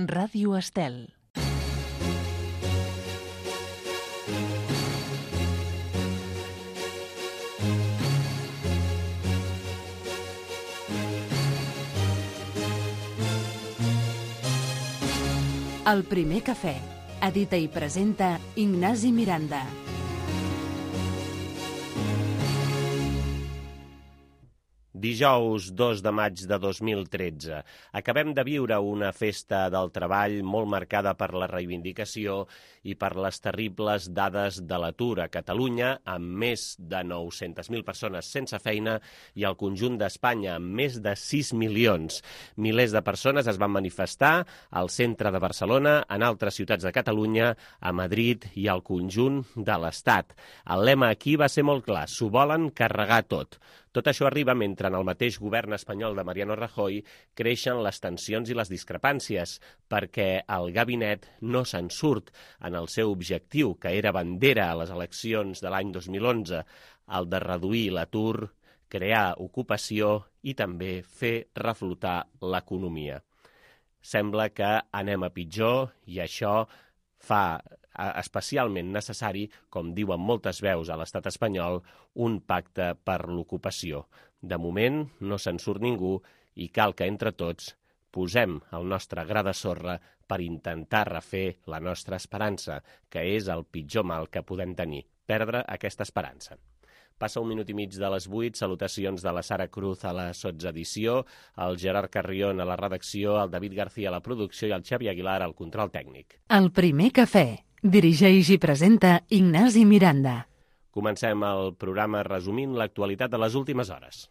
Ràdio Estel. El primer cafè. Edita i presenta Ignasi Miranda. Dijous 2 de maig de 2013. Acabem de viure una festa del treball molt marcada per la reivindicació i per les terribles dades de l'atur a Catalunya, amb més de 900.000 persones sense feina i al conjunt d'Espanya amb més de 6 milions. Milers de persones es van manifestar al centre de Barcelona, en altres ciutats de Catalunya, a Madrid i al conjunt de l'Estat. El lema aquí va ser molt clar: s'ho volen carregar tot. Tot això arriba mentre en el mateix govern espanyol de Mariano Rajoy creixen les tensions i les discrepàncies, perquè el gabinet no se'n surt en el seu objectiu, que era bandera a les eleccions de l'any 2011, el de reduir l'atur, crear ocupació i també fer reflotar l'economia. Sembla que anem a pitjor i això fa especialment necessari, com diuen moltes veus a l'estat espanyol, un pacte per l'ocupació. De moment no se'n surt ningú i cal que entre tots posem el nostre gra de sorra per intentar refer la nostra esperança, que és el pitjor mal que podem tenir, perdre aquesta esperança. Passa 1 minut i mig de les 8, salutacions de la Sara Cruz a la sotsedició, el Gerard Carrión a la redacció, el David García a la producció i el Xavi Aguilar al control tècnic. El primer cafè. Dirigeix i presenta Ignasi Miranda. Comencem el programa resumint l'actualitat de les últimes hores.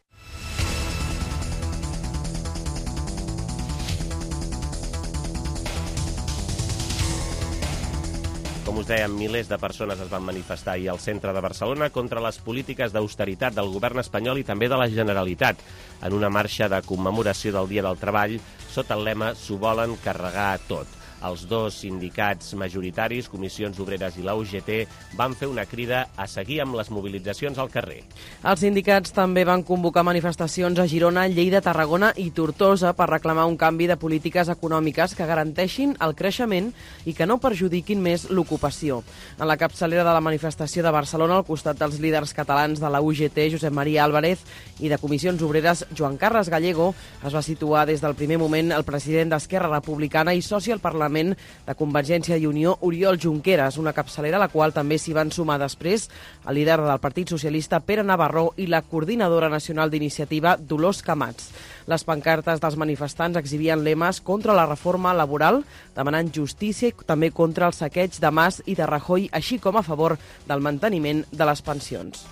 Com us dèiem, milers de persones es van manifestar ahir al centre de Barcelona contra les polítiques d'austeritat del govern espanyol i també de la Generalitat, en una marxa de commemoració del Dia del Treball sota el lema «S'ho volen carregar tot». Els dos sindicats majoritaris, Comissions Obreres i la UGT, van fer una crida a seguir amb les mobilitzacions al carrer. Els sindicats també van convocar manifestacions a Girona, Lleida, Tarragona i Tortosa per reclamar un canvi de polítiques econòmiques que garanteixin el creixement i que no perjudiquin més l'ocupació. En la capçalera de la manifestació de Barcelona, al costat dels líders catalans de la UGT, Josep Maria Álvarez, i de Comissions Obreres, Joan Carles Gallego, es va situar des del primer moment el president d'Esquerra Republicana i soci al Parlament de Convergència i Unió, Oriol Junqueras, una capçalera a la qual també s'hi van sumar després el líder del Partit Socialista, Pere Navarro, i la coordinadora nacional d'iniciativa, Dolors Camats. Les pancartes dels manifestants exhibien lemes contra la reforma laboral, demanant justícia i també contra el saqueig de Mas i de Rajoy, així com a favor del manteniment de les pensions.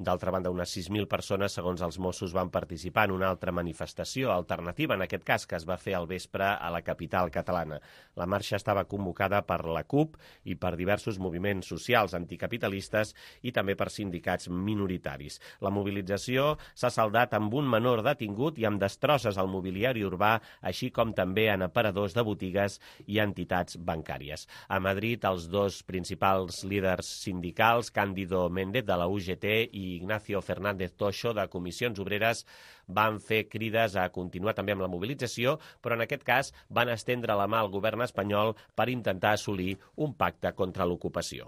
D'altra banda, unes 6.000 persones, segons els Mossos, van participar en una altra manifestació alternativa, en aquest cas, que es va fer al vespre a la capital catalana. La marxa estava convocada per la CUP i per diversos moviments socials anticapitalistes i també per sindicats minoritaris. La mobilització s'ha saldat amb un menor detingut i amb destrosses al mobiliari urbà, així com també en aparadors de botigues i entitats bancàries. A Madrid, els dos principals líders sindicals, Cándido Méndez de la UGT i Ignacio Fernández Toixo de Comissions Obreres, van fer crides a continuar també amb la mobilització, però en aquest cas van estendre la mà al govern espanyol per intentar assolir un pacte contra l'ocupació.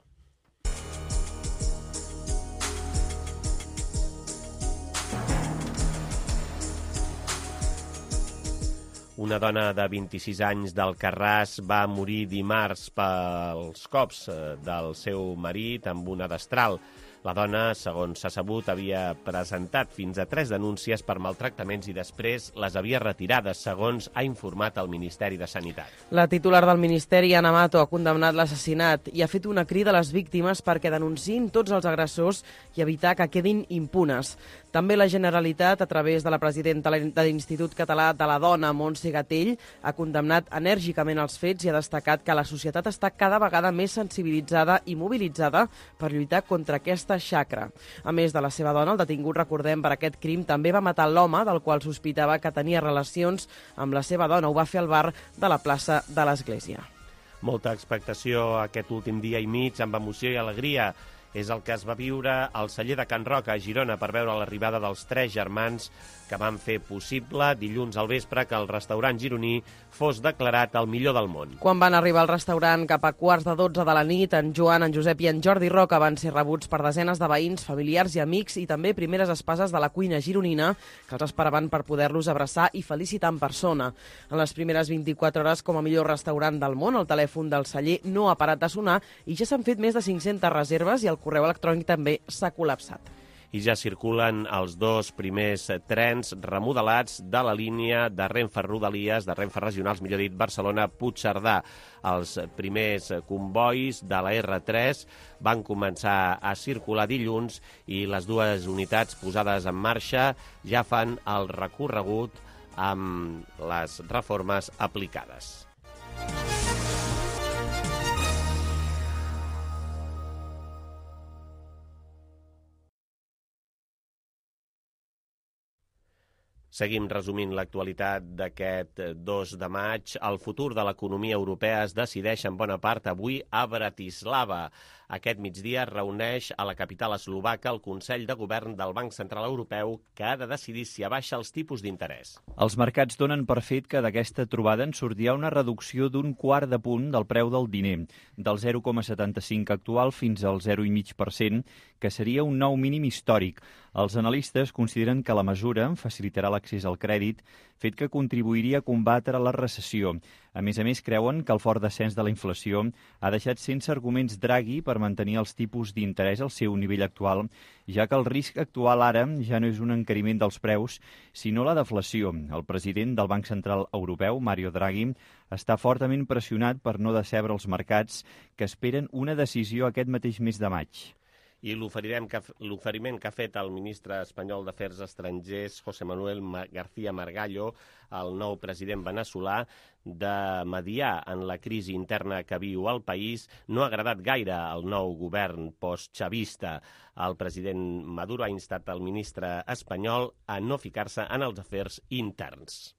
Una dona de 26 anys d'Alcarràs va morir dimarts pels cops del seu marit amb una destral. La dona, segons s'ha sabut, havia presentat fins a 3 denúncies per maltractaments i després les havia retirades, segons ha informat el Ministeri de Sanitat. La titular del Ministeri, Ana Mato, ha condemnat l'assassinat i ha fet una crida a les víctimes perquè denunciïn tots els agressors i evitar que quedin impunes. També la Generalitat, a través de la presidenta de l'Institut Català de la Dona, Montse Gatell, ha condemnat enèrgicament els fets i ha destacat que la societat està cada vegada més sensibilitzada i mobilitzada per lluitar contra aquesta xacra. A més de la seva dona, el detingut, recordem, per aquest crim també va matar l'home del qual sospitava que tenia relacions amb la seva dona. Ho va fer al bar de la plaça de l'Església. Molta expectació aquest últim dia i mig, amb emoció i alegria, És el que es va viure al celler de Can Roca, a Girona, per veure l'arribada dels 3 germans que van fer possible dilluns al vespre que el restaurant gironí fos declarat el millor del món. Quan van arribar al restaurant cap a 11:15 de la nit, en Joan, en Josep i en Jordi Roca van ser rebuts per desenes de veïns, familiars i amics i també primeres espases de la cuina gironina que els esperaven per poder-los abraçar i felicitar en persona. En les primeres 24 hores com a millor restaurant del món, el telèfon del celler no ha parat de sonar i ja s'han fet més de 500 reserves i el correu electrònic també s'ha col·lapsat. I ja circulen els 2 primers trens remodelats de la línia de Renfe Rodalies, de Renfe Regionals, millor dit, Barcelona-Puigcerdà. Els primers combois de la R3 van començar a circular dilluns i les 2 unitats posades en marxa ja fan el recorregut amb les reformes aplicades. Seguim resumint l'actualitat d'aquest 2 de maig. El futur de l'economia europea es decideix en bona part avui a Bratislava. Aquest migdia es reuneix a la capital eslovaca el Consell de Govern del Banc Central Europeu que ha de decidir si abaixa els tipus d'interès. Els mercats donen per fet que d'aquesta trobada en sortirà una reducció d'un quart de punt del preu del diner, del 0,75 actual fins al 0,5%, que seria un nou mínim històric. Els analistes consideren que la mesura facilitarà l'accés al crèdit, fet que contribuiria a combatre la recessió. A més, creuen que el fort descens de la inflació ha deixat sense arguments Draghi per mantenir els tipus d'interès al seu nivell actual, ja que el risc actual ara ja no és un encariment dels preus, sinó la deflació. El president del Banc Central Europeu, Mario Draghi, està fortament pressionat per no decebre els mercats que esperen una decisió aquest mateix mes de maig. I l'oferiment que ha fet el ministre espanyol d'Afers Estrangers, José Manuel García Margallo, el nou president veneçolà, de mediar en la crisi interna que viu el país, no ha agradat gaire al nou govern post-chavista. El president Maduro ha instat el ministre espanyol a no ficar-se en els afers interns.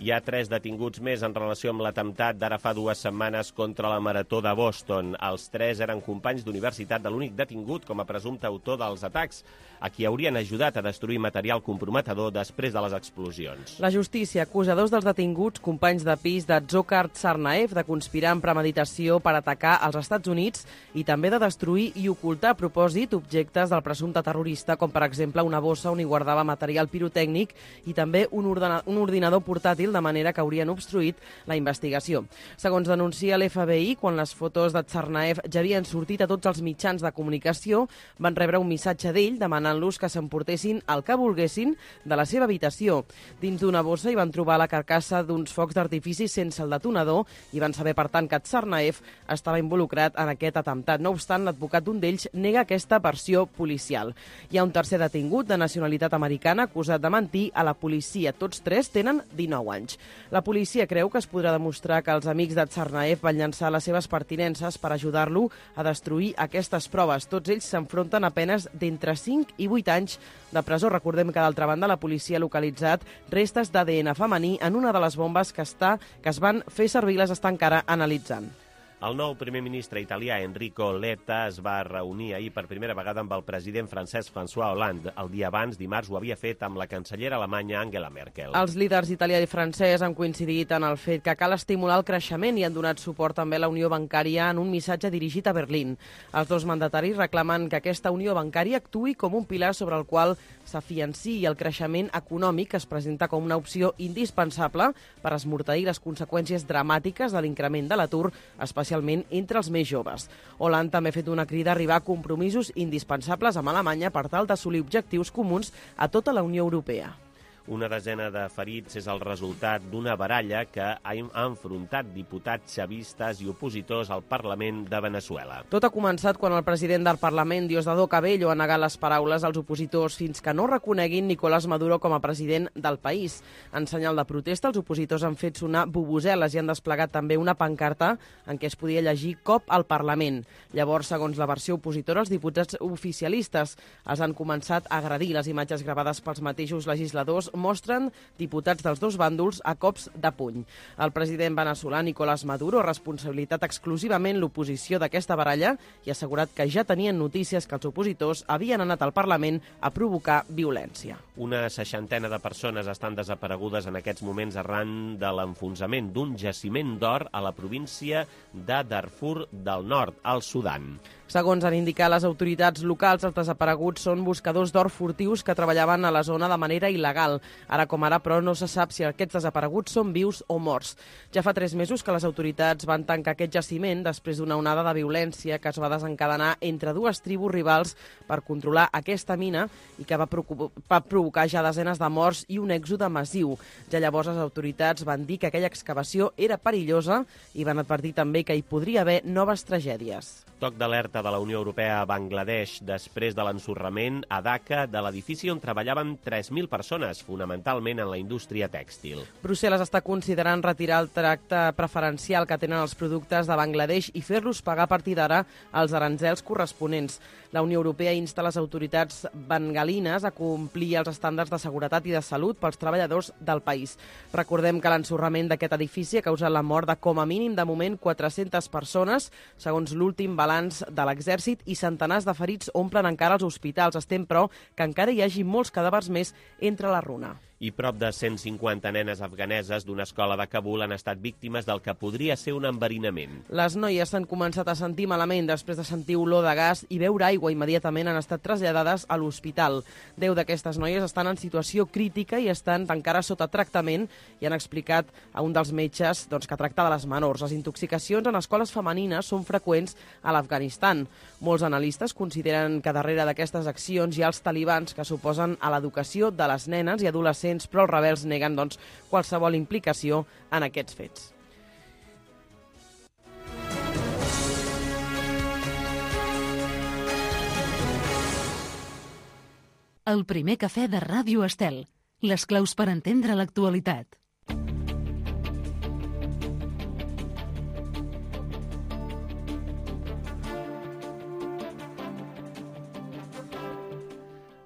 Hi ha 3 detinguts més en relació amb l'atemptat d'ara fa 2 setmanes contra la Marató de Boston. Els 3 eren companys d'universitat de l'únic detingut com a presumpte autor dels atacs, a qui haurien ajudat a destruir material comprometedor després de les explosions. La justícia acusa 2 dels detinguts, companys de pis de Dzhokhar Tsarnaev, de conspirar amb premeditació per atacar als Estats Units i també de destruir i ocultar a propòsit objectes del presumpte terrorista, com per exemple una bossa on hi guardava material pirotècnic i també un ordinador portàtil, de manera que haurien obstruït la investigació. Segons denuncia l'FBI, quan les fotos de Tsarnaev ja havien sortit a tots els mitjans de comunicació, van rebre un missatge d'ell demanant-los que s'emportessin el que volguessin de la seva habitació. Dins d'una bossa hi van trobar la carcassa d'uns focs d'artifici sense el detonador i van saber, per tant, que Tsarnaev estava involucrat en aquest atemptat. No obstant, l'advocat d'un d'ells nega aquesta versió policial. Hi ha un tercer detingut de nacionalitat americana acusat de mentir a la policia. Tots 3 tenen 19 anys. La policia creu que es podrà demostrar que els amics de Tsarnaev van llançar les seves pertinences per ajudar-lo a destruir aquestes proves. Tots ells s'enfronten a penes d'entre 5 i 8 anys de presó. Recordem que, d'altra banda, la policia ha localitzat restes d'ADN femení en una de les bombes que es van fer servir i les està encara analitzant. El nou primer ministre italià, Enrico Letta, es va reunir ahir per primera vegada amb el president francès François Hollande. El dia abans, dimarts, ho havia fet amb la cancellera alemanya Angela Merkel. Els líders italià i francès han coincidit en el fet que cal estimular el creixement i han donat suport també a la unió bancària en un missatge dirigit a Berlín. Els 2 mandataris reclamen que aquesta unió bancària actuï com un pilar sobre el qual s'afianci el creixement econòmic, que es presenta com una opció indispensable per esmorteir les conseqüències dramàtiques de l'increment de l'atur, especialment entre els més joves. Hollande també ha fet una crida a arribar a compromisos indispensables amb Alemanya per tal d'assolir objectius comuns a tota la Unió Europea. Una desena de ferits és el resultat d'una baralla que ha enfrontat diputats xavistes i opositors al Parlament de Veneçuela. Tot ha començat quan el president del Parlament, Diosdado Cabello, ha negat les paraules als opositors fins que no reconeguin Nicolás Maduro com a president del país. En senyal de protesta, els opositors han fet sonar bubuseles i han desplegat també una pancarta en què es podia llegir "Cop al Parlament". Llavors, segons la versió opositora, els diputats oficialistes els han començat a agredir. Les imatges gravades pels mateixos legisladors mostren diputats dels dos bàndols a cops de puny. El president veneçolà Nicolás Maduro ha responsabilitzat exclusivament l'oposició d'aquesta baralla i ha assegurat que ja tenien notícies que els opositors havien anat al Parlament a provocar violència. Una 60ena de persones estan desaparegudes en aquests moments arran de l'enfonsament d'un jaciment d'or a la província de Darfur del Nord, al Sudan. Segons han indicat les autoritats locals, els desapareguts són buscadors d'or furtius que treballaven a la zona de manera il·legal. Ara com ara, però, no se sap si aquests desapareguts són vius o morts. Ja fa 3 mesos que les autoritats van tancar aquest jaciment després d'una onada de violència que es va desencadenar entre dues tribus rivals per controlar aquesta mina i que va provocar ja desenes de morts i un èxode massiu. Ja llavors les autoritats van dir que aquella excavació era perillosa i van advertir també que hi podria haver noves tragèdies. Toc d'alerta de la Unió Europea a Bangladesh després de l'ensorrament a Dhaka de l'edifici on treballaven 3.000 persones, fonamentalment en la indústria tèxtil. Brussel·les està considerant retirar el tracte preferencial que tenen els productes de Bangladesh i fer-los pagar a partir d'ara els aranzels corresponents. La Unió Europea insta les autoritats bengalines a complir els estàndards de seguretat i de salut pels treballadors del país. Recordem que l'ensorrament d'aquest edifici ha causat la mort de com a mínim de moment 400 persones, segons l'últim balanç de l'Exèrcit, i centenars de ferits omplen encara els hospitals. Es tem, però, que encara hi hagi molts cadàvers més entre la runa. I prop de 150 nenes afganeses d'una escola de Kabul han estat víctimes del que podria ser un enverinament. Les noies s'han començat a sentir malament després de sentir olor de gas i beure aigua. Immediatament han estat traslladades a l'hospital. 10 d'aquestes noies estan en situació crítica i estan encara sota tractament i han explicat a un dels metges que tracta de les menors. Les intoxicacions en escoles femenines són freqüents a l'Afganistan. Molts analistes consideren que darrere d'aquestes accions hi ha els talibans que s'oposen a l'educació de les nenes i adolescents, però els rebels neguen qualsevol implicació en aquests fets. El primer cafè de Ràdio Estel. Les claus per entendre l'actualitat.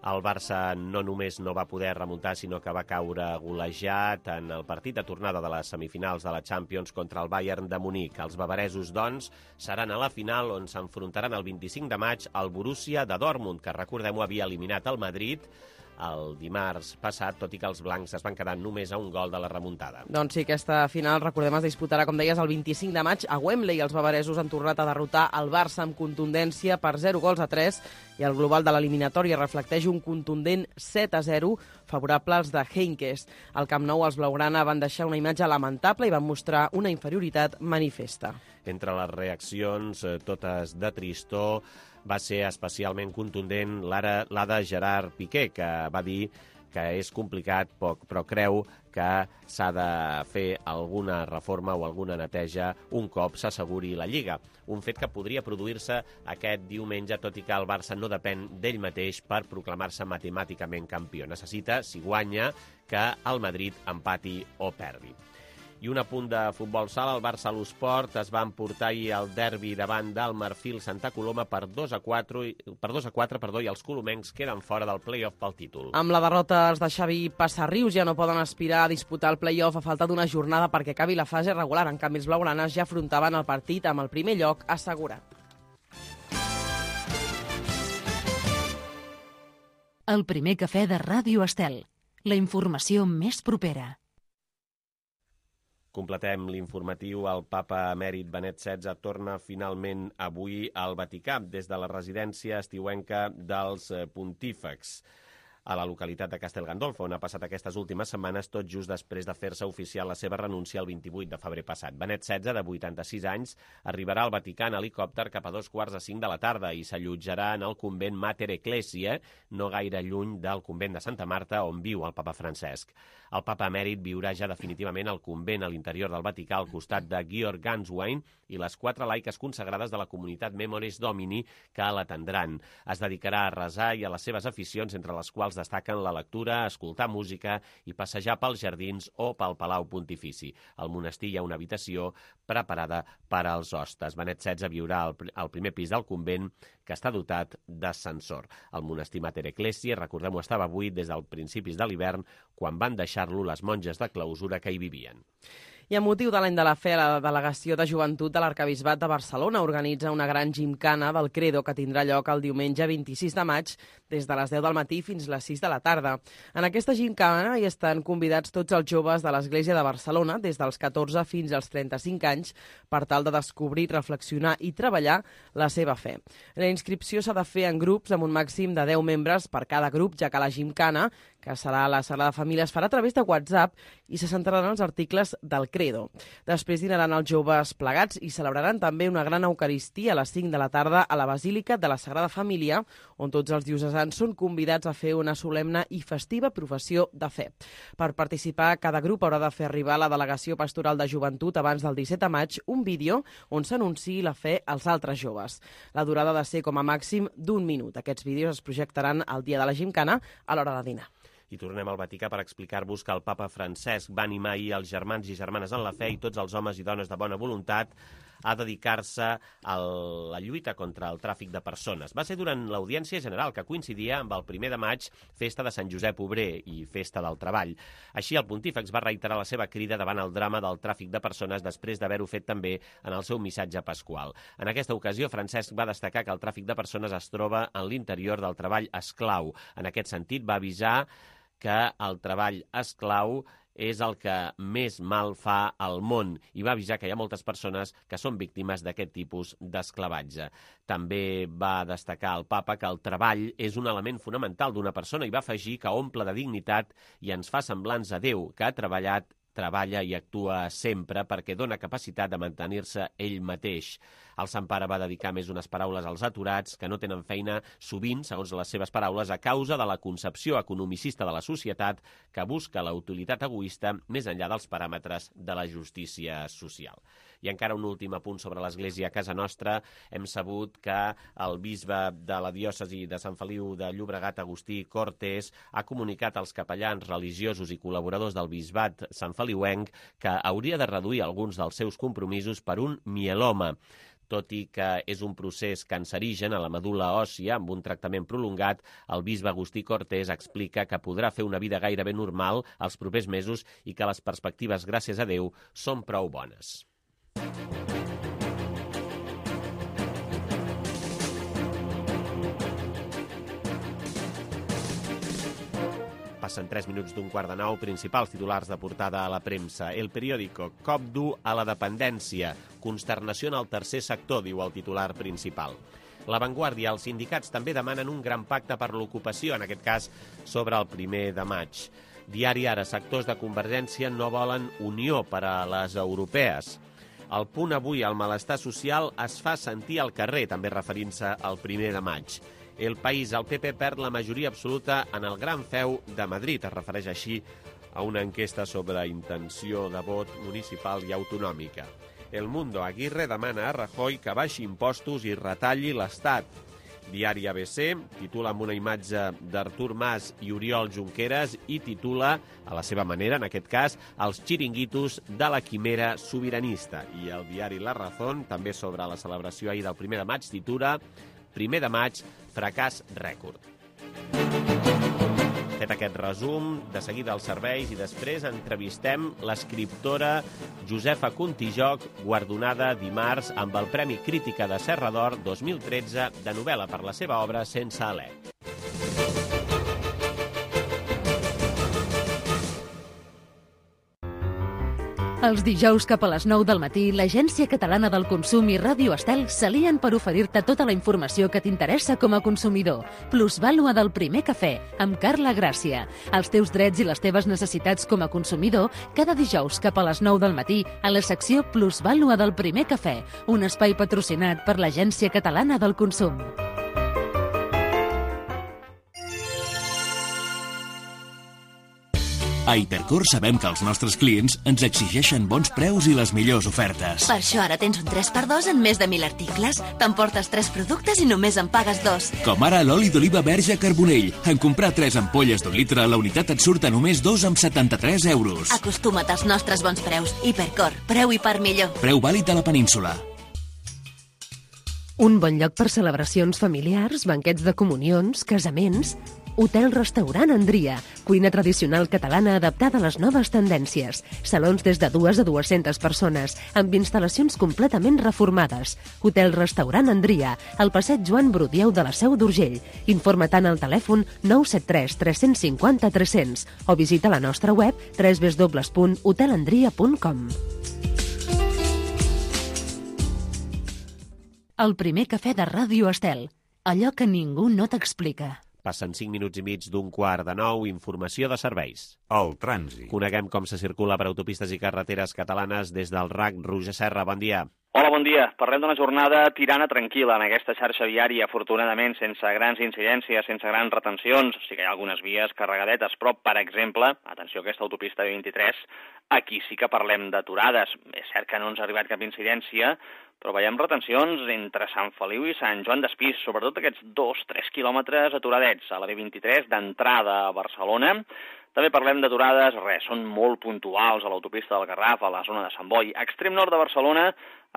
El Barça no només no va poder remuntar, sinó que va caure golejat en el partit de tornada de les semifinals de la Champions contra el Bayern de Munic. Els bavaresos, doncs, seran a la final on s'enfrontaran el 25 de maig al Borussia de Dortmund, que, recordem-ho, havia eliminat el Madrid el dimarts passat, tot i que els blancs es van quedar només a un gol de la remuntada. Doncs sí, aquesta final, recordem, es disputarà, com deies, el 25 de maig a Wembley. Els bavaresos han tornat a derrotar el Barça amb contundència per 0-3 i el global de l'eliminatòria reflecteix un contundent 7-0 favorable als de Heynckes. Al Camp Nou, els blaugrana van deixar una imatge lamentable i van mostrar una inferioritat manifesta. Entre les reaccions, totes de tristor, va ser especialment contundent la de Gerard Piqué, que va dir que és complicat, però creu que s'ha de fer alguna reforma o alguna neteja un cop s'asseguri la Lliga. Un fet que podria produir-se aquest diumenge, tot i que el Barça no depèn d'ell mateix per proclamar-se matemàticament campió. Necessita, si guanya, que el Madrid empati o perdi. I un apunt de futbol sala, el Barça a l'Esport es va emportar ahir el derbi davant del Marfil Santa Coloma per 2-4 i els colomencs queden fora del play-off pel títol. Amb la derrota, els de Xavi Passarrius ja no poden aspirar a disputar el play-off a falta d'una jornada perquè acabi la fase regular. En canvi, els blaugranes ja afrontaven el partit amb el primer lloc assegurat. El primer cafè de Ràdio Estel. La informació més propera. Completem l'informatiu. El papa emèrit Benet XVI torna finalment avui al Vaticà des de la residència estiuenca dels pontífex. a la localitat de Castel Gandolfo, on ha passat aquestes últimes setmanes, tot just després de fer-se oficial la seva renúncia el 28 de febrer passat. Benet XVI, de 86 anys, arribarà al Vaticà en helicòpter cap a 4:45 de la tarda i s'allotjarà en el convent Mater Ecclesiae, no gaire lluny del convent de Santa Marta, on viu el papa Francesc. El papa emèrit viurà ja definitivament al convent a l'interior del Vaticà al costat de Georg Ganswein i les 4 laiques consagrades de la comunitat Memoris Domini que l'atendran. Es dedicarà a resar i a les seves aficions, entre les quals destaquen la lectura, escoltar música i passejar pels jardins o pel Palau Pontifici. Al monestir hi ha una habitació preparada per als hostes. Benet XVI viurà al primer pis del convent, que està dotat d'ascensor. El monestir Mater Ecclesiae, recordem-ho, estava buit des dels principis de l'hivern, quan van deixar-lo les monges de clausura que hi vivien. I amb motiu de l'any de la fe, la Delegació de Joventut de l'Arquebisbat de Barcelona organitza una gran gimcana del Credo que tindrà lloc el diumenge 26 de maig des de les 10 del matí fins les 6 de la tarda. En aquesta gimcana hi estan convidats tots els joves de l'Església de Barcelona, des dels 14 fins als 35 anys, per tal de descobrir, reflexionar i treballar la seva fe. La inscripció s'ha de fer en grups amb un màxim de 10 membres per cada grup, ja que la gimcana, que serà a la sala de família, es farà a través de WhatsApp i se centraran els articles del Credo. Després dinaran els joves plegats i celebraran també una gran eucaristia a les 5 de la tarda a la Basílica de la Sagrada Família, on tots els diocesans són convidats a fer una solemne i festiva professió de fe. Per participar, cada grup haurà de fer arribar a la Delegació Pastoral de Joventut abans del 17 de maig un vídeo on s'anunciï la fe als altres joves. La durada ha de ser com a màxim d'1 minut. Aquests vídeos es projectaran el dia de la gimcana a l'hora de dinar. I tornem al Vaticà per explicar-vos que el papa Francesc va animar ahir els germans i germanes en la fe i tots els homes i dones de bona voluntat a dedicar-se a la lluita contra el tràfic de persones. Va ser durant l'audiència general, que coincidia amb el 1 de maig, festa de Sant Josep Obrer i festa del treball. Així, el pontífex va reiterar la seva crida davant el drama del tràfic de persones després d'haver-ho fet també en el seu missatge pasqual. En aquesta ocasió, Francesc va destacar que el tràfic de persones es troba en l'interior del treball esclau. En aquest sentit, va avisar que el treball esclau és el que més mal fa al món i va avisar que hi ha moltes persones que són víctimes d'aquest tipus d'esclavatge. També va destacar el papa que el treball és un element fonamental d'una persona i va afegir que omple de dignitat i ens fa semblants a Déu, que ha treballat, treballa i actua sempre perquè dona capacitat de mantenir-se ell mateix. El Sant Pare va dedicar més unes paraules als aturats que no tenen feina sovint, segons les seves paraules, a causa de la concepció economicista de la societat que busca la utilitat egoista més enllà dels paràmetres de la justícia social. I encara un últim apunt sobre l'Església a casa nostra. Hem sabut que el bisbe de la diòcesi de Sant Feliu de Llobregat, Agustí Cortés, ha comunicat als capellans religiosos i col·laboradors del bisbat santfeliuenc que hauria de reduir alguns dels seus compromisos per un mieloma. Tot i que és un procés cancerigen a la medul·la òssia amb un tractament prolongat, el bisbe Agustí Cortés explica que podrà fer una vida gairebé normal els propers mesos i que les perspectives, gràcies a Déu, són prou bones. Passen 3 minuts d'un 8:45, principals titulars de portada a la premsa. El periòdico, cop dur a la dependència, consternació en el tercer sector, diu el titular principal. La Vanguardia, els sindicats també demanen un gran pacte per l'ocupació, en aquest cas sobre el 1 de maig. Diari Ara, sectors de Convergència no volen unió per a les europees. El Punt avui, el malestar social es fa sentir al carrer, també referint-se al 1 de maig. El País, el PP perd la majoria absoluta en el Gran Feu de Madrid. Es refereix així a una enquesta sobre intenció de vot municipal i autonòmica. El Mundo, Aguirre demana a Rajoy que baixi impostos i retalli l'Estat. Diari ABC titula amb una imatge d'Artur Mas i Oriol Junqueras i titula, a la seva manera, en aquest cas, els xiringuitos de la quimera sobiranista. I el diari La Razón, també sobre la celebració ahir del 1 de maig, titula 1 de maig, fracàs rècord. Fet aquest resum, de seguida els serveis i després entrevistem l'escriptora Josefa Contijoch, guardonada dimarts amb el Premi Crítica de Serra d'Or 2013 de novel·la per la seva obra Sense alè. Els dijous cap a les 9 del matí, l'Agència Catalana del Consum i Ràdio Estel s'alien per oferir-te tota la informació que t'interessa com a consumidor. Plusvàlua del primer cafè, amb Carla Gràcia. Els teus drets i les teves necessitats com a consumidor, cada dijous cap a les 9 del matí, a la secció Plusvàlua del primer cafè, un espai patrocinat per l'Agència Catalana del Consum. A Hipercor sabem que els nostres clients ens exigeixen bons preus i les millors ofertes. Per això ara tens un 3x2 en més de 1.000 articles. T'emportes 3 productes i només en pagues 2. Com ara l'oli d'oliva verge Carbonell. En comprar 3 ampolles d'1 litre, la unitat et surt a només 2,73 €. Acostuma't als nostres bons preus. Hipercor, preu i part millor. Preu vàlid a la península. Un bon lloc per celebracions familiars, banquets de comunions, casaments... Hotel-restaurant Andria, cuina tradicional catalana adaptada a les noves tendències. Salons des de 2 a 200 persones, amb instal·lacions completament reformades. Hotel-restaurant Andria, al passeig Joan Brudieu de la Seu d'Urgell. Informa tant al telèfon 973 350 300 o visita la nostra web www.hotelandria.com. El primer cafè de Ràdio Estel. Allò que ningú no t'explica. Passen 5 minuts i mig d'9:15, informació de serveis. El trànsit. Coneguem com se circula per autopistes i carreteres catalanes des del RAC. Roger Serra, bon dia. Hola, bon dia. Parlem d'una jornada tirana tranquil·la en aquesta xarxa viària, afortunadament sense grans incidències, sense grans retencions. Sí que hi ha algunes vies carregadetes, però, per exemple, atenció a aquesta autopista 23, aquí sí que parlem d'aturades. És cert que no ens ha arribat cap incidència, però veiem retencions entre Sant Feliu i Sant Joan d'Espí, sobretot aquests 2-3 quilòmetres aturadets a la B23 d'entrada a Barcelona. També parlem d'aturades, són molt puntuals a l'autopista del Garraf, a la zona de Sant Boi. A extrem nord de Barcelona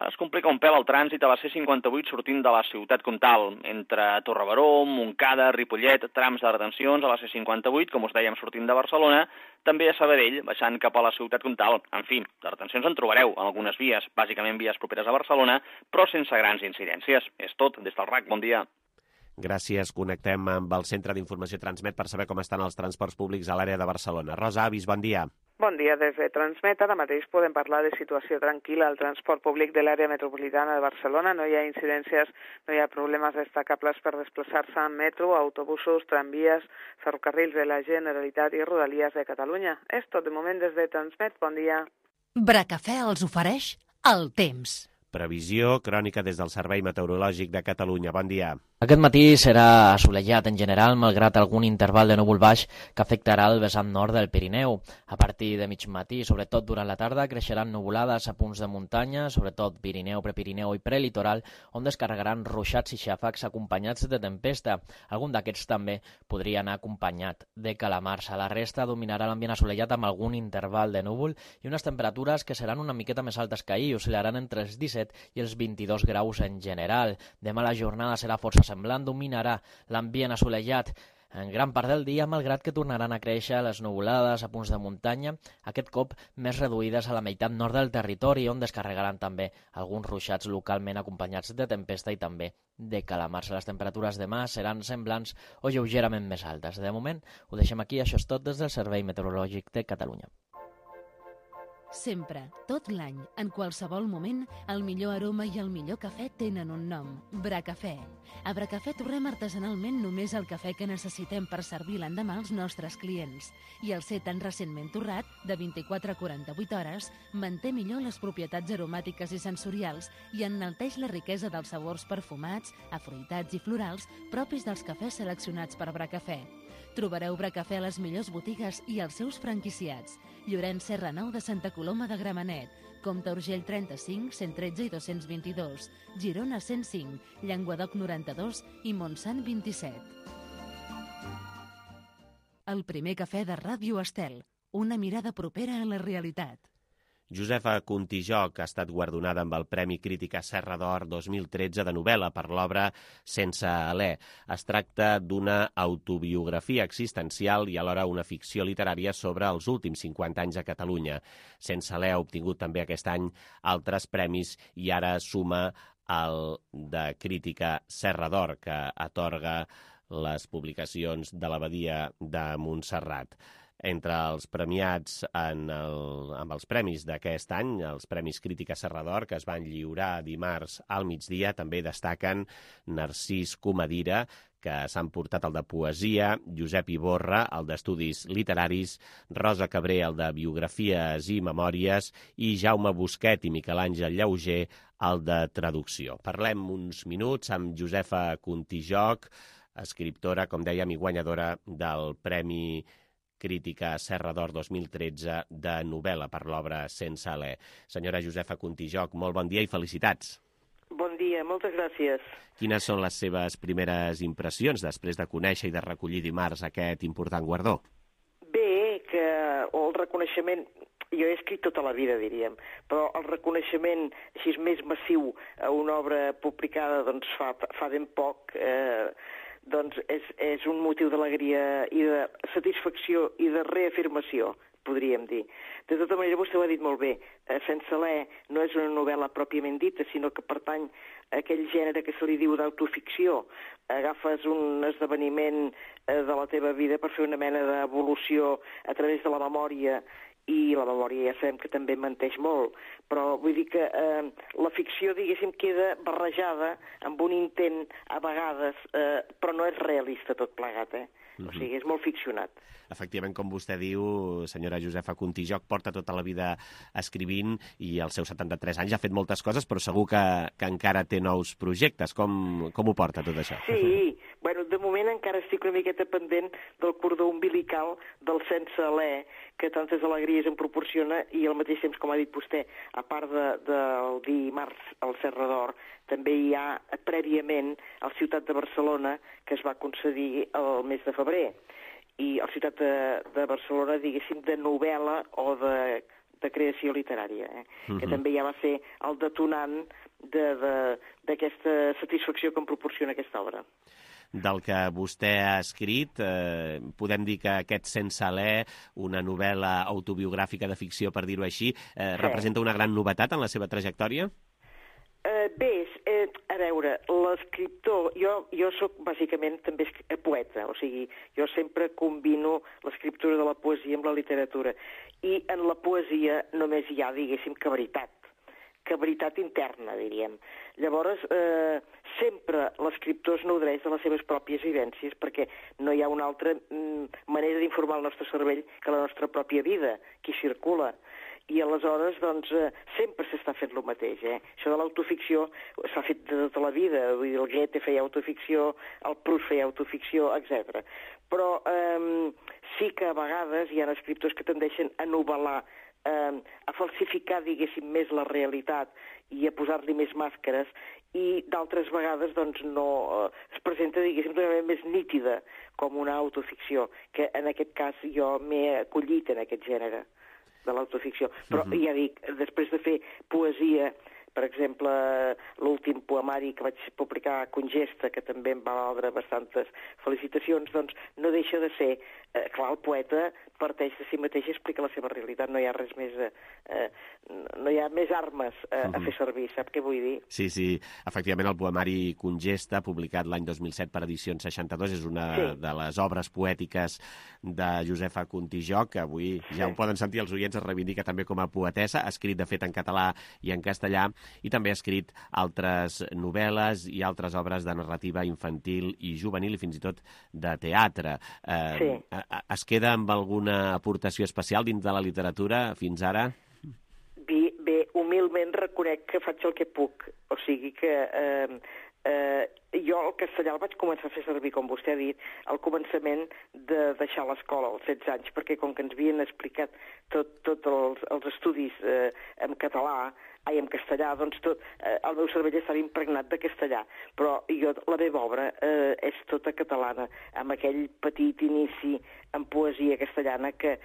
es complica un pèl el trànsit a la C58 sortint de la ciutat comtal. Entre Torrebaró, Montcada, Ripollet, trams de retencions a la C58, com us dèiem, sortint de Barcelona, també a Sabadell, baixant cap a la ciutat comtal. En fi, de retencions en trobareu en algunes vies, bàsicament vies properes a Barcelona, però sense grans incidències. És tot, des del RAC, bon dia. Gràcies. Connectem amb el Centre d'Informació Transmet per saber com estan els transports públics a l'àrea de Barcelona. Rosa Avis, bon dia. Bon dia. Des de Transmet ara mateix podem parlar de situació tranquil·la al transport públic de l'àrea metropolitana de Barcelona. No hi ha incidències, no hi ha problemes destacables per desplaçar-se en metro, autobusos, tramvies, ferrocarrils de la Generalitat i Rodalies de Catalunya. És tot de moment des de Transmet. Bon dia. Bracafè els ofereix el temps. Previsió crònica des del Servei Meteorològic de Catalunya. Bon dia. Aquest matí serà assolellat en general, malgrat algun interval de núvol baix que afectarà el vessant nord del Pirineu. A partir de mig matí, sobretot durant la tarda, creixeran nuvolades a punts de muntanya, sobretot Pirineu, Prepirineu i Prelitoral, on descarregaran ruixats i xàfecs acompanyats de tempesta. Algun d'aquests també podria anar acompanyat de calamars. A la resta dominarà l'ambient assolellat amb algun interval de núvol i unes temperatures que seran una miqueta més altes que ahir, oscil·laran entre els 17 i els 22 graus en general. Demà la jornada serà força semblant, dominarà l'ambient assolellat en gran part del dia, malgrat que tornaran a créixer les nuvolades a punts de muntanya, aquest cop més reduïdes a la meitat nord del territori, on descarregaran també alguns ruixats localment acompanyats de tempesta i també de calamars. Les temperatures demà seran semblants o lleugerament més altes. De moment, ho deixem aquí. Això és tot des del Servei Meteorològic de Catalunya. Sempre, tot l'any, en qualsevol moment, el millor aroma i el millor cafè tenen un nom, Bracafè. A Bracafè torrem artesanalment només el cafè que necessitem per servir l'endemà als nostres clients. I el ser tan recentment torrat, de 24 a 48 hores, manté millor les propietats aromàtiques i sensorials i enalteix la riquesa dels sabors perfumats, afruitats i florals propis dels cafès seleccionats per Bracafè. Trobareu Bracafè a les millors botigues i als seus franquiciats. Llorenç Serra 9 de Santa Coloma de Gramenet, Comte Urgell 35, 113 i 222, Girona 105, Llenguadoc 92 i Montsant 27. El primer cafè de Ràdio Estel, una mirada propera a la realitat. Josefa Contijoc ha estat guardonada amb el Premi Crítica Serra d'Or 2013 de novel·la per l'obra Sense alè. Es tracta d'una autobiografia existencial i alhora una ficció literària sobre els últims 50 anys a Catalunya. Sense alè ha obtingut també aquest any altres premis i ara suma el de Crítica Serra d'Or, que atorga les publicacions de l'Abadia de Montserrat. Entre els premiats amb els premis d'aquest any, els Premis Crítica Serra d'Or, que es van lliurar dimarts al migdia, també destaquen Narcís Comadira, que s'han portat el de Poesia, Josep Iborra, el d'Estudis Literaris, Rosa Cabré, el de Biografies i Memòries, i Jaume Busquet i Miquel Àngel Llauger, el de Traducció. Parlem uns minuts amb Josefa Contijoch, escriptora, com dèiem, i guanyadora del Premi Crítica Serra d'Or 2013 de novel·la per l'obra Sense alè. Senyora Josefa Contijoch, molt bon dia i felicitats. Bon dia, moltes gràcies. Quines són les seves primeres impressions després de conèixer i de recollir dimarts aquest important guardó? Bé, que el reconeixement... Jo he escrit tota la vida, diríem, però el reconeixement així més massiu a una obra publicada doncs, fa ben poc... doncs és un motiu d'alegria i de satisfacció i de reafirmació, podríem dir. De tota manera, vostè ho ha dit molt bé, Sense alè no és una novel·la pròpiament dita, sinó que pertany a aquell gènere que se li diu d'autoficció. Agafes un esdeveniment de la teva vida per fer una mena d'evolució a través de la memòria, i la memòria ja sabem que també menteix molt, però vull dir que la ficció, diguéssim, queda barrejada amb un intent, a vegades, però no és realista tot plegat, O sigui, és molt ficcionat. Efectivament, com vostè diu, senyora Josefa Contijoch, porta tota la vida escrivint i als seus 73 anys ha fet moltes coses, però segur que encara té nous projectes. Com ho porta tot això? Sí, bueno, de moment encara estic una miqueta pendent del cordó umbilical del Sense alè, que tantes alegries em proporciona, i al mateix temps, com ha dit vostè, a part del dimarts al Serra d'Or, també hi ha prèviament al Ciutat de Barcelona, que es va concedir el mes de febrer. I el Ciutat de Barcelona, diguéssim, de novel·la o de creació literària, que també ja va ser el detonant d'aquesta satisfacció que em proporciona aquesta obra. Del que vostè ha escrit, podem dir que aquest Sense alè, una novel·la autobiogràfica de ficció, per dir-ho així, representa una gran novetat en la seva trajectòria? Bé, a veure, l'escriptor... Jo sóc bàsicament també poeta, o sigui, jo sempre combino l'escriptura de la poesia amb la literatura, i en la poesia només hi ha, diguéssim, que veritat interna, diríem. Llavors, sempre l'escriptor es nodreix de les seves pròpies vivències, perquè no hi ha una altra manera d'informar el nostre cervell que la nostra pròpia vida, que hi circula. I aleshores, doncs, sempre s'està fent el mateix, Això de l'autoficció s'ha fet de tota la vida, vull dir, el Goethe feia autoficció, el Proust feia autoficció, etc. Però sí que a vegades hi ha escriptors que tendeixen a novel·lar, a falsificar, diguéssim, més la realitat i a posar-li més màscares, i d'altres vegades, doncs, no es presenta, diguéssim, d'una manera més nítida com una autoficció, que en aquest cas jo m'he acollit en aquest gènere de l'autoficció. Però ja dic, després de fer poesia, per exemple, l'últim poemari que vaig publicar, Congesta, que també em va valdre bastantes felicitacions, doncs no deixa de ser, clar, el poeta parteix de si mateix i explica la seva realitat, no hi ha res més, no hi ha més armes a fer servir, sap què vull dir? Sí, efectivament el poemari Congesta, publicat l'any 2007 per Edicions 62, és una de les obres poètiques de Josefa Contijoch, que avui ja ho poden sentir els oients, es reivindica també com a poetessa, ha escrit de fet en català i en castellà, i també ha escrit altres novel·les i altres obres de narrativa infantil i juvenil i fins i tot de teatre. Es queda amb alguna aportació especial dins de la literatura fins ara? Bé, humilment reconec que faig el que puc. O sigui que jo el castellà el vaig començar a fer servir, com vostè ha dit, al començament de deixar l'escola, als 16 anys, perquè com que ens havien explicat tots els estudis en català, en castellà, doncs el meu cervell estava impregnat de castellà, però la meva obra és tota catalana, amb aquell petit inici en poesia castellana que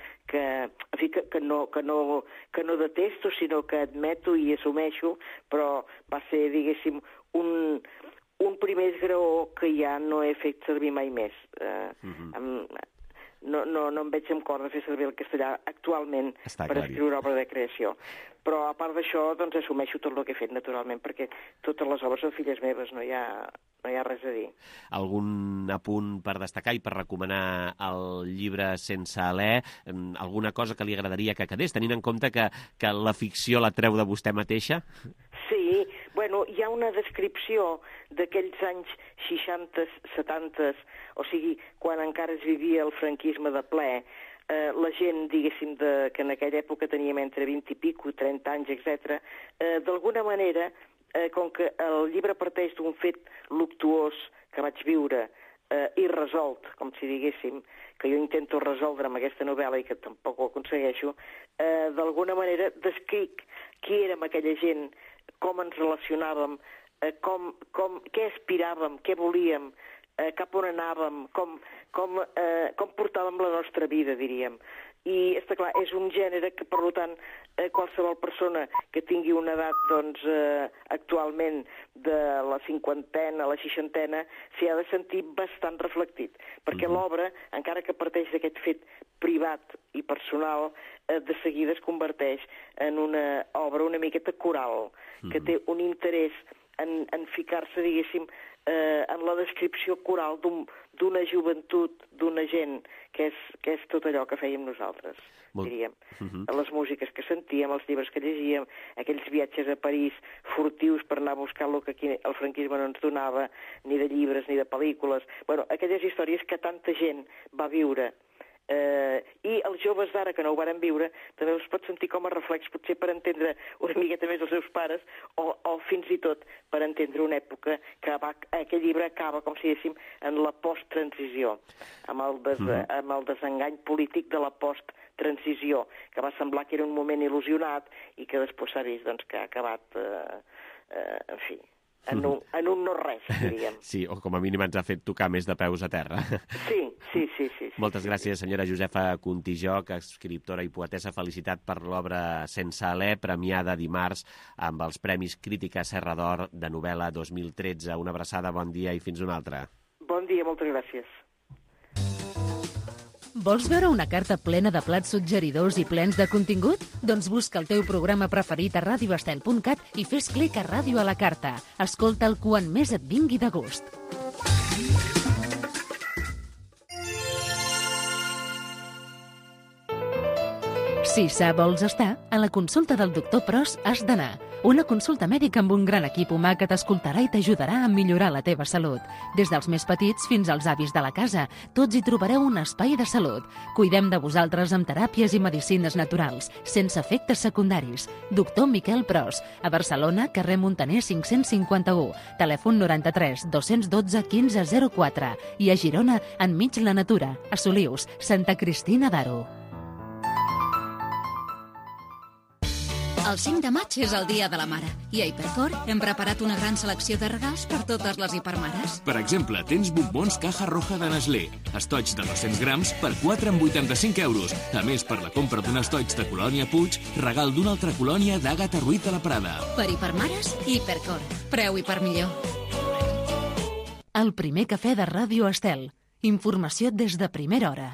no detesto, sinó que admeto i assumeixo, però va ser, diguéssim, un primer esgraó que ja no he fet servir mai més. no em veig amb cor de fer servir el castellà actualment per escriure obra de creació. Però a part d'això, doncs assumeixo tot el que he fet, naturalment, perquè totes les obres són filles meves, no hi ha res a dir. Algun apunt per destacar i per recomanar el llibre Sense alè? Alguna cosa que li agradaria que quedés, tenint en compte que la ficció la treu de vostè mateixa? Sí, bueno, hi ha una descripció d'aquells anys 60, 70, o sigui, quan encara es vivia el franquisme de ple, la gent, diguéssim, que en aquella època teníem entre 20 i pico, 30 anys, etc. D'alguna manera, com que el llibre parteix d'un fet luctuós que vaig viure, irresolt, com si diguéssim, que jo intento resoldre amb aquesta novel·la i que tampoc ho aconsegueixo, d'alguna manera descric qui érem aquella gent, com ens relacionàvem, què aspiràvem, què volíem, cap on anàvem, com portàvem la nostra vida, diríem. I, està clar, és un gènere que, per tant, qualsevol persona que tingui una edat, doncs, actualment de la cinquantena a la seixantena, s'hi ha de sentir bastant reflectit, perquè l'obra, encara que parteix d'aquest fet privat i personal, de seguida es converteix en una obra una miqueta coral, que té un interès en ficar-se, diguéssim, en la descripció coral d'una joventut, d'una gent, que és tot allò que fèiem nosaltres, diríem. Les músiques que sentíem, els llibres que llegíem, aquells viatges a París furtius per anar a buscar el que aquí el franquisme no ens donava, ni de llibres ni de pel·lícules. Bueno, aquelles històries que tanta gent va viure. I els joves d'ara que no ho varen viure també els pot sentir com a reflex, potser per entendre una miqueta més els seus pares o fins i tot per entendre una època que aquest llibre acaba, com si diguéssim, en la post-transició, amb el desengany polític de la post-transició, que va semblar que era un moment il·lusionat i que després s'ha vist doncs, que ha acabat, en fi, en un no-res, diríem. Sí, o com a mínim ens ha fet tocar més de peus a terra. Sí. Moltes gràcies, senyora Josefa Contijoc, escriptora i poetessa. Felicitat per l'obra Sense alè, premiada dimarts amb els Premis Crítica Serra d'Or de novel·la 2013. Una abraçada, bon dia i fins una altra. Bon dia, moltes gràcies. Vols veure una carta plena de plats suggeridors i plens de contingut? Doncs busca el teu programa preferit a radioestel.cat i fes clic a Ràdio a la carta. Escolta'l quan més et vingui de gust. Si sa vols estar, a la consulta del doctor Pros has d'anar. Una consulta mèdica amb un gran equip humà que t'escoltarà i t'ajudarà a millorar la teva salut. Des dels més petits fins als avis de la casa, tots hi trobareu un espai de salut. Cuidem de vosaltres amb teràpies i medicines naturals, sense efectes secundaris. Doctor Miquel Pros, a Barcelona, carrer Montaner 551, telèfon 93 212 1504 i a Girona, enmig la natura, a Solius, Santa Cristina d'Aro. El 5 de maig és el Dia de la Mare i a Hipercor hem preparat una gran selecció de regals per totes les hipermares. Per exemple, tens bombons Caja Roja de Nestlé, estoig de 200 grams per 4,85 €. A més, per la compra d'un estoig de Colònia Puig, regal d'una altra colònia d'Àgata Ruiz de la Prada. Per hipermares, Hipercor. Preu hiper millor. El primer cafè de Ràdio Estel. Informació des de primera hora.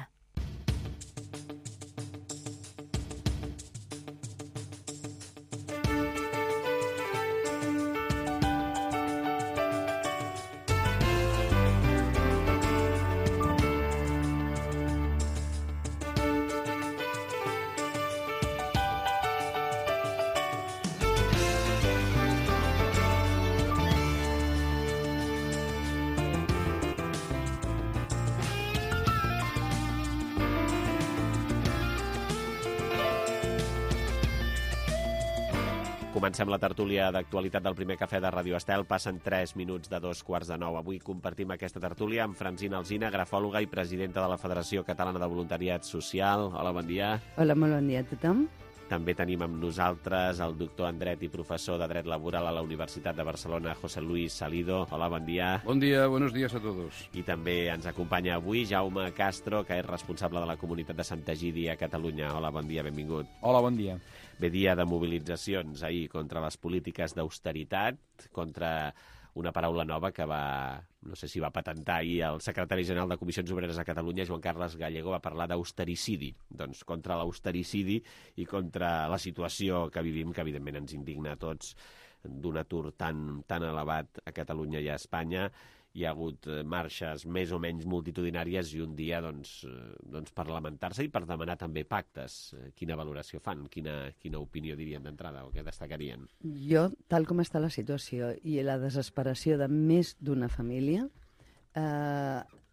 Comencem la tertúlia d'actualitat del primer cafè de Ràdio Estel. Passen 3 minuts de 2:45. Avui compartim aquesta tertúlia amb Francina Alsina, grafòloga i presidenta de la Federació Catalana de Voluntariat Social. Hola, bon dia. Hola, molt bon dia a tothom. També tenim amb nosaltres el doctor en Dret i professor de Dret Laboral a la Universitat de Barcelona, José Luis Salido. Hola, bon dia. Bon dia, buenos días a todos. I també ens acompanya avui Jaume Castro, que és responsable de la comunitat de Sant Egidi a Catalunya. Hola, bon dia, benvingut. Hola, bon dia. Bé, dia de mobilitzacions ahir contra les polítiques d'austeritat, contra una paraula nova que no sé si va patentar ahir el secretari general de Comissions Obreres a Catalunya, Joan Carles Gallego, va parlar d'austericidi, doncs contra l'austericidi i contra la situació que vivim, que evidentment ens indigna a tots, d'un atur tan elevat a Catalunya i a Espanya. Hi ha hagut marxes més o menys multitudinàries i un dia per lamentar-se i per demanar també pactes. Quina valoració fan? Quina opinió dirien d'entrada o què destacarien? Jo, tal com està la situació i la desesperació de més d'una família,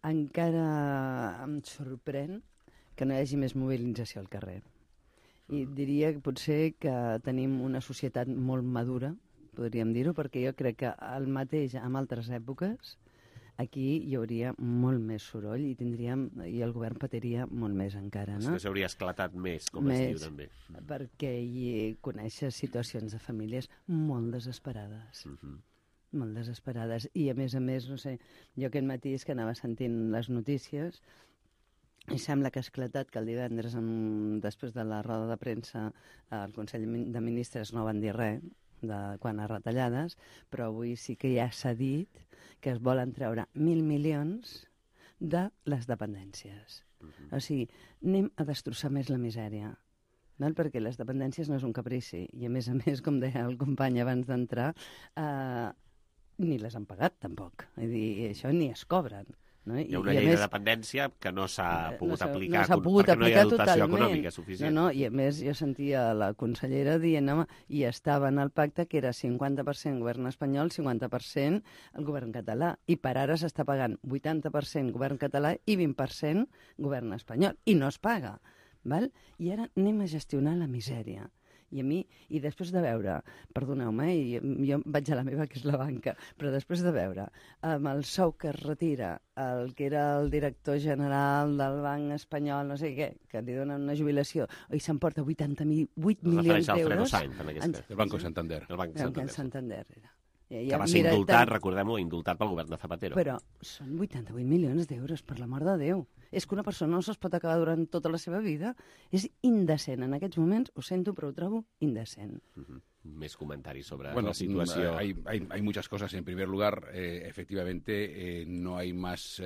encara em sorprèn que no hi hagi més mobilització al carrer. I diria que potser que tenim una societat molt madura, podríem dir-ho, perquè jo crec que el mateix en altres èpoques aquí hi hauria molt més soroll i el govern patiria molt més encara, no? És que s'hauria esclatat més, com es diu també. Perquè hi coneixes situacions de famílies molt desesperades. Molt desesperades. I a més, no sé, jo aquest matí és que anava sentint les notícies i sembla que ha esclatat que el divendres, després de la roda de premsa, el Consell de Ministres no van dir res quant a retallades, però avui sí que ja s'ha dit que es volen treure 1.000 milions de les dependències. O sigui, anem a destrossar més la misèria, perquè les dependències no és un caprici, i a més, com deia el company abans d'entrar, ni les han pagat tampoc, és dir, això ni es cobren. No? Hi ha una llei de dependència que no s'ha pogut aplicar perquè no hi ha dotació econòmica suficient. I a més jo sentia la consellera dient, home, i estava en el pacte que era 50% govern espanyol, 50% el govern català, i per ara s'està pagant 80% govern català i 20% govern espanyol, i no es paga. Val? I ara anem a gestionar la misèria. I després de veure, perdoneu-me, jo vaig a la meva, que és la banca, però després de veure amb el sou que es retira el que era el director general del Banc Espanyol, no sé què, que li donen una jubilació, i s'emporta 88 milions d'euros... El Banco Santander. El Banc Santander era. Que va ser indultat, recordem-ho, indultat pel govern de Zapatero. Però són 88 milions d'euros, per l'amor de Déu. És que una persona no se'ls pot acabar durant tota la seva vida. És indecent. En aquests moments, ho sento, però ho trobo indecent. Més comentaris sobre la situació. Hay muchas cosas. En primer lugar, efectivamente, no hay más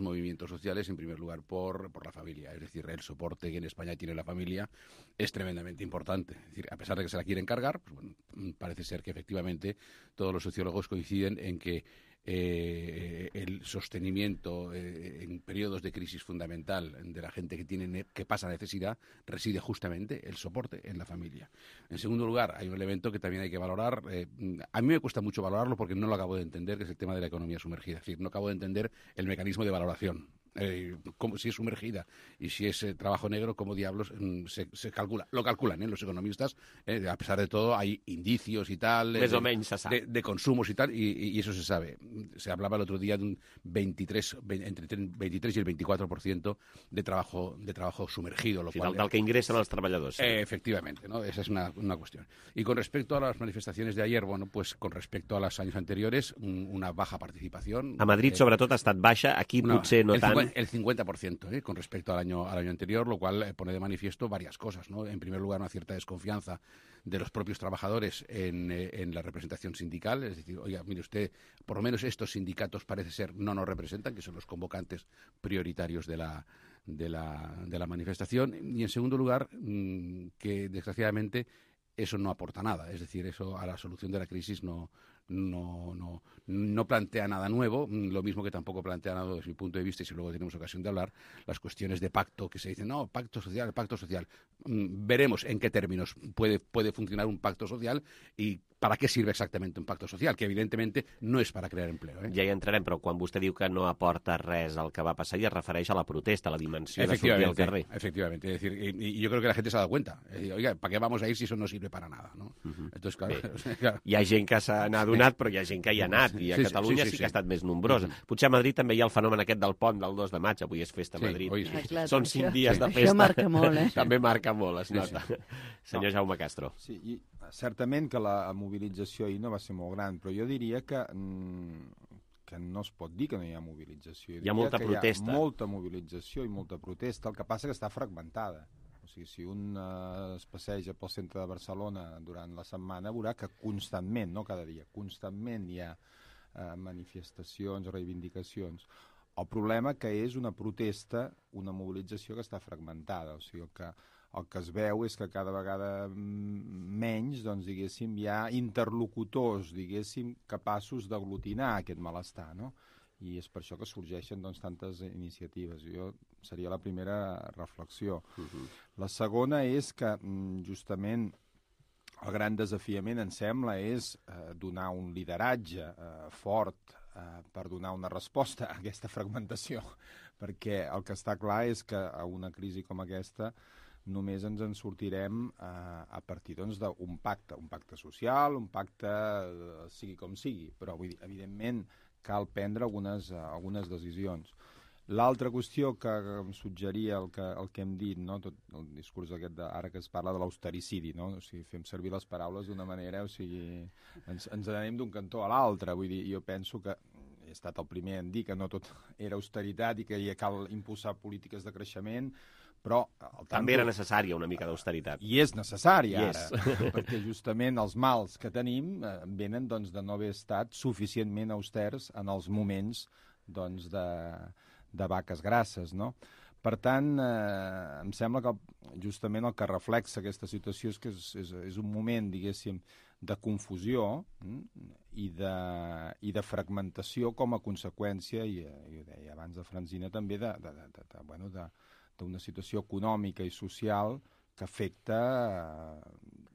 movimientos sociales, en primer lugar, por la familia. Es decir, el soporte que en España tiene la familia es tremendamente importante. Es decir, a pesar de que se la quieren cargar, pues, bueno, parece ser que efectivamente todos los sociólogos coinciden en que el sostenimiento en periodos de crisis fundamental de la gente que pasa necesidad reside justamente el soporte en la familia. En segundo lugar, hay un elemento que también hay que valorar. A mí me cuesta mucho valorarlo porque no lo acabo de entender, que es el tema de la economía sumergida. Es decir, no acabo de entender el mecanismo de valoración. Si es sumergida y si es trabajo negro, ¿cómo diablos se calcula? Lo calculan los economistas, a pesar de todo hay indicios y tal de consumos y tal, y eso se sabe. Se hablaba el otro día de un entre el 23 y el 24% de trabajo sumergido, lo cual, del que ingresan los trabajadores. Sí. Efectivamente, ¿no? Esa es una cuestión. Y con respecto a las manifestaciones de ayer, bueno, pues con respecto a los años anteriores, una baja participación. A Madrid, sobretot, ha estat baixa, aquí potser no tant. El 50% con respecto al año anterior, lo cual pone de manifiesto varias cosas, ¿no? En primer lugar, una cierta desconfianza de los propios trabajadores en la representación sindical, es decir, oiga, mire usted, por lo menos estos sindicatos parece ser no nos representan, que son los convocantes prioritarios de la manifestación, y en segundo lugar, que desgraciadamente eso no aporta nada, es decir, eso a la solución de la crisis no plantea nada nuevo, lo mismo que tampoco plantea nada desde mi punto de vista, y si luego tenemos ocasión de hablar, las cuestiones de pacto, que se dicen, no, pacto social. Veremos en qué términos puede funcionar un pacto social y para què sirve exactament un pacte social, que evidentemente no és para crear empleo. Ja hi entrarem, però quan vostè diu que no aporta res al que va passar, i es refereix a la protesta, a la dimensió de sortir al carrer. Efectivamente, es decir, y yo creo que la gente se ha dado cuenta. Oiga, ¿para qué vamos a ir si eso no sirve para nada? ¿No? Entonces, claro. Hi ha gent que se n'ha adonat, però hi ha gent que hi ha anat, i a Catalunya sí que ha estat més nombrosa. Potser a Madrid també hi ha el fenomen aquest del pont del 2 de maig, avui és festa a Madrid. Són 5 dies de festa. Això marca molt, També marca molt, es nota. Senyor Jaume Castro. Sí, i certament que la mobilització ahir no va ser molt gran, però jo diria que no es pot dir que no hi ha mobilització. Hi ha molta protesta. Hi ha molta mobilització i molta protesta, el que passa que està fragmentada. O sigui, si un es passeja pel centre de Barcelona durant la setmana, veurà que constantment, no cada dia, constantment hi ha manifestacions, reivindicacions. El problema que és una protesta, una mobilització que està fragmentada, o sigui, el que es veu és que cada vegada menys, doncs, diguéssim, hi ha interlocutors, diguéssim, capaços d'aglutinar aquest malestar, no? I és per això que sorgeixen, doncs, tantes iniciatives. Seria la primera reflexió. La segona és que, justament, el gran desafiament, em sembla, és donar un lideratge fort per donar una resposta a aquesta fragmentació, perquè el que està clar és que a una crisi com aquesta només ens en sortirem a partir d'un pacte social, un pacte sigui com sigui, però vull dir, evidentment cal prendre algunes decisions. L'altra qüestió que em suggeria el que hem dit, no? Tot el discurs aquest ara que es parla de l'austericidi, no? O sigui, fem servir les paraules d'una manera, o sigui, ens anem d'un cantó a l'altre. Vull dir, jo penso que he estat el primer en dir que no tot era austeritat i que cal impulsar polítiques de creixement, però també era necessària una mica d'austeritat. I és necessària ara, perquè justament els mals que tenim venen doncs, de no haver estat suficientment austers en els moments doncs, de vaques grasses, no? Per tant, em sembla que justament el que reflexa aquesta situació és que és un moment, diguéssim, de confusió i de fragmentació com a conseqüència, i ho deia abans de Francina, també d'una situació econòmica i social que afecta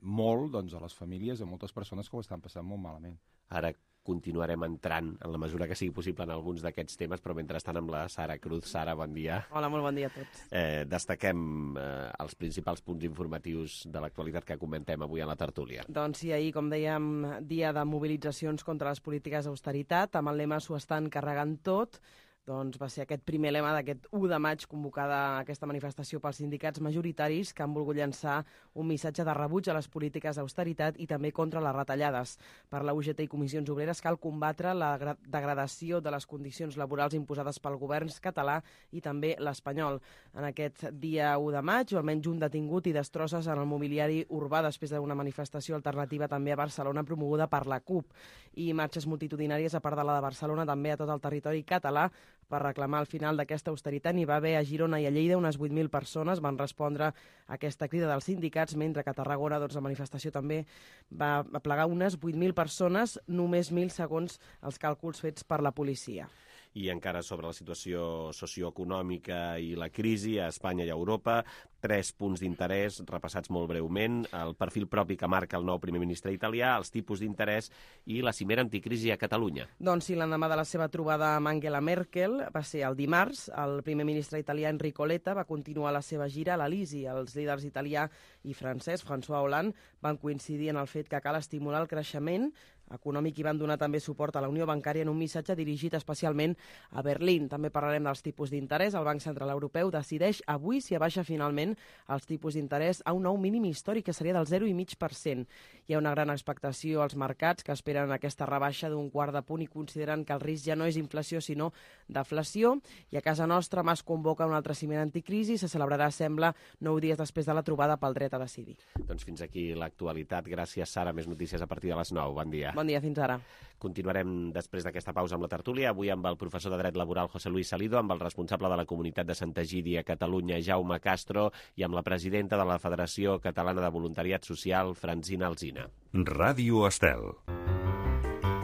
molt doncs, a les famílies, a moltes persones que ho estan passant molt malament. Ara continuarem entrant, en la mesura que sigui possible, en alguns d'aquests temes, però mentrestant amb la Sara Cruz. Sara, bon dia. Hola, molt bon dia a tots. Destaquem els principals punts informatius de l'actualitat que comentem avui a la tertúlia. Doncs sí, ahir, com dèiem, dia de mobilitzacions contra les polítiques d'austeritat, amb el lema "S'ho estan carregant tot", doncs va ser aquest primer lema d'aquest 1 de maig convocada aquesta manifestació pels sindicats majoritaris que han volgut llançar un missatge de rebuig a les polítiques d'austeritat i també contra les retallades. Per la UGT i Comissions Obreres cal combatre la degradació de les condicions laborals imposades pel govern català i també l'espanyol. En aquest dia 1 de maig, almenys un detingut i destrosses en el mobiliari urbà després d'una manifestació alternativa també a Barcelona promoguda per la CUP. I marxes multitudinàries, a part de la de Barcelona, també a tot el territori català per reclamar el final d'aquesta austeritat. N'hi va haver a Girona i a Lleida unes 8.000 persones van respondre a aquesta crida dels sindicats, mentre que a Tarragona la manifestació també va aplegar unes 8.000 persones, només 1.000 segons els càlculs fets per la policia. I encara sobre la situació socioeconòmica i la crisi a Espanya i a Europa, 3 punts d'interès repassats molt breument, el perfil propi que marca el nou primer ministre italià, els tipus d'interès i la cimera anticrisi a Catalunya. Doncs sí, l'endemà de la seva trobada amb Angela Merkel, va ser el dimarts, el primer ministre italià Enrico Letta va continuar la seva gira a l'Elisi. Els líders italià i francès, François Hollande, van coincidir en el fet que cal estimular el creixement econòmic i van donar també suport a la Unió Bancària en un missatge dirigit especialment a Berlín. També parlarem dels tipus d'interès. El Banc Central Europeu decideix avui si abaixa finalment els tipus d'interès a un nou mínim històric, que seria del 0,5%. Hi ha una gran expectació als mercats que esperen aquesta rebaixa d'un quart de punt i consideren que el risc ja no és inflació sinó deflació. I a casa nostra, Mas convoca una altra cimera anticrisi. Se celebrarà, sembla, 9 dies després de la trobada pel dret a decidir. Doncs fins aquí l'actualitat. Gràcies, Sara. Més notícies a partir de les 9. Bon dia. Bon dia, fins ara. Continuarem després d'aquesta pausa amb la tertúlia, avui amb el professor de Dret Laboral José Luis Salido, amb el responsable de la comunitat de Santa Egídia a Catalunya, Jaume Castro, i amb la presidenta de la Federació Catalana de Voluntariat Social, Francina Alsina. Ràdio Estel.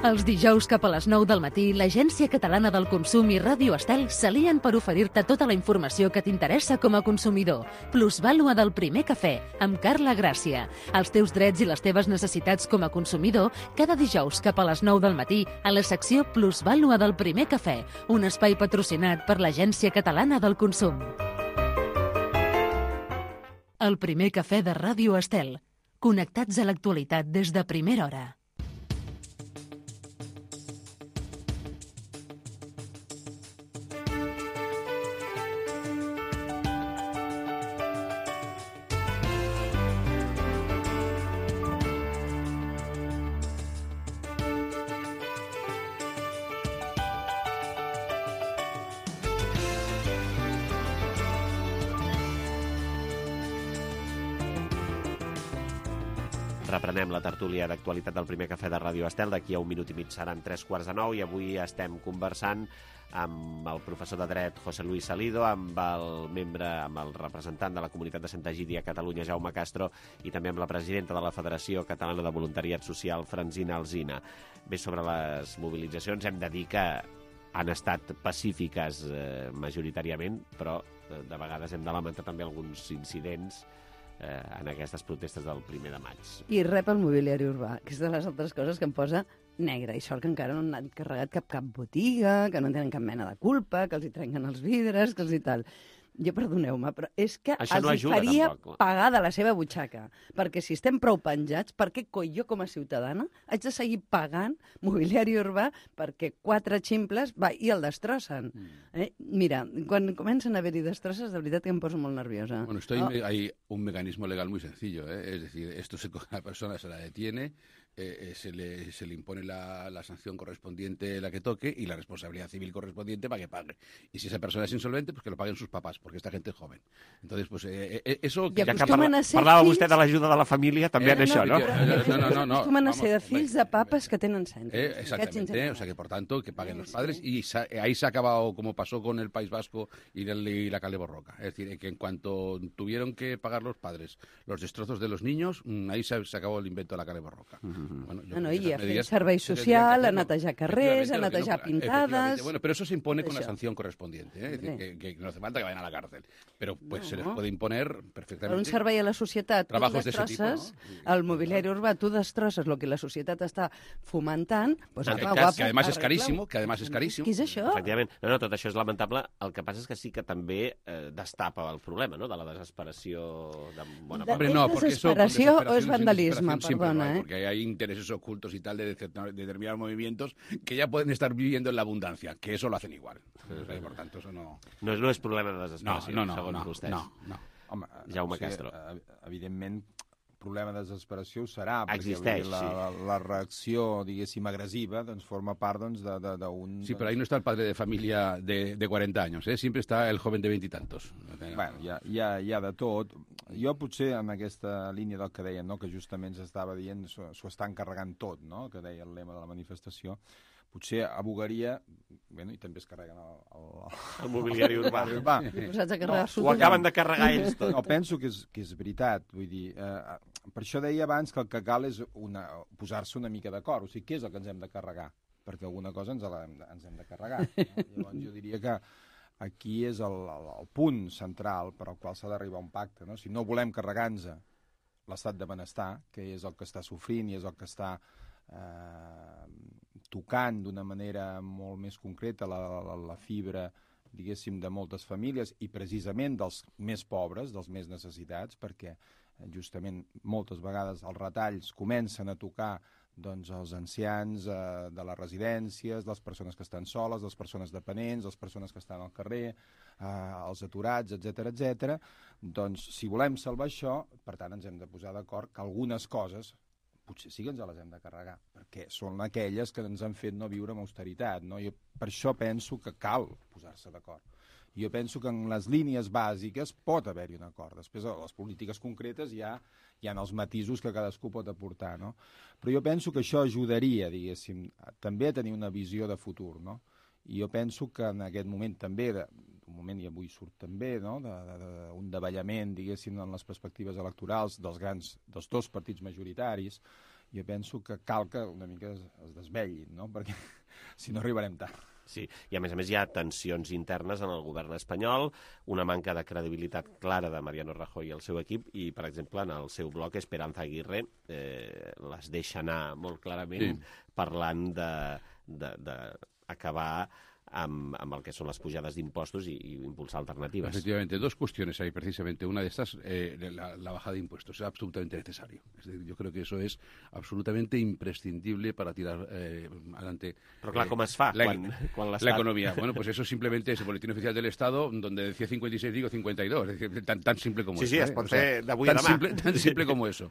Els dijous cap a les 9 del matí, l'Agència Catalana del Consum i Ràdio Estel s'alien per oferir-te tota la informació que t'interessa com a consumidor. Plusvàlua del primer cafè, amb Carla Gràcia. Els teus drets i les teves necessitats com a consumidor, cada dijous cap a les 9 del matí, a la secció Plusvàlua del primer cafè, un espai patrocinat per l'Agència Catalana del Consum. El primer cafè de Ràdio Estel. Connectats a l'actualitat des de primera hora. Reprenem la tertúlia d'actualitat del primer cafè de Ràdio Estel. D'aquí a 1 minut i mig seran 9:45 i avui estem conversant amb el professor de dret José Luis Salido, amb el representant de la comunitat de Santa Egídia a Catalunya, Jaume Castro, i també amb la presidenta de la Federació Catalana de Voluntariat Social, Francina Alsina. Bé, sobre les mobilitzacions hem de dir que han estat pacífiques majoritàriament, però de vegades hem de lamentar també alguns incidents en aquestes protestes del 1 de maig. I rep el mobiliari urbà, que és de les altres coses que em posa negre, i sort que encara no han carregat cap botiga, que no tenen cap mena de culpa, que els hi trenquen els vidres, que els hi tal. Jo, perdoneu-me, però és que els faria pagar de la seva butxaca, perquè si estem prou penjats, per què coi jo com a ciutadana haig de seguir pagant mobiliari urbà perquè 4 ximples i el destrossen? Mira, quan comencen a haver-hi destrosses, de veritat que em poso molt nerviosa. Bueno, hay un mecanismo legal muy sencillo, es decir, esto la persona se la detiene, se le impone la sanción correspondiente, la que toque, y la responsabilidad civil correspondiente para que pague. Y si esa persona es insolvente, pues que lo paguen sus papás, porque esta gente es joven. Entonces, pues eso... Ja que parlava vostè de l'ajuda de la família, també en això, ¿no? No. Acostumen a ser de fills de papes que tenen cèntims. Exactamente, o sea que por tanto, que paguen los padres, y ahí se ha acabado, como pasó con el País Vasco y la Cale Borroca. Es decir, que en cuanto tuvieron que pagar los padres los destrozos de los niños, ahí se acabó el invento de la Cale Borroca. Bueno, i a fer servei social, a netejar carrers, a netejar pintades... Bueno, pero eso se impone con la sanción correspondiente, es decir, que no hace falta que vayan a la cárcel, pero pues se les puede imponer perfectamente... Per un servei a la societat, tu destrosses el mobiliari urbà, tu destrosses el que la societat està fomentant... Que además es carísimo, Què és això? Efectivament. No, tot això és lamentable. El que passa és que sí que també destapa el problema, no?, de la desesperació de bona part. ¿Es desesperació o es vandalisme? Perdona, Porque hay intereses ocultos y tal de determinados movimientos que ya pueden estar viviendo en la abundancia, que eso lo hacen igual. Por tanto, eso no... No és problema de desesperació, segons vostès. No. Home, Jaume Castro. Evidentment, problema de desesperació serà, existeix, perquè la reacció, diguéssim, agressiva, doncs forma part d'un... Sí, pero ahí no está el padre de familia de 40 años, siempre está el joven de 20 y tantos. Bueno, hi ha de tot. Jo potser en aquesta línia del que deien, no?, que justament s'estava dient, s'ho estan carregant tot, no?, que deia el lema de la manifestació, potser abogaria, bueno, i també es carreguen el mobiliari urbà. Ho acaben de carregar ells tot. No, penso que és veritat, vull dir, per això deia abans que el que cal és posar-se una mica d'acord, o sigui, què és el que ens hem de carregar? Perquè alguna cosa ens hem de carregar. Llavors jo diria que aquí és el punt central per al qual s'ha d'arribar a un pacte, no? Si no volem carregar-nos l'estat de benestar, que és el que està sofrint i és el que està tocant d'una manera molt més concreta la fibra, diguéssim, de moltes famílies i precisament dels més pobres, dels més necessitats, perquè justament moltes vegades els retalls comencen a tocar doncs, els ancians de les residències, les persones que estan soles, les persones dependents, les persones que estan al carrer, els aturats, etc. Doncs, si volem salvar això, per tant, ens hem de posar d'acord que algunes coses potser sí que ens les hem de carregar, perquè són aquelles que ens han fet no viure amb austeritat, no? Jo per això penso que cal posar-se d'acord. Jo penso que en les línies bàsiques pot haver-hi un acord. Després, a les polítiques concretes hi ha els matisos que cadascú pot aportar, no? Però jo penso que això ajudaria, diguéssim, també a tenir una visió de futur, no? I jo penso que en aquest moment també, d'un moment i avui surt també, no?, d'un davallament, diguéssim, en les perspectives electorals dels dos partits majoritaris, jo penso que cal que una mica es desvellin, no?, perquè si no arribarem tard. Sí, i a més hi ha tensions internes en el govern espanyol, una manca de credibilitat clara de Mariano Rajoy i el seu equip, i, per exemple, en el seu bloc Esperanza Aguirre les deixa anar molt clarament parlant d'acabar amb el que son las pujades de impuestos y impulsar alternativas. Efectivamente, dos cuestiones hay precisamente. Una de estas, la bajada de impuestos, es absolutamente necesario. Es decir, yo creo que eso es absolutamente imprescindible para tirar adelante. Pero claro, ¿cómo es fa? La economía. Bueno, pues eso simplemente es el boletín oficial del Estado, donde decía 56, digo 52. Es decir, tan simple como eso. Sí, es pot fer d'avui a demà. Tan simple como eso.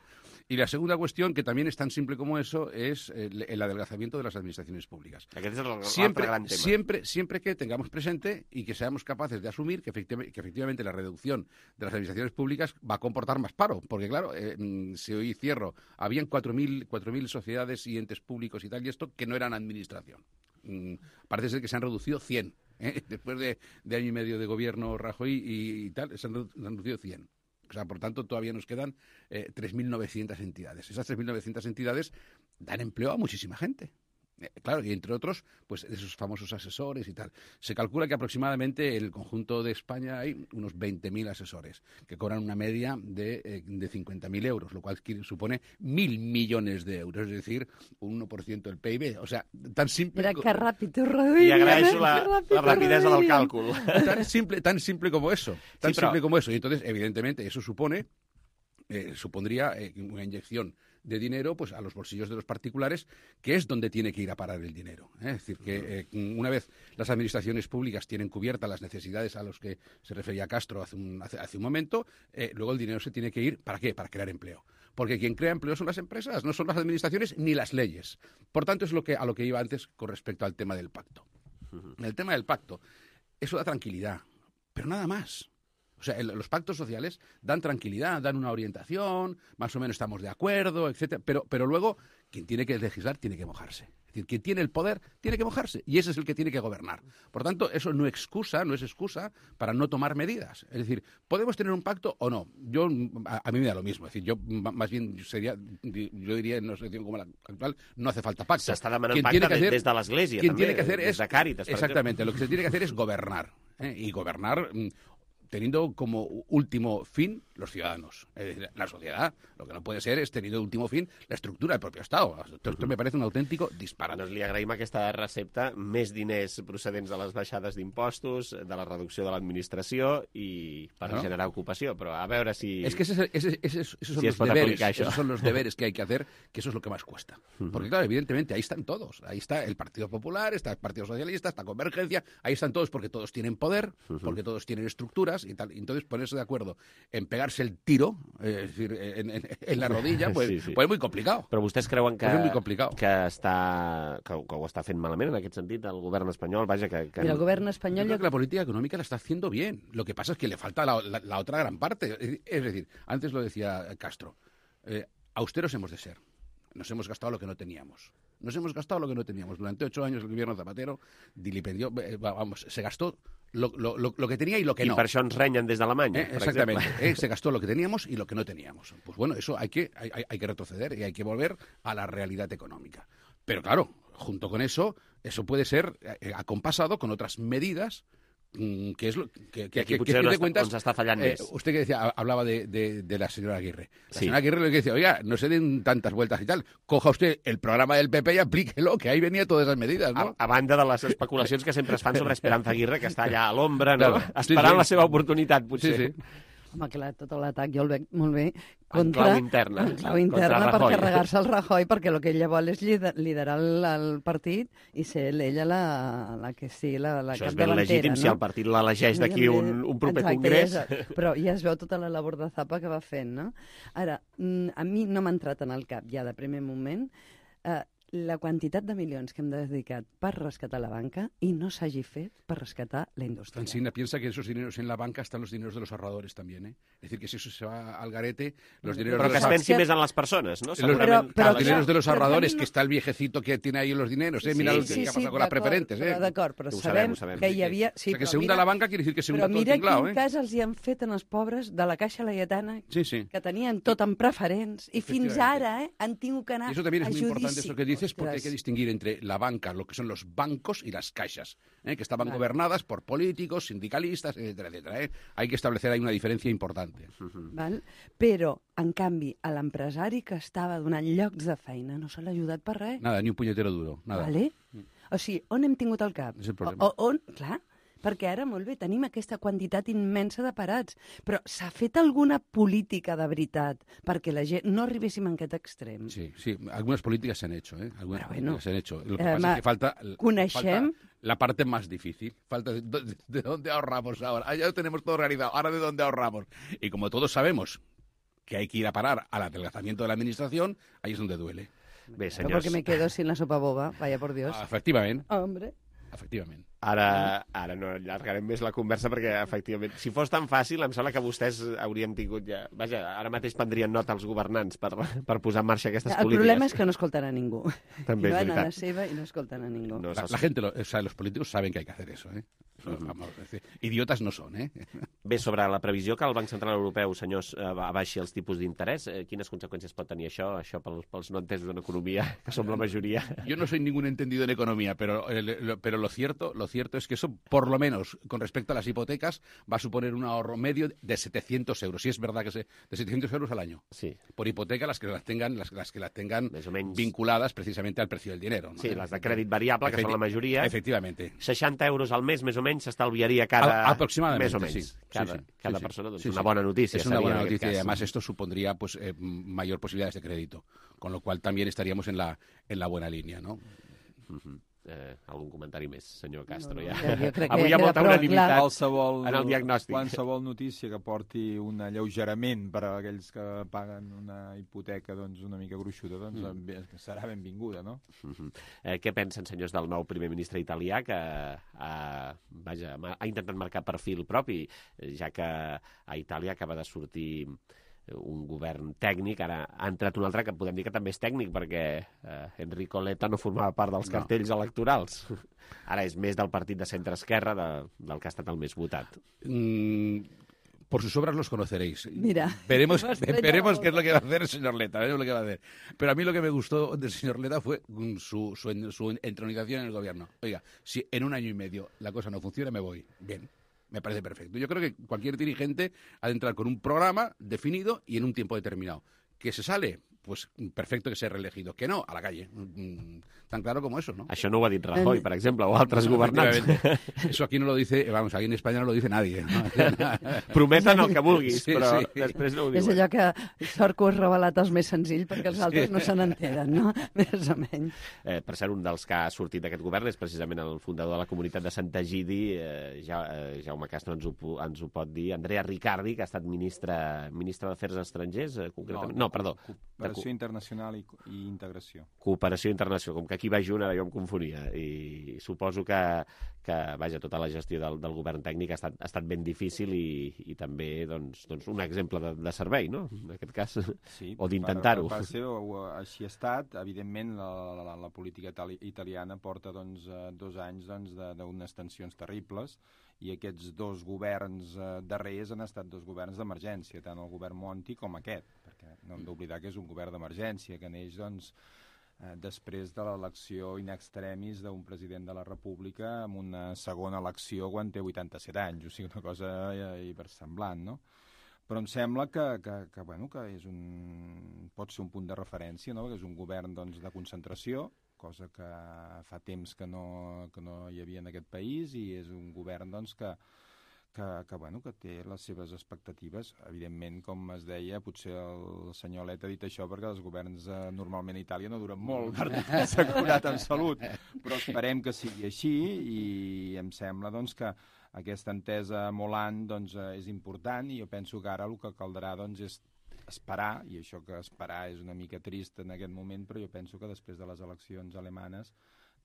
Y la segunda cuestión, que también es tan simple como eso, es el adelgazamiento de las administraciones públicas. Aquest és l'altre gran tema. Siempre que tengamos presente y que seamos capaces de asumir que efectivamente la reducción de las administraciones públicas va a comportar más paro. Porque, claro, si hoy cierro, habían 4.000 sociedades y entes públicos y tal, y esto que no eran administración. Parece ser que se han reducido 100. Después de año y medio de gobierno Rajoy y tal, se han reducido 100. O sea, por tanto, todavía nos quedan 3.900 entidades. Esas 3.900 entidades dan empleo a muchísima gente. Claro, y entre otros, pues esos famosos asesores y tal. Se calcula que aproximadamente en el conjunto de España hay unos 20.000 asesores que cobran una media de 50.000 euros, lo cual supone 1.000 millones de euros, es decir, un 1% del PIB. O sea, tan simple... Mira que ràpid ho reduïm. I agraeixo la rapidesa del càlcul. Tan simple como eso. Tan simple como eso. Y entonces, evidentemente, eso supondría una inyección de dinero pues a los bolsillos de los particulares, que es donde tiene que ir a parar el dinero. Es decir, que una vez las administraciones públicas tienen cubiertas las necesidades a los que se refería Castro hace un momento, luego el dinero se tiene que ir, ¿para qué? Para crear empleo. Porque quien crea empleo son las empresas, no son las administraciones ni las leyes. Por tanto, es a lo que iba antes con respecto al tema del pacto. El tema del pacto, eso da tranquilidad, pero nada más. O sea, los pactos sociales dan tranquilidad, dan una orientación, más o menos estamos de acuerdo, etcétera. Pero luego, quien tiene que legislar tiene que mojarse. Es decir, quien tiene el poder tiene que mojarse. Y ese es el que tiene que gobernar. Por tanto, eso no es excusa para no tomar medidas. Es decir, ¿podemos tener un pacto o no? A mí me da lo mismo. Es decir, yo más bien diría en una situación como la actual, no hace falta pacto. S'està demanant pacte des de l'Església, també, des de Càritas. Exactamente. Lo que se tiene que hacer es gobernar. Y gobernar... teniendo como último fin los ciudadanos. Es decir, la sociedad, lo que no puede ser es teniendo último fin la estructura del propio Estado. Esto me parece un auténtico disparat. Doncs li agraïm aquesta recepta, més diners procedents de les baixades d'impostos, de la reducció de l'administració i per generar ocupació, però a veure si... Es que esos son los deberes que hay que hacer, que eso es lo que más cuesta. Porque claro, evidentemente, ahí están todos. Ahí está el Partido Popular, está el Partido Socialista, está Convergencia, ahí están todos porque todos tienen poder, porque todos tienen estructuras y tal. Entonces, ponerse de acuerdo en pegarse el tiro, es decir, en la rodilla, pues es muy complicado. Però vostès creuen que, es muy complicado. que ho està fent malament en aquest sentit el govern espanyol? Vaja, que... Mira, el govern espanyol... Yo creo que la política económica la está haciendo bien. Lo que pasa es que le falta la otra gran parte. Es decir, antes lo decía Castro, austeros hemos de ser. Nos hemos gastado lo que no teníamos. Durante 8 años el gobierno Zapatero dilipendió, se gastó lo que tenía y lo que no. I per això ens renyen des d'Alemanya, per exactamente. exemple. Se gastó lo que teníamos y lo que no teníamos. Pues bueno, eso hay que retroceder y hay que volver a la realidad económica. Pero claro, junto con eso puede ser acompasado con otras medidas que es lo que aquí potser de cuentas, ens està fallant més. Usted que decía, hablaba de la señora Aguirre. La señora Aguirre lo que decía, oiga, no se den tantas vueltas y tal. Coja usted el programa del PP y aplíquelo, que ahí venía todas esas medidas, ¿no? A banda de les especulacions que sempre es fan sobre Esperanza Aguirre, que està allà a l'ombra, no? Claro, esperant la seva oportunitat, potser. Sí. Home, clar, tot l'atac jo el veig molt bé en clau interna. En clau interna per carregar-se el Rajoy, perquè el que ella vol és liderar el partit i ser ella la que sigui la això capdavantera. Això és ben legítim, no? Si el partit l'elegeix d'aquí un proper congrés. Però ja es veu tota la labor de zapa que va fent, no? Ara, a mi no m'ha entrat en el cap ja de primer moment la quantitat de milions que hem dedicat per rescatar la banca i no s'hagi fet per rescatar la indústria. Francina, piensa que esos dineros en la banca están los dineros de los ahorradores también, ¿eh? Es decir, que si eso se va al garete, los dineros però que es pensi més en les persones, no? Los dineros de los ahorradores, que está el viejecito que tiene ahí los dineros, ¿eh? Mira lo que ha pasado con las preferentes, ¿eh? D'acord, però sabem que hi havia... O sea, que se hunda la banca quiere decir que se hunda todo el tinglao, Però mira quin cas els hi han fet en els pobres de la Caixa Laietana, que tenien tot en preferents, i fins ara han tingut que anar a judici. Y eso también es muy importante, eso que dices, porque hay que distinguir entre la banca, lo que son los bancos y las caixas, que estaban gobernadas por políticos, sindicalistas, etcétera, etcétera. Hay que establecer ahí una diferencia importante. Val? Però, en canvi, a l'empresari que estava donant llocs de feina no se l'ha ajudat per res. Nada, ni un punyetero duro. Nada. Vale? O sigui, on hem tingut el cap? És el problema. Clar, perquè ara, molt bé, tenim aquesta quantitat immensa de parats, però s'ha fet alguna política de veritat perquè la gent no arribéssim a aquest extrem? Sí, algunas políticas se han hecho, ¿eh? Políticas se han hecho. Lo que pasa es que falta la parte más difícil. Falta de dónde ahorramos ahora. Ya lo tenemos todo realizado. Ahora, ¿de dónde ahorramos? Y como todos sabemos que hay que ir a parar al adelgazamiento de la administración, ahí es donde duele. Bé, senyors... Porque me quedo sin la sopa boba, vaya por Dios. Efectivament. Hombre. Efectivament. Ara no allargarem més la conversa perquè, efectivament, si fos tan fàcil, em sembla que vostès haurien tingut ja... Vaja, ara mateix prendrien nota els governants per posar en marxa aquestes polítiques. El problema és que no escoltan a ningú. També és van veritat. a la seva i no escoltan a ningú. No, la gente, los políticos saben que hay que hacer eso, ¿eh? Vamos, idiotas no són, eh? Bé, sobre la previsió que el Banc Central Europeu, senyors, abaixi els tipus d'interès, quines conseqüències pot tenir això pels no entesos en economia, que som la majoria? Yo no soy ningún entendido en economía, pero lo cierto es que eso, por lo menos, con respecto a las hipotecas, va a suponer un ahorro medio de 700 euros. Sí, es verdad que de 700 euros al año. Sí. Por hipoteca, las que las tengan vinculadas precisamente al precio del dinero, ¿no? Sí, les de crèdit variable, que són la majoria. Efectivamente. 60 euros al mes, més o menys, s'estalviaria cada... Aproximadamente, més o menys. Sí. Cada persona, doncs una bona notícia. Es una buena noticia y además esto supondría pues mayor posibilidades de crédito, con lo cual también estaríamos en la buena línea, ¿no? Algun comentari més, senyor Castro? Jo crec que avui hi ha molta unanimitat en el diagnòstic. Qualsevol notícia que porti un alleugerament per a aquells que paguen una hipoteca doncs, una mica gruixuda serà benvinguda, no? Què pensen, senyors, del nou primer ministre italià que ha intentat marcar perfil propi, ja que a Itàlia acaba de sortir un govern tècnic, ara ha entrat un altre que podem dir que també és tècnic perquè Enrico Letta no formava part dels cartells electorals. Ara és més del partit de centre-esquerra del que ha estat el més votat. Por sus obras los conoceréis. Mira, veremos qué es lo que va a hacer el señor Letta, veremos lo que va a hacer. Pero a mí lo que me gustó del señor Letta fue su entronización en el gobierno. Oiga, si en un año y medio la cosa no funciona, me voy. Bien. Me parece perfecto. Yo creo que cualquier dirigente ha de entrar con un programa definido y en un tiempo determinado. ¿Que se sale? Pues perfecto que sea reelegido. Que no, a la calle. Tan claro como eso, ¿no? Això no ho ha dit Rajoy, per exemple, o altres governants. Eso aquí no lo dice, vamos, aquí en España no lo dice nadie. ¿No? Prometen el que vulguis, sí, però sí. després no ho diuen. És allò que sort que ho has revelat els més senzill perquè els altres no se n'enteren, no? Més o menys. Per cert, un dels que ha sortit d'aquest govern és precisament el fundador de la comunitat de Santa Egidi, Jaume Castro ens ho pot dir, Andrea Riccardi, que ha estat ministre d'Afers Estrangers, concretament. No, perdó. Cooperació internacional i integració. Cooperació internacional, com que aquí va junt, ara jo em confonia. I suposo que vaja, tota la gestió del govern tècnic ha estat ben difícil i també doncs, un exemple de servei, no? En aquest cas, sí, o d'intentar-ho. Així ha estat. Evidentment, la política italiana porta 2 anys d'unes tensions terribles i aquests 2 governs darrers han estat 2 governs d'emergència, tant el govern Monti com aquest, perquè no hem d'oblidar que és un govern d'emergència, que neix després de l'elecció in extremis d'un president de la República amb una segona elecció quan té 87 anys, o sigui, una cosa hipersemblant, no? Però em sembla que pot ser un punt de referència, no? Que és un govern de concentració, cosa que fa temps que no hi havia en aquest país, i és un govern que té les seves expectatives. Evidentment, com es deia, potser el senyor Letta ha dit això perquè els governs normalment a Itàlia no duren molt, per s'ha curat en salut, però esperem que sigui així i em sembla que aquesta entesa amb Hollande és important i jo penso que ara el que caldrà és esperar, i això que esperar és una mica trist en aquest moment, però jo penso que després de les eleccions alemanes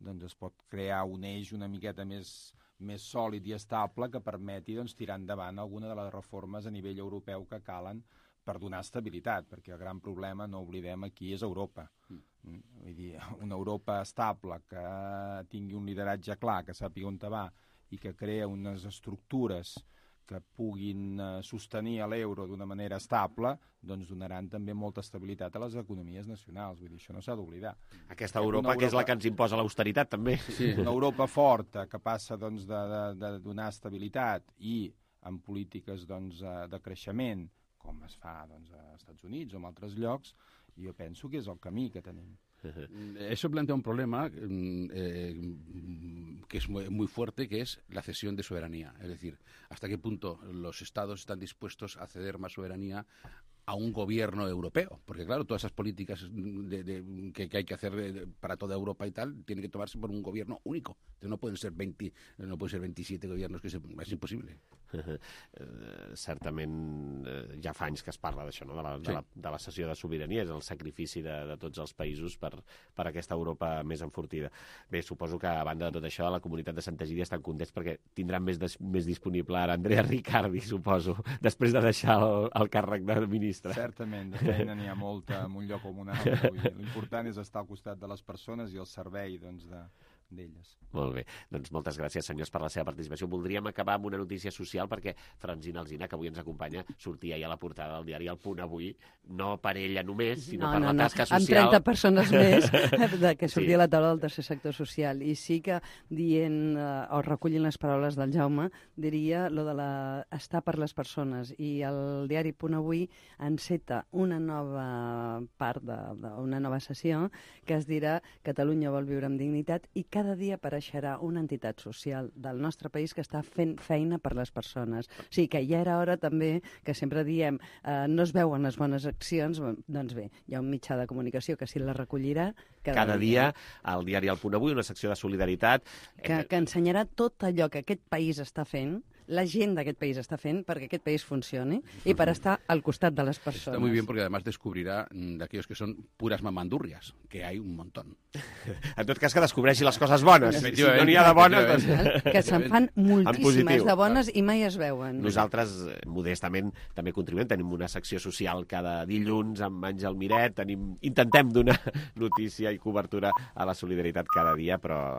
es pot crear un eix una miqueta més sòlid i estable que permeti tirar endavant alguna de les reformes a nivell europeu que calen per donar estabilitat, perquè el gran problema, no oblidem, aquí és Europa. Vull dir, una Europa estable que tingui un lideratge clar, que sàpiga on va i que crea unes estructures que puguin sostenir l'euro d'una manera estable, donaran també molta estabilitat a les economies nacionals. Vull dir, això no s'ha d'oblidar. Aquesta Europa que és la que ens imposa l'austeritat, també. Sí, una Europa forta, que passa de donar estabilitat i amb polítiques de creixement, com es fa als Estats Units o en altres llocs, jo penso que és el camí que tenim. Eso plantea un problema que es muy fuerte, que es la cesión de soberanía. Es decir, hasta qué punto los estados están dispuestos a ceder más soberanía a un gobierno europeo. Porque, claro, todas esas políticas que hay que hacer para toda Europa y tal, tienen que tomarse por un gobierno único. Entonces no pueden ser 27 gobiernos, que es imposible. Certament ja fa anys que es parla d'això, no? de la cessió de sobirania, és el sacrifici de tots els països per aquesta Europa més enfortida. Bé, suposo que a banda de tot això, la comunitat de Santa Egídia estan contents perquè tindran més disponible ara Andrea Riccardi, suposo, després de deixar el càrrec de ministre. Certament, de feina n'hi ha molta en un lloc com un altre. L'important és estar al costat de les persones i al servei d'elles. Molt bé, doncs moltes gràcies, senyors, per la seva participació. Voldríem acabar amb una notícia social perquè Francina Alsina, que avui ens acompanya, sortia ja a la portada del diari El Punt avui, no per ella només, sinó per la tasca social. Amb 30 persones més que sortia a la taula del tercer sector social. I sí que dient, o recollint les paraules del Jaume, diria lo de estar per les persones. I el diari Punt avui enceta una nova part d'una nova sessió que es dirà Catalunya vol viure amb dignitat, i cada dia apareixerà una entitat social del nostre país que està fent feina per les persones. O sigui que ja era hora també, que sempre diem no es veuen les bones accions, doncs bé, hi ha un mitjà de comunicació que sí la recollirà cada dia al diari El Punt avui, una secció de solidaritat que ensenyarà tot allò que aquest país està fent, la gent d'aquest país està fent perquè aquest país funcioni i per estar al costat de les persones. Está muy bien porque además descubrirá de aquellos que son puras mamandurrias, que hay un montón. En tot cas, que descobreixi les coses bones. Si no n'hi ha de bones, doncs... Que se'n fan moltíssimes de bones i mai es veuen. Nosaltres, modestament, també contribuïm. Tenim una secció social cada dilluns amb Àngel Miret. Intentem donar notícia i cobertura a la solidaritat cada dia, però...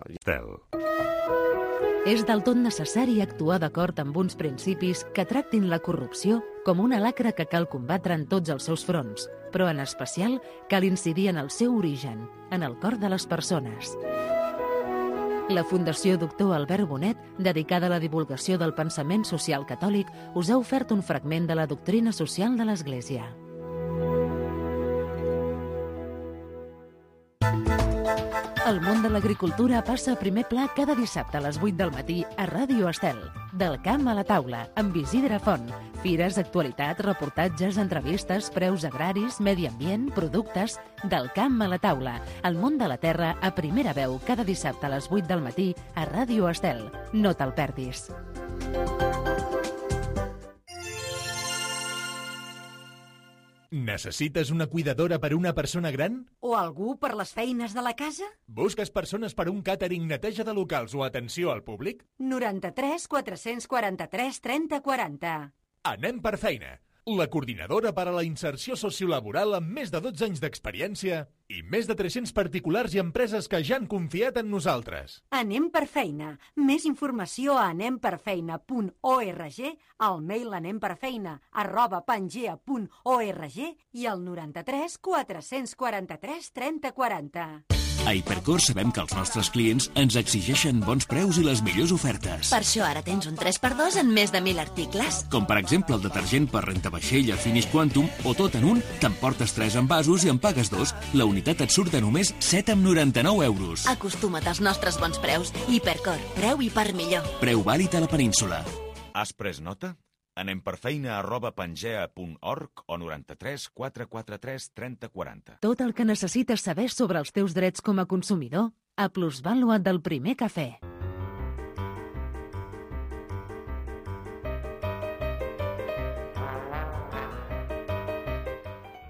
És del tot necessari actuar d'acord amb uns principis que tractin la corrupció com una lacra que cal combatre en tots els seus fronts, però en especial cal incidir en el seu origen, en el cor de les persones. La Fundació Doctor Albert Bonet, dedicada a la divulgació del pensament social catòlic, us ha ofert un fragment de la doctrina social de l'Església. El món de l'agricultura passa a primer pla cada dissabte a les 8 del matí a Ràdio Estel. Del camp a la taula, amb Isidre Font. Fires, actualitat, reportatges, entrevistes, preus agraris, medi ambient, productes... Del camp a la taula. El món de la terra a primera veu cada dissabte a les 8 del matí a Ràdio Estel. No te'l perdis. Necessites una cuidadora per a una persona gran? O algú per les feines de la casa? Busques persones per a un càtering, neteja de locals o atenció al públic? 93 443 30 40. Anem per feina. La coordinadora per a la inserció sociolaboral amb més de 12 anys d'experiència i més de 300 particulars i empreses que ja han confiat en nosaltres. Anem per feina. Més informació a anemperfeina.org, al mail anemperfeina@pangea.org i al 93 443 30 40. A Hipercor sabem que els nostres clients ens exigeixen bons preus i les millors ofertes. Per això ara tens un 3x2 en més de 1.000 articles. Com per exemple el detergent per rentavaixella Finish Quantum o tot en un, t'emportes 3 envasos i en pagues 2. La unitat et surt de només 7,99 euros. Acostuma't als nostres bons preus. Hipercor, preu i per millor. Preu vàlid a la península. Has pres nota? Anem per feina@pangea.org o 93 443 30 40. Tot el que necessites saber sobre els teus drets com a consumidor a Plusvàlua del Primer Cafè.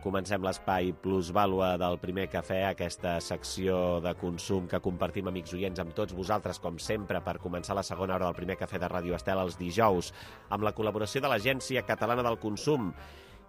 Comencem l'espai Plusvàlua del Primer Cafè, aquesta secció de consum que compartim, amics oients, amb tots vosaltres, com sempre, per començar la segona hora del Primer Cafè de Ràdio Estel els dijous, amb la col·laboració de l'Agència Catalana del Consum.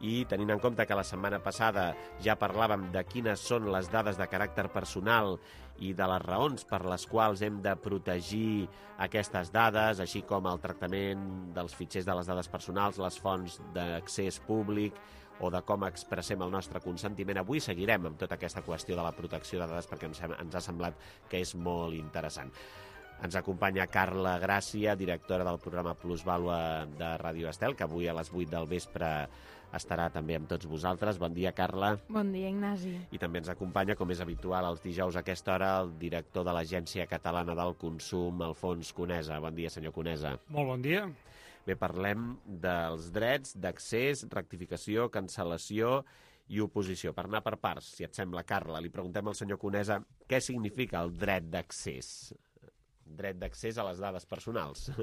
I tenint en compte que la setmana passada ja parlàvem de quines són les dades de caràcter personal i de les raons per les quals hem de protegir aquestes dades, així com el tractament dels fitxers de les dades personals, les fonts d'accés públic o de com expressem el nostre consentiment. Avui seguirem amb tota aquesta qüestió de la protecció de dades perquè ens ha semblat que és molt interessant. Ens acompanya Carla Gràcia, directora del programa Plusvàlua de Ràdio Estel, que avui a les 8 del vespre estarà també amb tots vosaltres. Bon dia, Carla. Bon dia, Ignasi. I també ens acompanya, com és habitual els dijous a aquesta hora, el director de l'Agència Catalana del Consum, Alfons Conesa. Bon dia, senyor Conesa. Molt bon dia. Bé, parlem dels drets d'accés, rectificació, cancel·lació i oposició. Per anar per parts, si et sembla, Carla, li preguntem al senyor Conesa què significa el dret d'accés. Dret d'accés a les dades personals.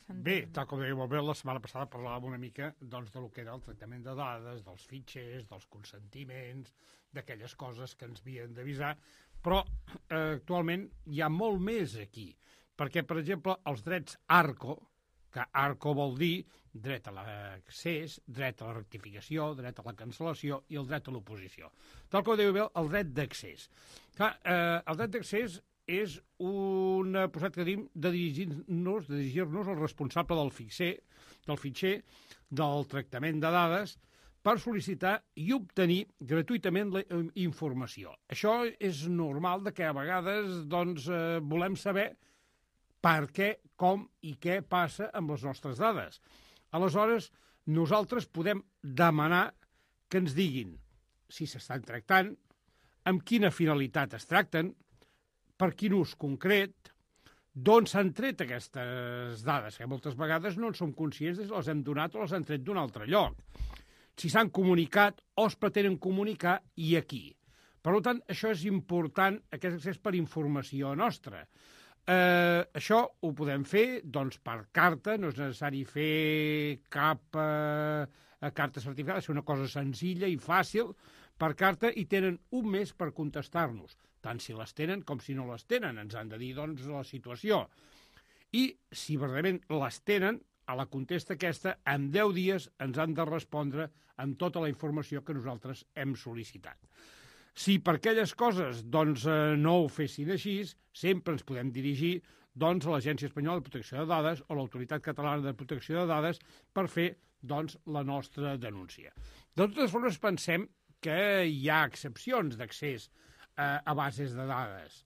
Bé, tal com deia molt bé, la setmana passada parlàvem una mica doncs, de lo que era el tractament de dades, dels fitxers, dels consentiments, d'aquelles coses que ens havien d'avisar, però actualment hi ha molt més aquí, perquè, per exemple, els drets ARCO, que ARCO vol dir dret a l'accés, dret a la rectificació, dret a la cancel·lació i el dret a l'oposició. Tal com deia bé, el dret d'accés. El dret d'accés és una possibilitat que tenim de dirigir-nos al responsable del fitxer, del tractament de dades, per sol·licitar i obtenir gratuïtament la informació. Això és normal de que a vegades doncs, volem saber per què, com i què passa amb les nostres dades. Aleshores, nosaltres podem demanar que ens diguin si s'estan tractant, amb quina finalitat es tracten, per quin ús concret, d'on s'han tret aquestes dades, que moltes vegades no en som conscients de si les hem donat o les han tret d'un altre lloc. Si s'han comunicat o es pretenen comunicar i a qui. Per tant, això és important, aquest accés per informació nostra. Això ho podem fer doncs, per carta, no és necessari fer cap carta certificada, és una cosa senzilla i fàcil, per carta, i tenen un mes per contestar-nos, tant si les tenen com si no les tenen, ens han de dir doncs, la situació. I si verdaderament les tenen, a la contesta aquesta, en 10 dies ens han de respondre amb tota la informació que nosaltres hem sol·licitat. Si per aquelles coses doncs, no ho fessin així, sempre ens podem dirigir doncs, a l'Agència Espanyola de Protecció de Dades o l'Autoritat Catalana de Protecció de Dades per fer doncs, la nostra denúncia. De totes formes, pensem que hi ha excepcions d'accés a bases de dades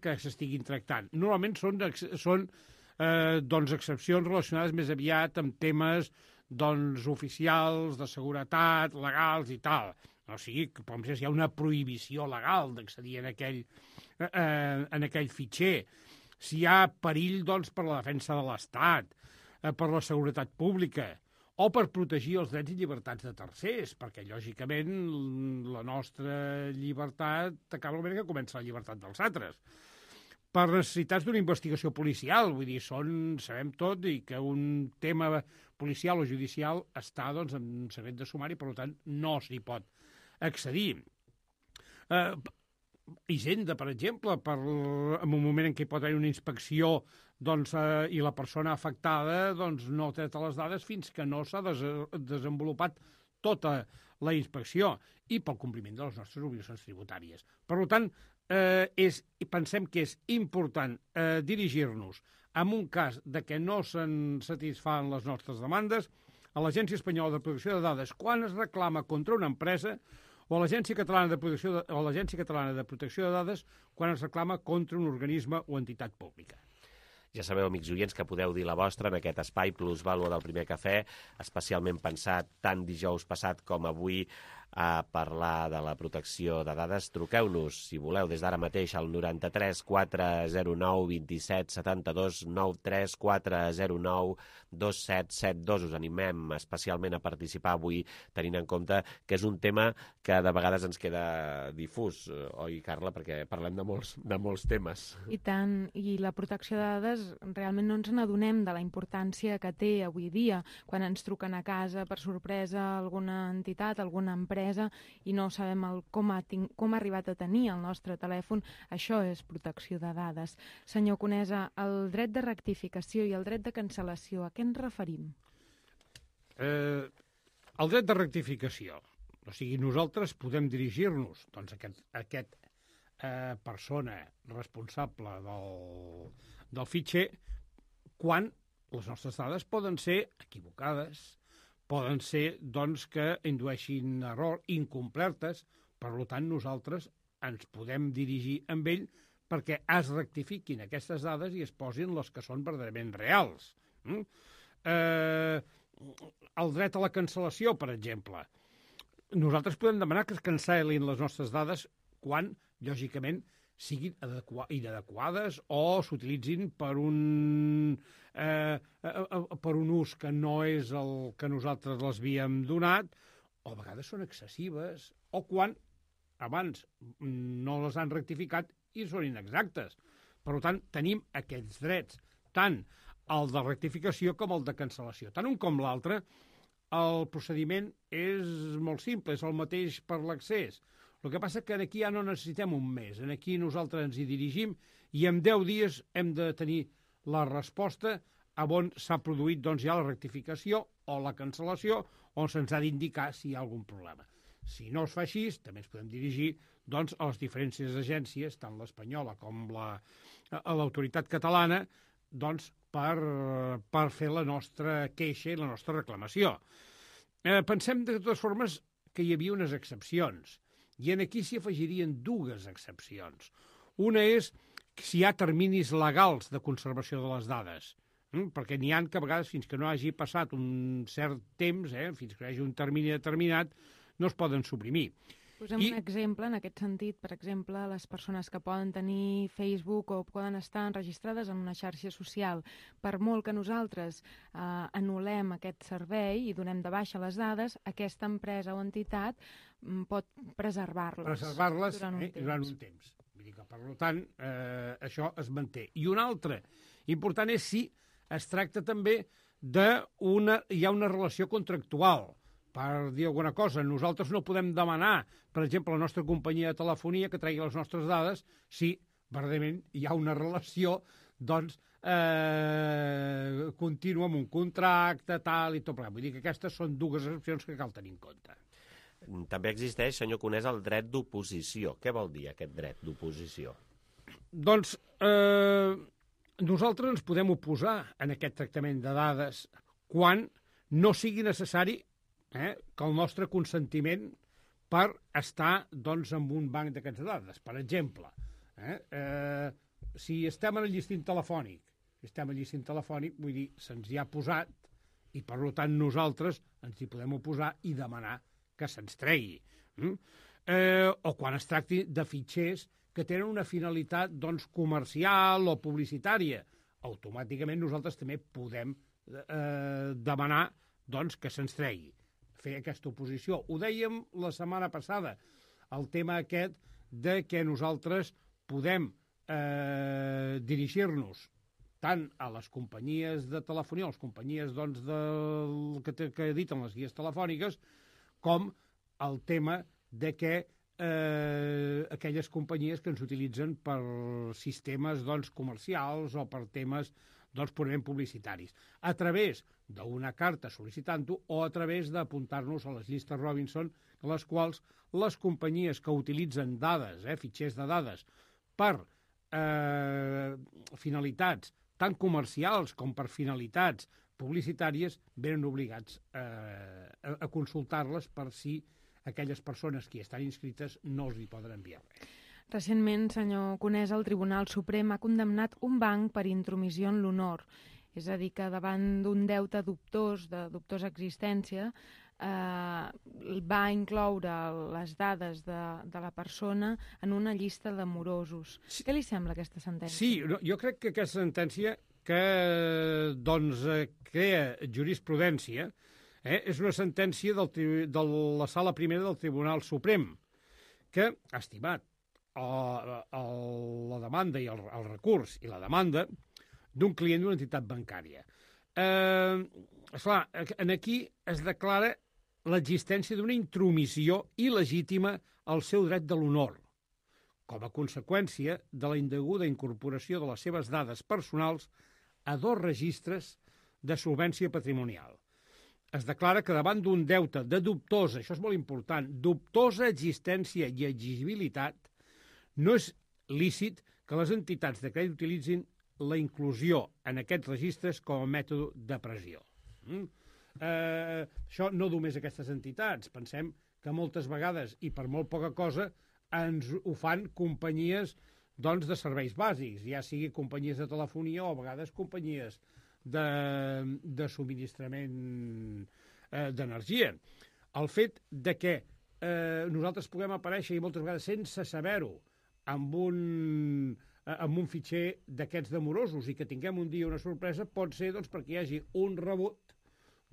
que s'estiguin tractant. Normalment són doncs, excepcions relacionades més aviat amb temes doncs, oficials, de seguretat, legals i tal. O sigui, com si hi ha una prohibició legal d'accedir en aquell fitxer. Si hi ha perill doncs, per la defensa de l'Estat, per la seguretat pública, o per protegir els drets i llibertats de tercers, perquè, lògicament, la nostra llibertat acaba el moment que comença la llibertat dels altres. Per necessitats d'una investigació policial, vull dir, sabem tot, i que un tema policial o judicial està doncs, en secret de sumari, per tant, no s'hi pot accedir. Hisenda, per exemple, en un moment en què pot haver una inspecció doncs, i la persona afectada doncs, no ha tret les dades fins que no s'ha desenvolupat tota la inspecció i pel compliment de les nostres obligacions tributàries. Per tant, pensem que és important dirigir-nos en un cas de que no se'n satisfan les nostres demandes a l'Agència Espanyola de Protecció de Dades quan es reclama contra una empresa o a l'Agència Catalana de Protecció de Dades quan es reclama contra un organisme o entitat pública. Ja sabeu, amics oients, que podeu dir la vostra en aquest espai Plusvàlua del Primer Cafè, especialment pensat tant dijous passat com avui a parlar de la protecció de dades. Truqueu-nos, si voleu, des d'ara mateix al 93 409 27 72 93 409 2772. Us animem especialment a participar avui, tenint en compte que és un tema que de vegades ens queda difús, oi, Carla? Perquè parlem de molts temes. I tant, i la protecció de dades realment no ens n'adonem de la importància que té avui dia quan ens truquen a casa per sorpresa alguna entitat, alguna empresa, i no sabem com ha arribat a tenir el nostre telèfon. Això és protecció de dades. Senyor Conesa, el dret de rectificació i el dret de cancel·lació, a què ens referim? El dret de rectificació. O sigui, nosaltres podem dirigir-nos doncs, a aquesta persona responsable del fitxer quan les nostres dades poden ser equivocades, poden ser doncs, que indueixin error, incomplertes. Per tant, nosaltres ens podem dirigir amb ell perquè es rectifiquin aquestes dades i es posin les que són verdaderament reals. El dret a la cancel·lació, per exemple. Nosaltres podem demanar que es cancel·lin les nostres dades quan, lògicament, siguin inadequades o s'utilitzin per un ús que no és el que nosaltres les havíem donat, o a vegades són excessives, o quan abans no les han rectificat i són inexactes. Per tant, tenim aquests drets, tant el de rectificació com el de cancel·lació. Tant un com l'altre, el procediment és molt simple, és el mateix per l'accés. El que passa que aquí ja no necessitem un mes. Aquí nosaltres ens hi dirigim i en 10 dies hem de tenir la resposta a on s'ha produït doncs, ja la rectificació o la cancel·lació, on se'ns ha d'indicar si hi ha algun problema. Si no es fa així, també ens podem dirigir doncs, a les diferents agències, tant l'espanyola com l'autoritat catalana, doncs, per fer la nostra queixa i la nostra reclamació. Pensem, de totes formes, que hi havia unes excepcions, i aquí s'hi afegirien dues excepcions. Una és si hi ha terminis legals de conservació de les dades, perquè n'hi ha que a vegades, fins que no hagi passat un cert temps, fins que hi hagi un termini determinat, no es poden suprimir. Posem un exemple en aquest sentit. Per exemple, les persones que poden tenir Facebook o poden estar enregistrades en una xarxa social. Per molt que nosaltres anul·lem aquest servei i donem de baixa les dades, aquesta empresa o entitat pot preservar-les durant un temps. Vull dir que, per tant, això es manté. I un altre important és si es tracta també hi ha una relació contractual. Per dir alguna cosa, nosaltres no podem demanar, per exemple, a la nostra companyia de telefonia que tregui les nostres dades si, verdament, hi ha una relació, doncs, contínua amb un contracte, tal i tot. Vull dir que aquestes són dues excepcions que cal tenir en compte. També existeix, senyor Conés, el dret d'oposició. Què vol dir aquest dret d'oposició? Doncs nosaltres ens podem oposar en aquest tractament de dades quan no sigui necessari que el nostre consentiment per estar doncs, en un banc d'aquestes dades. Per exemple, si estem en el llistint telefònic, vull dir, se'ns hi ha posat i, per tant, nosaltres ens hi podem oposar i demanar que se'ns tregui. O quan es tracti de fitxers que tenen una finalitat doncs, comercial o publicitària, automàticament nosaltres també podem demanar doncs, que se'ns tregui, fer aquesta oposició. Ho dèiem la setmana passada, el tema aquest de que nosaltres podem dirigir-nos tant a les companyies de telefonia, a les companyies doncs, que editen les guies telefòniques, com el tema de que aquelles companyies que ens utilitzen per sistemes doncs, comercials o per temes doncs, purament publicitaris, a través d'una carta sol·licitant-ho o a través d'apuntar-nos a les llistes Robinson, en les quals les companyies que utilitzen dades, fitxers de dades, per finalitats tant comercials com per finalitats publicitàries, venen obligats a consultar-les per si aquelles persones que hi estan inscrites no els hi poden enviar res. Recentment, senyor Conés, el Tribunal Suprem ha condemnat un banc per intromissió en l'honor. És a dir, que davant d'un deute dubtós, de dubtosa existència, va incloure les dades de la persona en una llista de morosos. Què li sembla aquesta sentència? Sí, jo crec que aquesta sentència que doncs, crea jurisprudència és una sentència de la Sala Primera del Tribunal Suprem, que ha estimat la demanda i el recurs i la demanda d'un client d'una entitat bancària. Esclar, aquí es declara l'existència d'una intromissió il·legítima al seu dret de l'honor, com a conseqüència de la indeguda incorporació de les seves dades personals a 2 registres de solvència patrimonial. Es declara que davant d'un deute de dubtosa, això és molt important, dubtosa existència i exigibilitat, no és lícit que les entitats de crèdit utilitzin la inclusió en aquests registres com a mètode de pressió. Això no només aquestes entitats. Pensem que moltes vegades, i per molt poca cosa, ens ho fan companyies doncs, de serveis bàsics, ja sigui companyies de telefonia o a vegades companyies de subministrament d'energia. El fet de que nosaltres puguem aparèixer i moltes vegades sense saber-ho amb un fitxer d'aquests demorosos i que tinguem un dia una sorpresa pot ser doncs, perquè hi hagi un rebut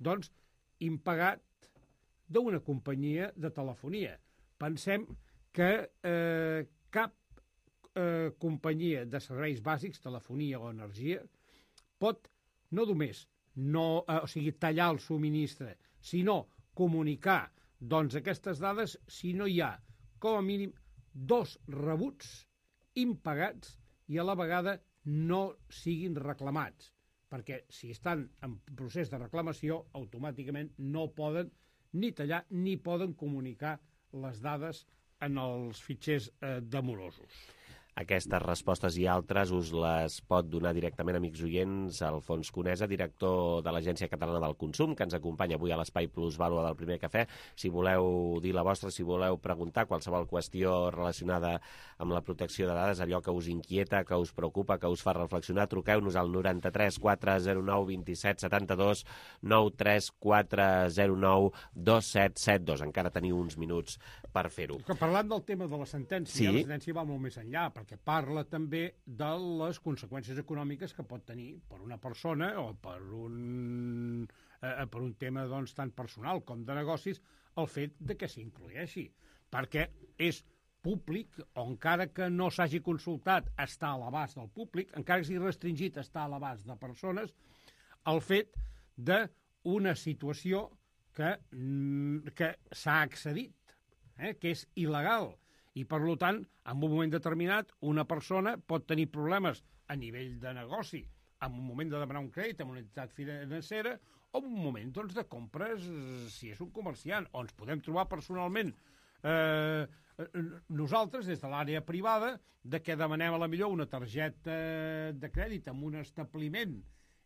doncs, impagat d'una companyia de telefonia. Pensem que cap companyia de serveis bàsics, telefonia o energia, pot no només tallar el subministre, sinó comunicar aquestes dades si no hi ha, com a mínim, 2 rebuts impagats i a la vegada no siguin reclamats, perquè si estan en procés de reclamació, automàticament no poden ni tallar ni poden comunicar les dades en els fitxers de morosos. Aquestes respostes i altres us les pot donar directament, amics oients, Alfons Conesa, director de l'Agència Catalana del Consum, que ens acompanya avui a l'Espai Plusvàlua del Primer Cafè. Si voleu dir la vostra, si voleu preguntar qualsevol qüestió relacionada amb la protecció de dades, allò que us inquieta, que us preocupa, que us fa reflexionar, truqueu-nos al 93 409 27 72, 93 409 2772. Encara teniu uns minuts per fer-ho. Parlant del tema de la sentència, sí. La sentència va molt més enllà, perquè parla també de les conseqüències econòmiques que pot tenir per una persona o per un tema tant personal com de negocis el fet de que s'incloeixi, perquè és públic, o encara que no s'hagi consultat, està a l'abast del públic, encara que sigui restringit, està a l'abast de persones, el fet d'una situació que s'ha accedit, que és il·legal, i, per tant, en un moment determinat, una persona pot tenir problemes a nivell de negoci, en un moment de demanar un crèdit a una entitat financera, o en un moment de compres, si és un comerciant, o ens podem trobar personalment nosaltres, des de l'àrea privada, que demanem a la millor una targeta de crèdit en un establiment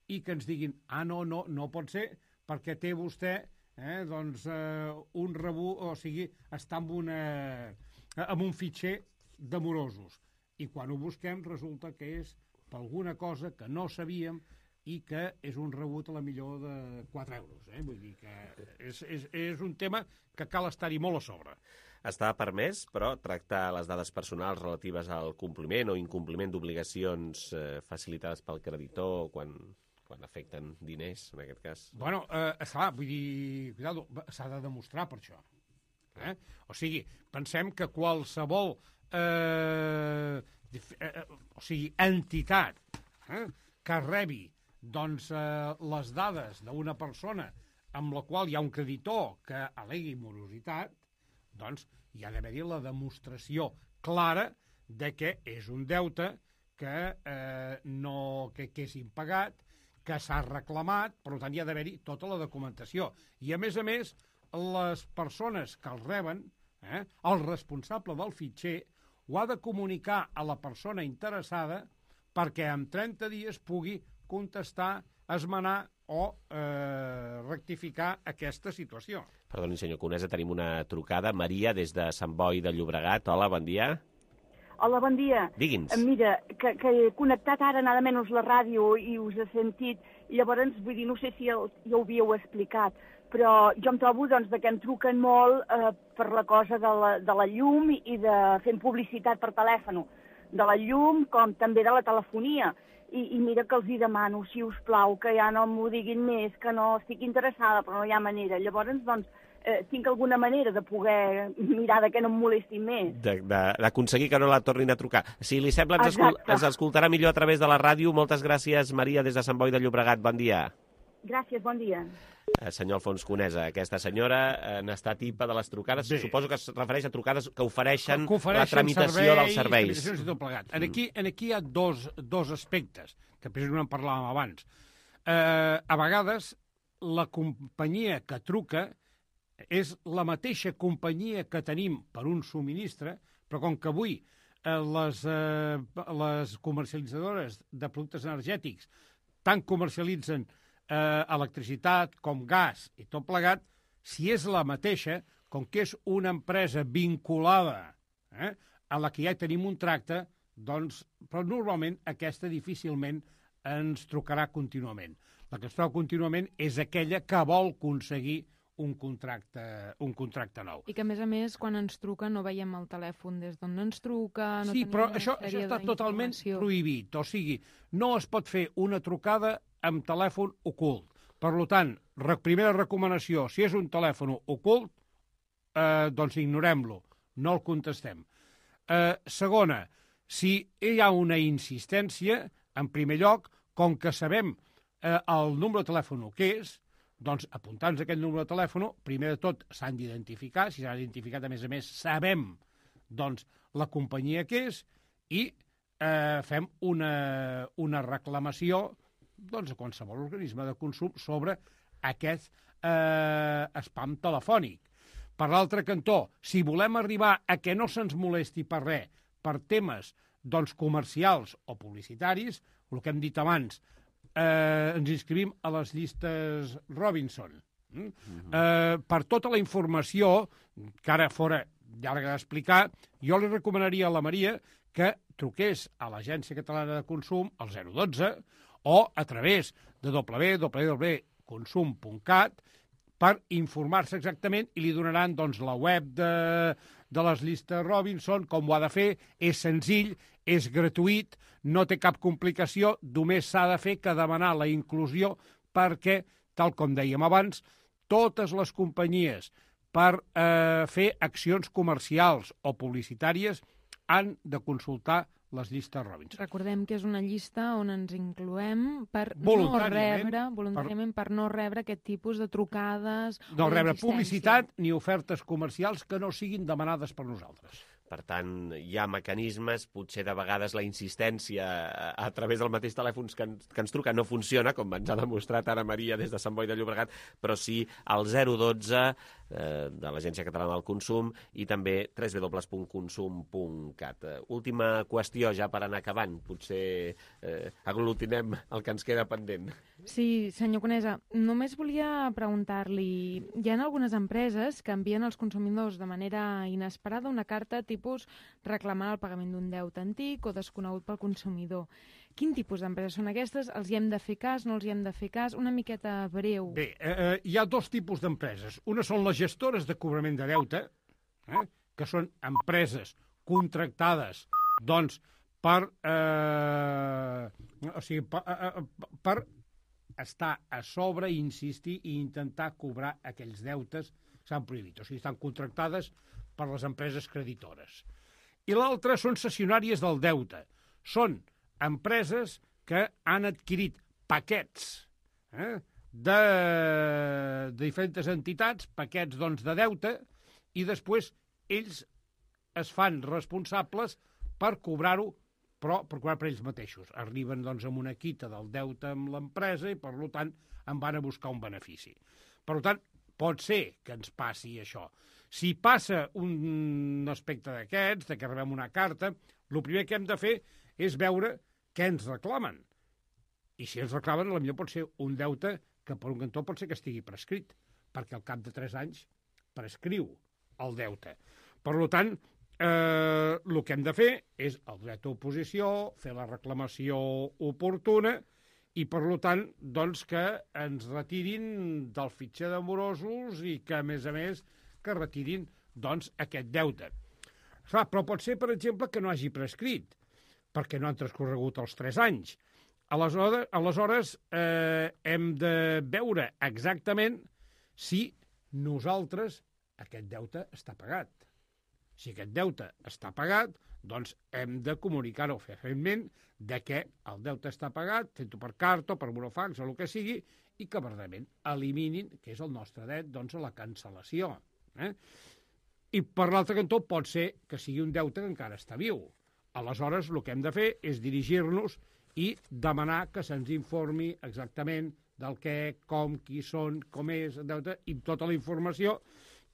i que ens diguin, no pot ser, perquè té vostè un rebut, o sigui, està amb un fitxer de morosos. I quan ho busquem resulta que és per alguna cosa que no sabíem i que és un rebut a la millor de 4 euros. Vull dir que és un tema que cal estar-hi molt a sobre. Està permès, però, tractar les dades personals relatives al compliment o incompliment d'obligacions facilitades pel creditor quan afecten diners, en aquest cas? Bueno, esclar, vull dir, cuidado, s'ha de demostrar per això. O sigui, pensem que qualsevol entitat que rebi les dades d'una persona amb la qual hi ha un creditor que al·legui morositat, doncs hi ha d'haver-hi la demostració clara de que és un deute que és impagat, que s'ha reclamat, per tant hi ha d'haver-hi tota la documentació. I a més, les persones que els reben, el responsable del fitxer, ho ha de comunicar a la persona interessada perquè en 30 dies pugui contestar, esmenar o rectificar aquesta situació. Perdoni, senyor Conesa, tenim una trucada. Maria, des de Sant Boi de Llobregat. Hola, bon dia. Hola, bon dia. Digui'ns. Mira, que he connectat ara nada menys la ràdio i us he sentit, i llavors, vull dir, no sé si ja ho havíeu explicat, però jo em trobo que em truquen molt per la cosa de la llum i de fent publicitat per telèfon, de la llum com també de la telefonia. I mira que els hi demano, si us plau, que ja no m'ho diguin més, que no estic interessada, però no hi ha manera. Llavors, tinc alguna manera de poder mirar que no em molestin més. D'aconseguir que no la tornin a trucar. Si li sembla, ens escoltarà millor a través de la ràdio. Moltes gràcies, Maria, des de Sant Boi de Llobregat. Bon dia. Gràcies, bon dia. Senyor Alfons Conesa, aquesta senyora n'està tipa de les trucades. Sí. Suposo que es refereix a trucades que ofereixen la tramitació dels serveis. Aquí hi ha dos aspectes, que precisament en parlàvem abans. A vegades, la companyia que truca és la mateixa companyia que tenim per un subministre, però com que avui les comercialitzadores de productes energètics tant comercialitzen electricitat com gas i tot plegat, si és la mateixa, com que és una empresa vinculada a la que ja tenim un tracte, doncs, però normalment aquesta difícilment ens trucarà contínuament. La que es troba contínuament és aquella que vol aconseguir un contracte nou. I que, a més, quan ens truca no veiem el telèfon des d'on ens truca... Sí, però això està totalment prohibit. O sigui, no es pot fer una trucada amb telèfon ocult. Per tant, primera recomanació, si és un telèfon ocult, doncs ignorem-lo, no el contestem. Segona, si hi ha una insistència, en primer lloc, com que sabem el número de telèfon que és, doncs apuntant-nos aquest número de telèfon, primer de tot s'han d'identificar, si s'han identificat a més sabem doncs la companyia que és i fem una reclamació doncs, a qualsevol organisme de consum sobre aquest spam telefònic. Per l'altre cantó, si volem arribar a que no se'ns molesti per res, per temes doncs, comercials o publicitaris, el que hem dit abans, ens inscrivim a les llistes Robinson. Per tota la informació, que ara fora llarga d'explicar, jo li recomanaria a la Maria que truqués a l'Agència Catalana de Consum, al 012, o a través de www.consum.cat per informar-se exactament i li donaran doncs, la web de les llistes Robinson, com ho ha de fer, és senzill, és gratuït, no té cap complicació, només s'ha de fer que demanar la inclusió perquè, tal com dèiem abans, totes les companyies per fer accions comercials o publicitàries han de consultar les llistes Robinson. Recordem que és una llista on ens incloem per voluntàriament per no rebre aquest tipus de trucades. No rebre publicitat ni ofertes comercials que no siguin demanades per nosaltres. Per tant, hi ha mecanismes, potser de vegades la insistència a través del mateix telèfon que ens truca no funciona, com ens ha demostrat ara Maria des de Sant Boi de Llobregat, però sí al 012 de l'Agència Catalana del Consum i també www.consum.cat. Última qüestió, ja per anar acabant, potser aglutinem el que ens queda pendent. Sí, senyor Conesa, només volia preguntar-li, hi ha algunes empreses que envien als consumidors de manera inesperada una carta tipus reclamant el pagament d'un deute antic o desconegut pel consumidor. Quin tipus d'empreses són aquestes? Els hi hem de fer cas, no els hi hem de fer cas? Una miqueta breu. Bé, hi ha dos tipus d'empreses. Una són les gestores de cobrament de deute, que són empreses contractades doncs, per estar a sobre, insistir i intentar cobrar aquells deutes que s'han prohibit. O sigui, estan contractades per les empreses creditores. I l'altra són cessionàries del deute. Són empreses que han adquirit paquets de diferents entitats, paquets doncs, de deute, i després ells es fan responsables per cobrar-ho, però per cobrar per ells mateixos. Arriben doncs, amb una quita del deute amb l'empresa i, per tant, en van a buscar un benefici. Per tant, pot ser que ens passi això. Si passa un aspecte d'aquests, de que rebem una carta, el primer que hem de fer és veure què ens reclamen. I si ens reclamen, potser pot ser un deute que per un cantó pot ser que estigui prescrit, perquè al cap de 3 anys prescriu el deute. Per tant, el que hem de fer és el dret d'oposició, fer la reclamació oportuna i, per tant, doncs, que ens retirin del fitxer de morosos i que, a més, que retirin doncs, aquest deute. Clar, però pot ser, per exemple, que no hagi prescrit, perquè no han transcorregut els 3 anys. Aleshores hem de veure exactament si nosaltres aquest deute està pagat. Si aquest deute està pagat, doncs hem de comunicar-ho fefaentment de que el deute està pagat, fet-ho per carta o per burofax o el que sigui, i que verdament eliminin, que és el nostre dret, doncs, a la cancel·lació. I per l'altre cantó pot ser que sigui un deute que encara està viu. Aleshores, el que hem de fer és dirigir-nos i demanar que se'ns informi exactament del què, com, qui són, com és el deute i tota la informació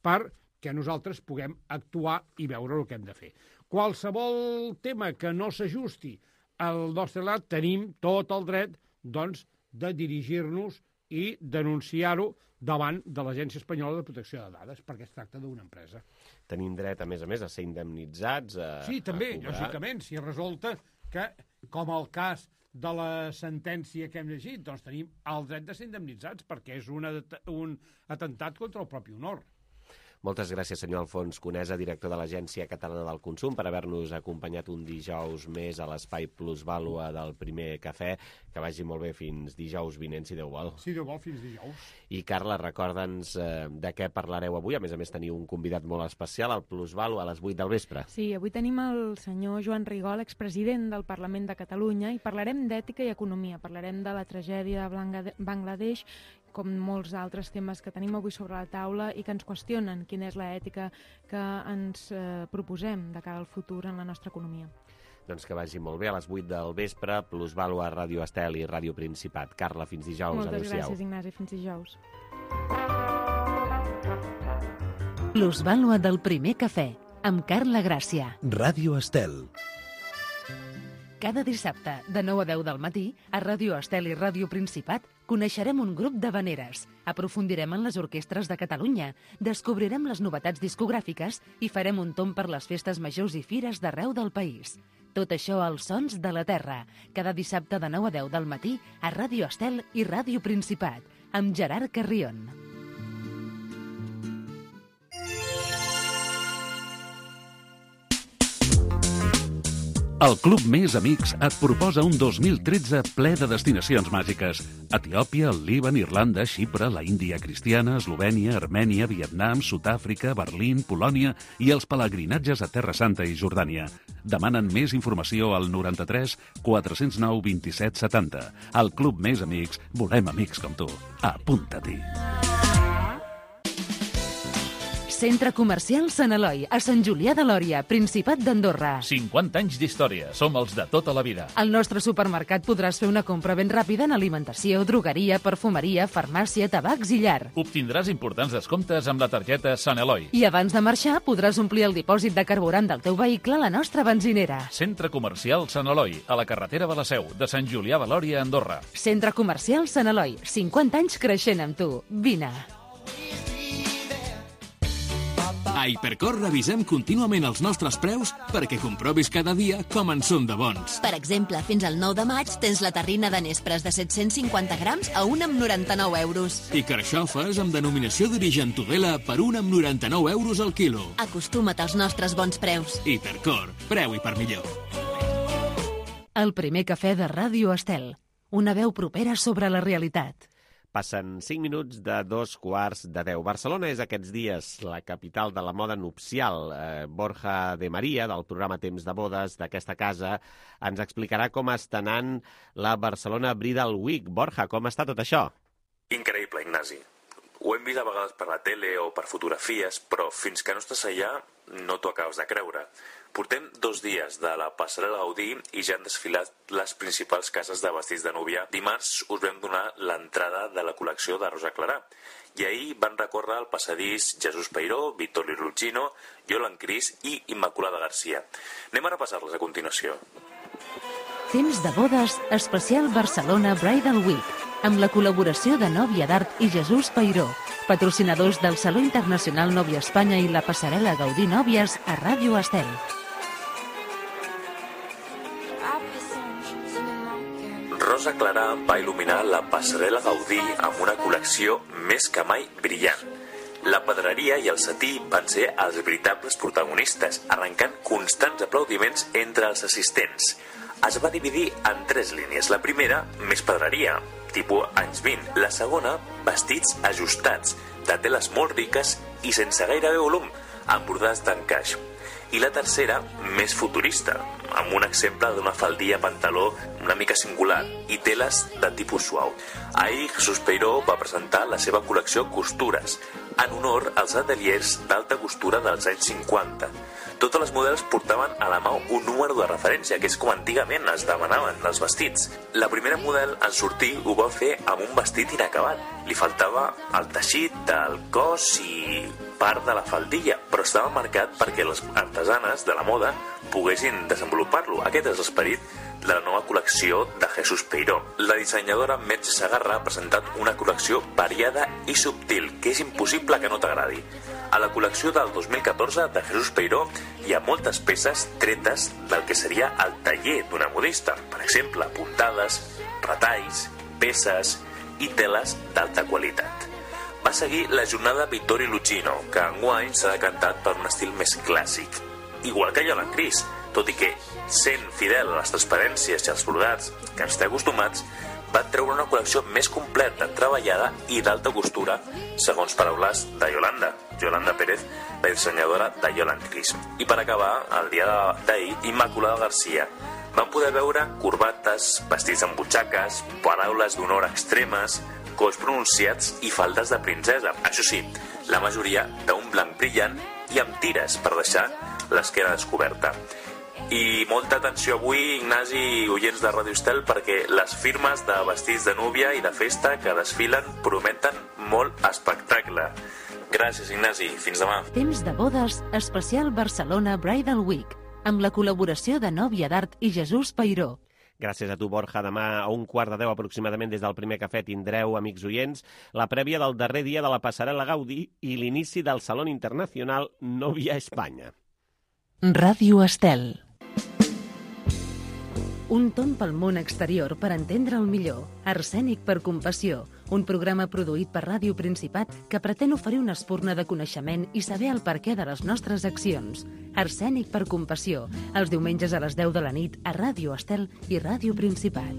perquè nosaltres puguem actuar i veure el que hem de fer. Qualsevol tema que no s'ajusti al nostre lat, tenim tot el dret doncs, de dirigir-nos i denunciar-ho davant de l'Agència Espanyola de Protecció de Dades, perquè es tracta d'una empresa. Tenim dret, a més, a ser indemnitzats, Sí, també, lògicament, si resulta que, com el cas de la sentència que hem llegit, doncs tenim el dret de ser indemnitzats, perquè és un atemptat contra el propi honor. Moltes gràcies, senyor Alfons Conesa, director de l'Agència Catalana del Consum, per haver-nos acompanyat un dijous més a l'Espai Plusvàlua del Primer Cafè. Que vagi molt bé fins dijous vinent, si Déu vol. Si Déu vol, fins dijous. I, Carla, recorda'ns de què parlareu avui. A més teniu un convidat molt especial, al Plusvàlua, a les 8 del vespre. Sí, avui tenim el senyor Joan Rigol, expresident del Parlament de Catalunya, i parlarem d'ètica i economia. Parlarem de la tragèdia de Bangladesh, com molts altres temes que tenim avui sobre la taula i que ens qüestionen quina és l'ètica que ens proposem de cara al futur en la nostra economia. Doncs que vagi molt bé, a les 8 del vespre, Plusvàlua, Ràdio Estel i Ràdio Principat. Carla, fins dijous. Moltes gràcies, Ignasi. Fins dijous. Plusvàlua del Primer Cafè, amb Carla Gràcia. Ràdio Estel. Cada dissabte, de 9 a 10 del matí, a Ràdio Estel i Ràdio Principat, coneixerem un grup d'havaneres, aprofundirem en les orquestres de Catalunya, descobrirem les novetats discogràfiques i farem un tomb per les festes majors i fires d'arreu del país. Tot això als Sons de la Terra, cada dissabte de 9 a 10 del matí a Ràdio Estel i Ràdio Principat, amb Gerard Carrion. El Club Més Amics et proposa un 2013 ple de destinacions màgiques. Etiòpia, el Líban, Irlanda, Xipre, la Índia cristiana, Eslovènia, Armènia, Vietnam, Sud-àfrica, Berlín, Polònia i els pelegrinatges a Terra Santa i Jordània. Demanen més informació al 93 409 27 70. Al Club Més Amics volem amics com tu. Apunta-t'hi. Centre Comercial Sant Eloi, a Sant Julià de Lòria, Principat d'Andorra. 50 anys d'història, som els de tota la vida. Al nostre supermercat podràs fer una compra ben ràpida en alimentació, drogueria, perfumeria, farmàcia, tabacs i llar. Obtindràs importants descomptes amb la targeta Sant Eloi. I abans de marxar podràs omplir el dipòsit de carburant del teu vehicle a la nostra benzinera. Centre Comercial Sant Eloi, a la carretera de la Seu, de Sant Julià de Lòria, Andorra. Centre Comercial Sant Eloi, 50 anys creixent amb tu. Vine. A Hipercor revisem contínuament els nostres preus perquè comprovis cada dia com en són de bons. Per exemple, fins al 9 de maig tens la terrina de nespres de 750 grams a 1,99 euros. I carxofes amb denominació d'origen Tudela per 1,99 euros al quilo. Acostuma't als nostres bons preus. Hipercor, preu i per millor. El Primer Cafè de Ràdio Estel. Una veu propera sobre la realitat. Passen 5 minuts de 2:15. Barcelona és aquests dies la capital de la moda nupcial. Borja de Maria, del programa Temps de Bodes d'aquesta casa, ens explicarà com està anant la Barcelona Bridal Week. Borja, com està tot això? Increïble, Ignasi. Ho hem vist a vegades per la tele o per fotografies, però fins que no estàs allà no t'ho acabes de creure. Portem 2 dies de la passarel·la Gaudí i ja han desfilat les principals cases de vestits de núvia. Dimarts us vam donar l'entrada de la col·lecció de Rosa Clarà i ahir van recórrer el passadís Jesús Peiró, Vittorio Ruggino, Yolan Cris i Immaculada Garcia. Anem a repassar-les a continuació. Temps de Bodes, especial Barcelona Bridal Week, amb la col·laboració de Nòvia d'Art i Jesús Peiró, patrocinadors del Saló Internacional Nòvia Espanya i la passarel·la Gaudí Nòvies a Ràdio Estel. Rosa Clarà va il·luminar la passarel·la Gaudí amb una col·lecció més que mai brillant. La pedreria i el setí van ser els veritables protagonistes, arrencant constants aplaudiments entre els assistents. Es va dividir en 3 línies. La primera, més pedreria, tipus anys 20. La segona, vestits ajustats, de teles molt riques i sense gairebé volum, amb bordats d'encaix. I la tercera, més futurista, amb un exemple d'una faldilla pantaló una mica singular i teles de tipus suau. Ahir Jesús Peiró va presentar la seva col·lecció Costures, en honor als ateliers d'alta costura dels anys 50. Totes les models portaven a la mà un número de referència, que és com antigament es demanaven els vestits. La primera model en sortir ho va fer amb un vestit inacabat. Li faltava el teixit del cos i part de la faldilla, però estava marcat perquè les artesanes de la moda poguessin desenvolupar-lo. Aquest és l'esperit de la nova col·lecció de Jesús Peiró. La dissenyadora Merche Segarra ha presentat una col·lecció variada i subtil, que és impossible que no t'agradi. A la col·lecció del 2014 de Jesús Peiró hi ha moltes peces tretes del que seria el taller d'una modista. Per exemple, puntades, retalls, peces i teles d'alta qualitat. va seguir la jornada Vittorio Lucchino, que enguany s'ha decantat per un estil més clàssic. Igual que Yolan Cris, tot i que, sent fidel a les transparències i als brodats que ens té acostumats, va treure una col·lecció més completa, treballada i d'alta costura, segons paraules de Yolanda Pérez, la dissenyadora de Yolan Cris. I per acabar, el dia d'ahir, Immaculada García. Vam poder veure corbates, vestits amb butxaques, paraules d'honor extremes, colls pronunciats i faldes de princesa. Això sí, la majoria d'un blanc brillant i amb tires per deixar l'esquena descoberta. I molta atenció avui, Ignasi i oients de Radio Estel, perquè les firmes de vestits de núvia i de festa que desfilen prometen molt espectacle. Gràcies, Ignasi. Fins demà. Temps de bodes, especial Barcelona Bridal Week, amb la col·laboració de Nòvia d'Art i Jesús Peiró. Gràcies a tu, Borja. Demà a 1:15 aproximadament des del primer cafè tindreu, amics oients, la prèvia del darrer dia de la passarel·la Gaudí i l'inici del Salón Internacional Novia Espanya. Ràdio Estel. Un tomb pel món exterior per entendre'l millor. Arsènic per compassió. Un programa produït per Ràdio Principat que pretén oferir una espurna de coneixement i saber el perquè de les nostres accions. Arsènic per compassió. Els diumenges a les 10 de la nit a Ràdio Estel i Ràdio Principat.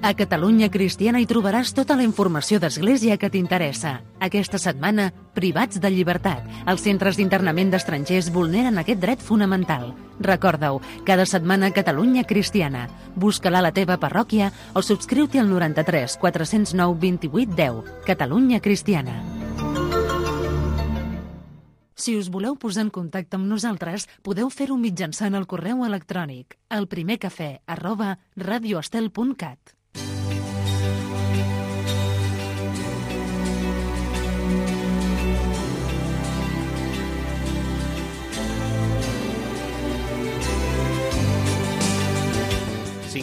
A Catalunya Cristiana hi trobaràs tota la informació d'Església que t'interessa. Aquesta setmana, privats de llibertat. Els centres d'internament d'estrangers vulneren aquest dret fonamental. Recorda-ho, cada setmana Catalunya Cristiana. Busca-la a la teva parròquia o subscriu-t'hi al 93 409 28 10. Catalunya Cristiana. Si us voleu posar en contacte amb nosaltres, podeu fer-ho mitjançant el correu electrònic elprimercafè@radioestel.cat.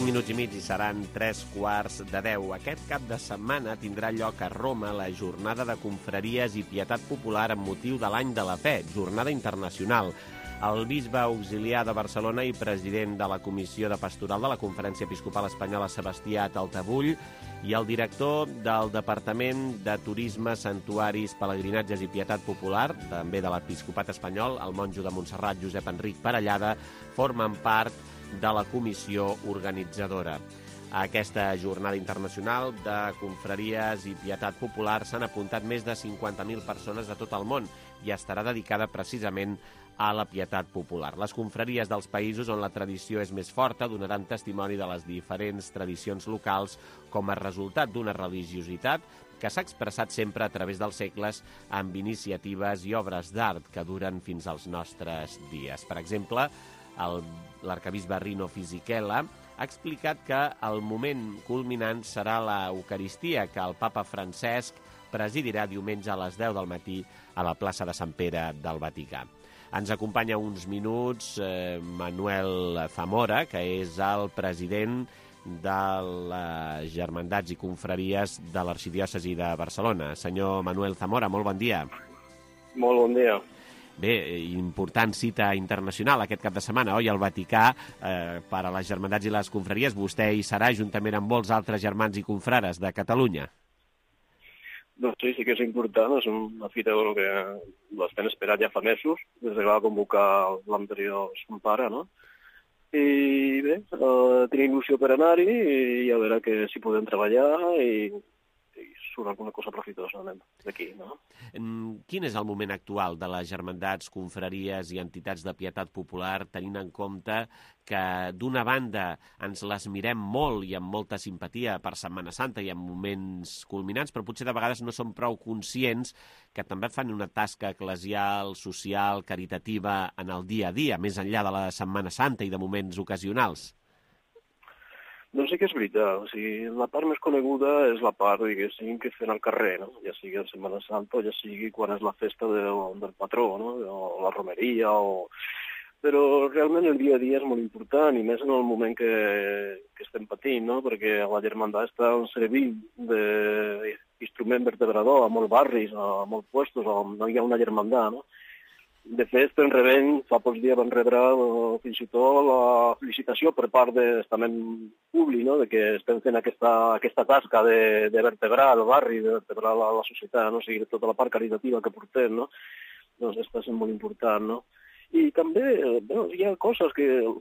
Minuts i mig i seran 9:45. Aquest cap de setmana tindrà lloc a Roma la jornada de confraries i pietat popular amb motiu de l'Any de la Fe, jornada internacional. El bisbe auxiliar de Barcelona i president de la Comissió de Pastoral de la Conferència Episcopal Espanyola, Sebastià Taltabull, i el director del Departament de Turisme, Santuaris, Pelegrinatges i Pietat Popular, també de l'Episcopat Espanyol, el monjo de Montserrat, Josep Enric Parellada, formen part de la comissió organitzadora. A aquesta jornada internacional de confraries i pietat popular s'han apuntat més de 50.000 persones de tot el món i estarà dedicada precisament a la pietat popular. Les confraries dels països on la tradició és més forta donaran testimoni de les diferents tradicions locals com a resultat d'una religiositat que s'ha expressat sempre a través dels segles amb iniciatives i obres d'art que duren fins als nostres dies. Per exemple, l'arcabisbe Rino Fisichella ha explicat que el moment culminant serà l'Eucaristia, que el papa Francesc presidirà diumenge a les 10 del matí a la plaça de Sant Pere del Vaticà. Ens acompanya uns minuts Manuel Zamora, que és el president de les Germandats i Confraries de l'Arxidiòcesi de Barcelona. Senyor Manuel Zamora, molt bon dia. Molt bon dia. Bé, important cita internacional aquest cap de setmana, oi? Al Vaticà, per a les Germandats i les Confraries. Vostè hi serà juntament amb molts altres germans i confrares de Catalunya. Doncs sí que és important. És una fita que l'estem esperant ja fa mesos, des que va convocar l'anterior son pare, no? I bé, tenim il·lusió per anar-hi i a veure que si podem treballar i surt alguna cosa profitosa d'aquí, no? Quin és el moment actual de les germandats, confraries i entitats de pietat popular, tenint en compte que d'una banda ens les mirem molt i amb molta simpatia per Setmana Santa i en moments culminants, però potser de vegades no som prou conscients que també fan una tasca eclesial, social, caritativa en el dia a dia, més enllà de la Setmana Santa i de moments ocasionals? Doncs sí que és veritat. O sigui, la part més coneguda és la part, diguéssim, que fem al carrer, no? Ja sigui en Setmana Santa o ja sigui quan és la festa del patró, no? O la romeria, Però realment el dia a dia és molt important, i més en el moment que estem patint, no? Perquè la germandat està servint d'instrument vertebrador a molts barris, a molts puestos on no hi ha una germandat, no? De fet, estem rebent, fa pocs dies van rebre fins i tot la felicitació per part de l'estament públic, no?, de que estem fent aquesta tasca de vertebrar el barri, de vertebrar la societat, no?, o sigui, tota la part caritativa que portem, no?, doncs està sent molt important, no? I també, hi ha coses que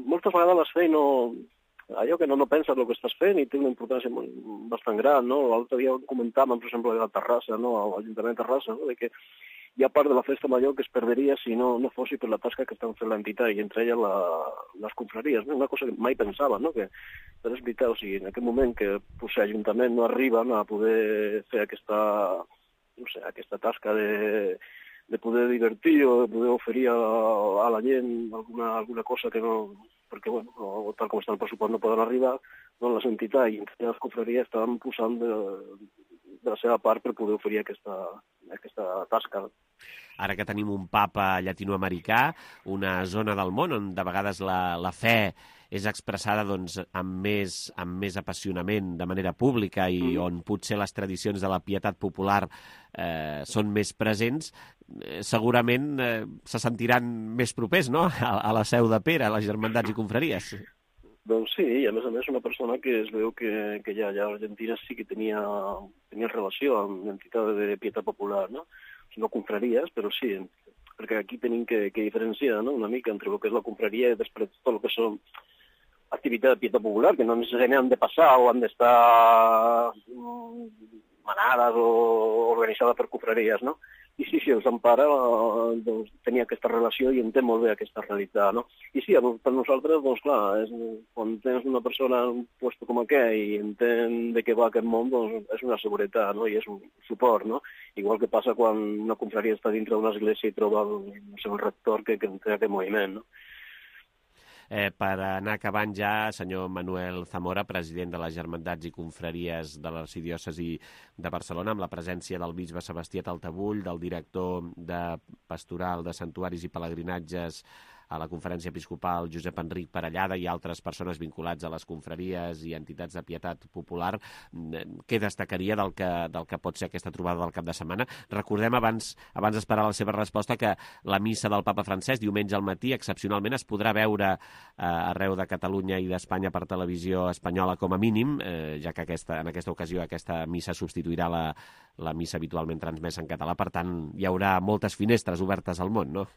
moltes vegades les fem allò que no penses el que estàs fent i té una importància bastant gran, no? L'altre dia comentàvem, per exemple, a Terrassa, no?, a l'Ajuntament de Terrassa, no?, de que hi ha part de la festa major que es perderia si no fos per la tasca que estan fent l'entitat, i entre elles les confraries, no? Una cosa que mai pensava, no?, que però és veritat, o sigui, en aquest moment que l'Ajuntament no arriben a poder fer aquesta tasca de poder divertir o de poder oferir a la gent alguna cosa que no, perquè, bueno, tal com està el pressupost no poden arribar, doncs les entitats i les confraries estaven posant de la seva part per poder oferir aquesta tasca. Ara que tenim un papa llatinoamericà, una zona del món on de vegades la fe és expressada doncs, amb més apassionament de manera pública i on potser les tradicions de la pietat popular són més presents, segurament se sentiran més propers, no?, a la Seu de Pere, a les germandats i confraries. Doncs sí, i a més una persona que es veu que ja a Argentina sí que tenia relació amb l'entitat de pietat popular, no? No confraries, però sí, perquè aquí tenim que diferenciar, no?, una mica entre el que és la confraria i després tot el que són activitats de pietat popular, que no necessàriament han de passar o han d'estar manades o organitzades per confraries, no? I sí, el Sant Pare doncs, tenia aquesta relació i entén molt bé aquesta realitat, no? I sí, per nosaltres, doncs clar, quan tens una persona en un lloc com aquest i entén de què va aquest món, doncs és una seguretat, no?, i és un suport, no? Igual que passa quan una confraria està dintre d'una església i troba el seu rector que té aquest moviment, no? Per anar acabant ja, senyor Manuel Zamora, president de les Germandats i Confraries de l'Arxidiòcesi de Barcelona, amb la presència del bisbe Sebastià Taltabull, del director de Pastoral de Santuaris i Pelegrinatges a la Conferència Episcopal, Josep Enric Parellada, i altres persones vinculats a les confraries i entitats de pietat popular, què destacaria del que pot ser aquesta trobada del cap de setmana? Recordem, abans d'esperar la seva resposta, que la missa del papa Francesc, diumenge al matí, excepcionalment es podrà veure arreu de Catalunya i d'Espanya per televisió espanyola com a mínim, ja que en aquesta ocasió aquesta missa substituirà la missa habitualment transmesa en català. Per tant, hi haurà moltes finestres obertes al món, no?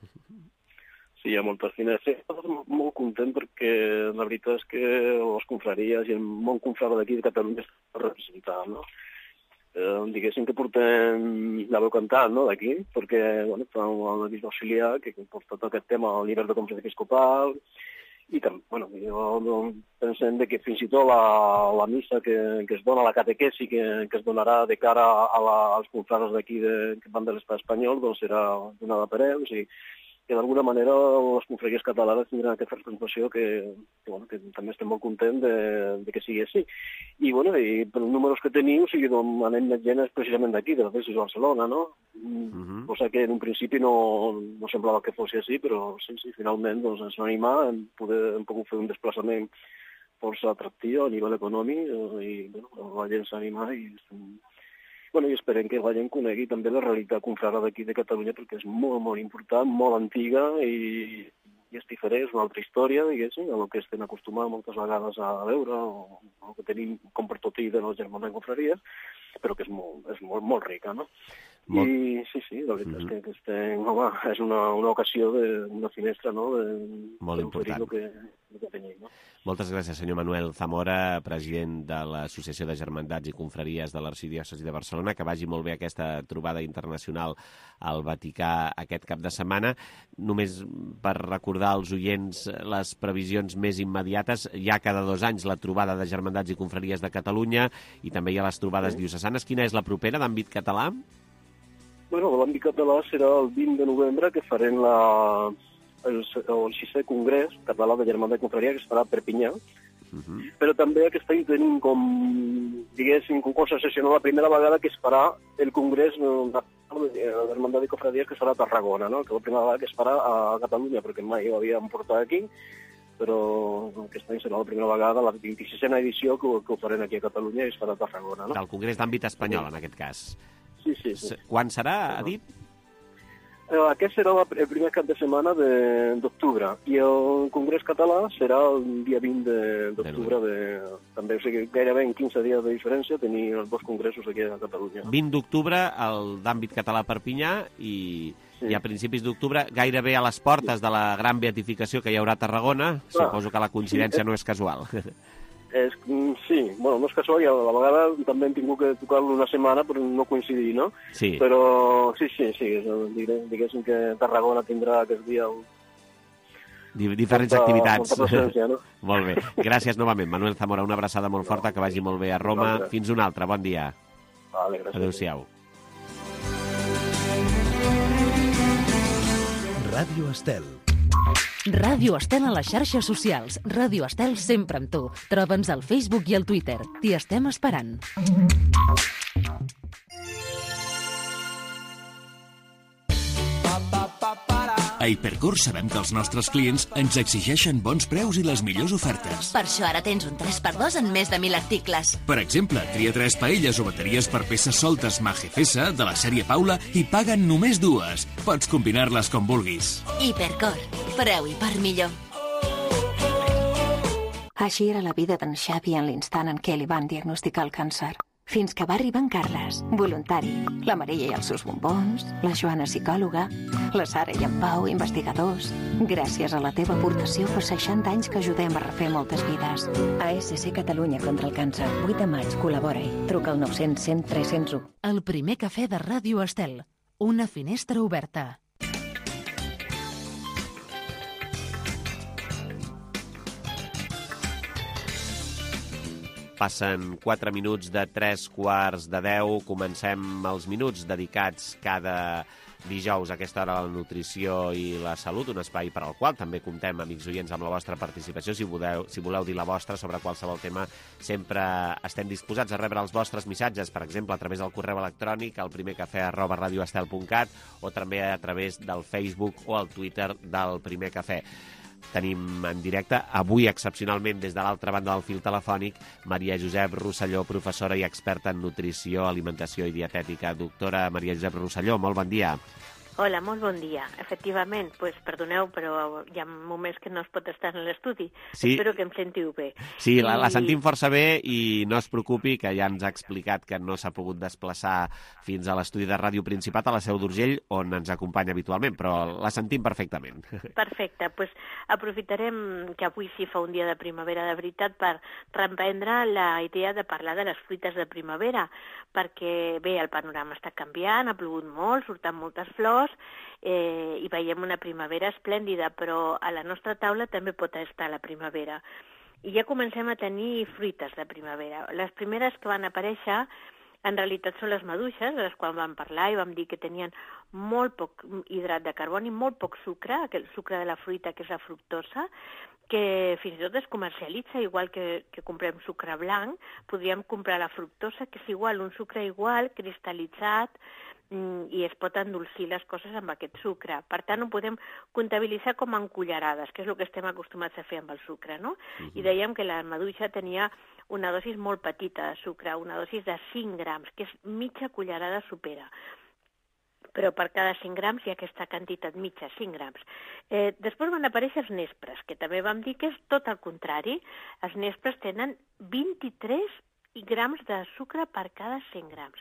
Sí, hi ha moltes finestres. Estic molt content perquè la veritat és que les confraries i el món confrare d'aquí de Catalunya està representat, no? Diguéssim que portem la veu cantant, no?, d'aquí, perquè, bueno, fa el bisbe auxiliar que porta tot aquest tema al nivell de Conferència Episcopal i també, bueno, jo pensem que fins i tot la missa que es dona, la catequesi que es donarà de cara als confrares d'aquí que van de l'estat espanyol, doncs serà donada per ells i que d'alguna manera les confraries catalanes tindran aquesta representació que també estem molt contents de que sigui així. I per els números que tenim, anem més gent precisament d'aquí, de la Diòcesi de Barcelona, no? Cosa que en un principi no semblava que fos així, però sí, finalment ens van animar, hem pogut fer un desplaçament força atractiu a nivell econòmic i la gent s'ha animat i i esperem que la gent conegui també la realitat confrare d'aquí de Catalunya, perquè és molt, molt important, molt antiga i és diferent, és una altra història, diguéssim, a el que estem acostumats moltes vegades a veure, o el que tenim com per tot i de les germanes confraries, però que és molt rica, no? I sí, la veritat és que és una ocasió, una finestra, no?, molt important. El que tenim, no? Moltes gràcies, senyor Manuel Zamora, president de l'Associació de Germandats i Confraries de l'Arxidiòcesi de Barcelona. Que vagi molt bé aquesta trobada internacional al Vaticà aquest cap de setmana. Només per recordar als oients les previsions més immediates, hi ha cada 2 anys la trobada de Germandats i Confraries de Catalunya i també hi ha les trobades diocesanes. Quina és la propera d'àmbit català? L'àmbit català serà el 20 de novembre, que farem el 6è Congrés Català de Germandats i Confraries, que es farà a Perpinyà. Però també aquest any tenim com cosa excepcional la primera vegada que es farà el Congrés de Germandats i Confraries, que serà a Tarragona, no? Que la primera vegada que es farà a Catalunya, perquè mai ho havíem portat aquí, però aquest any serà la primera vegada, la 26a edició, que ho farem aquí a Catalunya i es farà a Tarragona, no? Del Congrés d'àmbit espanyol, en aquest cas. Sí. Quan serà, ha dit? Aquest serà el primer cap de setmana d'octubre i el Congrés Català serà el dia 20 d'octubre. També, o sigui, gairebé en 15 dies de diferència tenir els dos congressos aquí a Catalunya. 20 d'octubre, el d'àmbit català a Perpinyà i a principis d'octubre, gairebé a les portes de la gran beatificació que hi haurà a Tarragona. Suposo que la coincidència no és casual. Sí, bueno, no és casual i a la vegada també hem tingut que tocar-lo una setmana per no coincidir, no? Sí. Però sí, diguéssim que Tarragona tindrà aquest dia diferents activitats. Molta presència, no? Molt bé. Gràcies novament, Manuel Zamora. Una abraçada molt forta, que vagi molt bé a Roma. Fins una altra. Bon dia. Vale, gràcies. Adéu-siau. Ràdio Estel. Ràdio Estel a les xarxes socials. Ràdio Estel sempre amb tu. Troba'ns al Facebook i al Twitter. T'hi estem esperant. A Hipercor sabem que els nostres clients ens exigeixen bons preus i les millors ofertes. Per això ara tens un 3x2 en més de 1.000 articles. Per exemple, tria 3 paelles o bateries per peces soltes Magefesa de la sèrie Paula i paguen només 2. Pots combinar-les com vulguis. Hipercor. Preu i per millor. Així era la vida d'en Xavi en l'instant en què li van diagnosticar el càncer. Fins que va arribar en Carles, voluntari, la Maria i els seus bombons, la Joana psicòloga, la Sara i en Pau, investigadors. Gràcies a la teva aportació fa 60 anys que ajudem a refer moltes vides. ASC Catalunya contra el càncer. 8 de maig, col·labora-hi. Truca al 900 100 301. El primer cafè de Ràdio Estel. Una finestra oberta. Passen 4 minuts de 3:45. Comencem els minuts dedicats cada dijous a aquesta hora a la nutrició i la salut, un espai per al qual també comptem, amics oients, amb la vostra participació. Si voleu dir la vostra sobre qualsevol tema, sempre estem disposats a rebre els vostres missatges, per exemple, a través del correu electrònic al primercafè@radioestel.cat o també a través del Facebook o el Twitter del Primer Cafè. Tenim en directe, avui excepcionalment des de l'altra banda del fil telefònic, Maria Josep Rosselló, professora i experta en nutrició, alimentació i dietètica. Doctora Maria Josep Rosselló, molt bon dia. Hola, molt bon dia. Efectivament, perdoneu, però hi ha moments que no es pot estar en l'estudi. Sí. Espero que em sentiu bé. Sí, la sentim força bé i no es preocupi, que ja ens ha explicat que no s'ha pogut desplaçar fins a l'estudi de Ràdio Principat a la Seu d'Urgell, on ens acompanya habitualment, però la sentim perfectament. Perfecte, doncs aprofitarem que avui sí fa un dia de primavera de veritat per reprendre la idea de parlar de les fruites de primavera, perquè bé, el panorama està canviant, ha plogut molt, surten moltes flors, i veiem una primavera esplèndida, però a la nostra taula també pot estar la primavera. I ja comencem a tenir fruites de primavera. Les primeres que van aparèixer en realitat són les maduixes, de les quals vam parlar i vam dir que tenien molt poc hidrat de carboni, molt poc sucre, aquell sucre de la fruita que és la fructosa, que fins i tot es comercialitza, igual que comprem sucre blanc, podríem comprar la fructosa, que és igual, un sucre igual, cristal·litzat, i es pot endolcir les coses amb aquest sucre. Per tant, ho podem comptabilitzar com en cullerades, que és el que estem acostumats a fer amb el sucre, no? I dèiem que la maduixa tenia una dosis molt petita de sucre, una dosis de 5 grams, que és mitja cullerada sopera. Però per cada 5 grams hi ha aquesta quantitat mitja, 5 grams. Després van aparèixer els nespres, que també vam dir que és tot el contrari. Els nespres tenen 23 grams de sucre per cada 100 grams.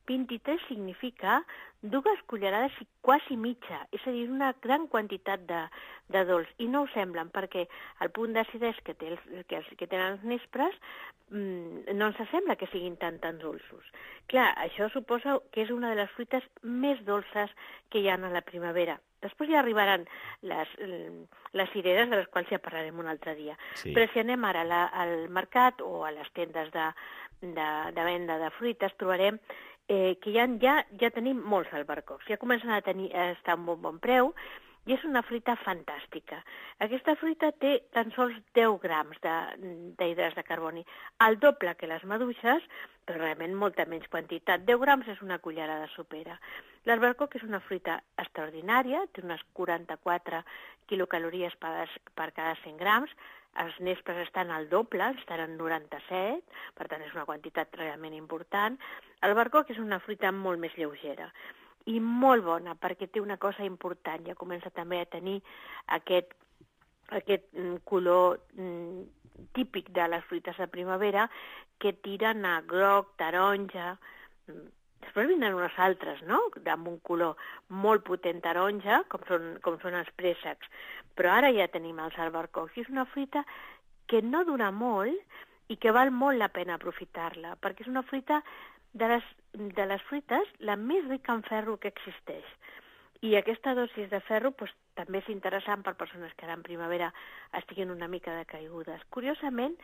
23 significa 2 cullerades i quasi mitja, és a dir, una gran quantitat de dolç. I no ho semblen, perquè el punt d'acidesa que tenen els nespres no ens sembla que siguin tan dolços. Clar, això suposa que és una de les fruites més dolces que hi ha a la primavera. Després ja arribaran les cireres, de les quals ja parlarem un altre dia. Sí. Però si anem ara al mercat o a les tendes de venda de fruites, trobarem que ja tenim molts albercocs, ja comencen a estar a un bon preu, i és una fruita fantàstica. Aquesta fruita té tan sols 10 grams d'hidrats de carboni, el doble que les maduixes, però realment molta menys quantitat. 10 grams és una cullerada sopera. L'albercoc és una fruita extraordinària, té unes 44 quilocalories per cada 100 grams, els nespres estan al doble, estan en 97, per tant és una quantitat realment important. L'albercoc és una fruita molt més lleugera. i molt bona, perquè té una cosa important, ja comença també a tenir aquest color típic de les fruites de primavera, que tiren a groc, taronja. Després vindran unes altres, no?, amb un color molt potent taronja, com són els préssecs. Però ara ja tenim els albercocs, i és una fruita que no dura molt i que val molt la pena aprofitar-la, perquè és una fruita de les fruites la més rica en ferro que existeix. I aquesta dosis de ferro també és interessant per persones que ara en primavera estiguin una mica decaigudes. Curiosament,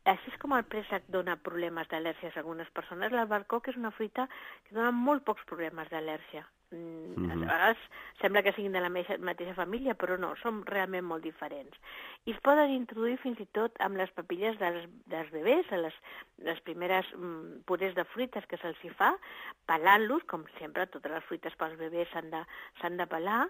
així és com el préssec dona problemes d'al·lèrgies a algunes persones, l'albercoc és una fruita que dona molt pocs problemes d'al·lèrgia. A vegades sembla que siguin de la mateixa família, però no, són realment molt diferents. I es poden introduir fins i tot amb les papilles dels bebès, a les primeres purés de fruites que se'ls hi fa, pelant-los, com sempre, totes les fruites pels bebès s'han de pelar,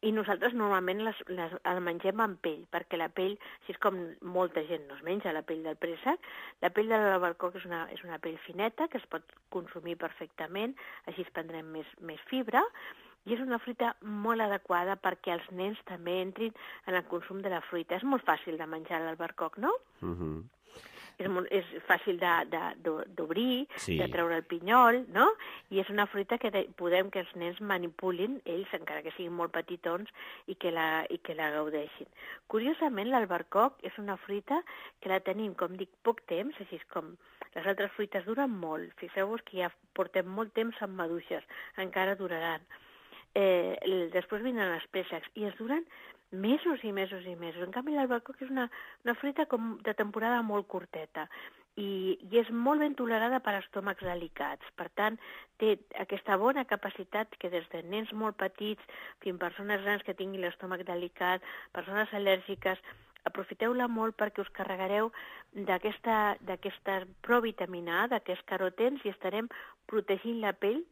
i nosaltres normalment el mengem amb pell, perquè la pell, així és com molta gent no es menja la pell del préssec, la pell de l'albercoc és una pell fineta que es pot consumir perfectament, així es prendrem més fibra, i és una fruita molt adequada perquè els nens també entrin en el consum de la fruita. És molt fàcil de menjar l'albercoc, no? És fàcil d'obrir, de treure el pinyol, no? I és una fruita que podem que els nens manipulin, ells, encara que siguin molt petitons, i que la gaudeixin. Curiosament, l'albercoc és una fruita que la tenim, com dic, poc temps, així com les altres fruites duren molt. Fixeu-vos que ja portem molt temps amb maduixes, encara duraran. Després vindran els préssecs i es duren mesos i mesos i mesos. En canvi, l'albercoc és una fruita com de temporada molt curteta i és molt ben tolerada per estómacs delicats. Per tant, té aquesta bona capacitat que des de nens molt petits fins a persones grans que tinguin l'estómac delicat, persones al·lèrgiques, aprofiteu-la molt perquè us carregareu d'aquesta provitamina A, d'aquests carotens, i estarem protegint la pell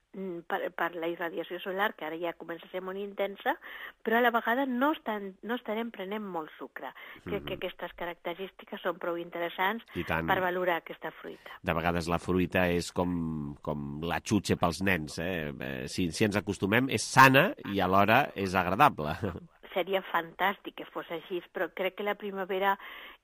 per la irradiació solar, que ara ja comença a ser molt intensa, però a la vegada no estarem prenent molt sucre. Crec que aquestes característiques són prou interessants per valorar aquesta fruita. De vegades la fruita és com la xutxa pels nens. Si ens acostumem, és sana i alhora és agradable. Seria fantàstic que fos així, però crec que la primavera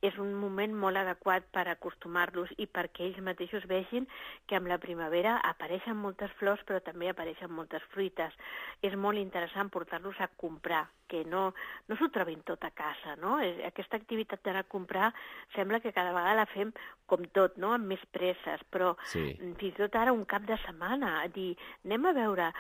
és un moment molt adequat per acostumar-los i perquè ells mateixos vegin que amb la primavera apareixen moltes flors, però també apareixen moltes fruites. És molt interessant portar-los a comprar, que no s'ho trobin tot a casa, no? Aquesta activitat d'anar a comprar sembla que cada vegada la fem com tot, no?, amb més presses, però fins i tot ara un cap de setmana, dir, anem a veure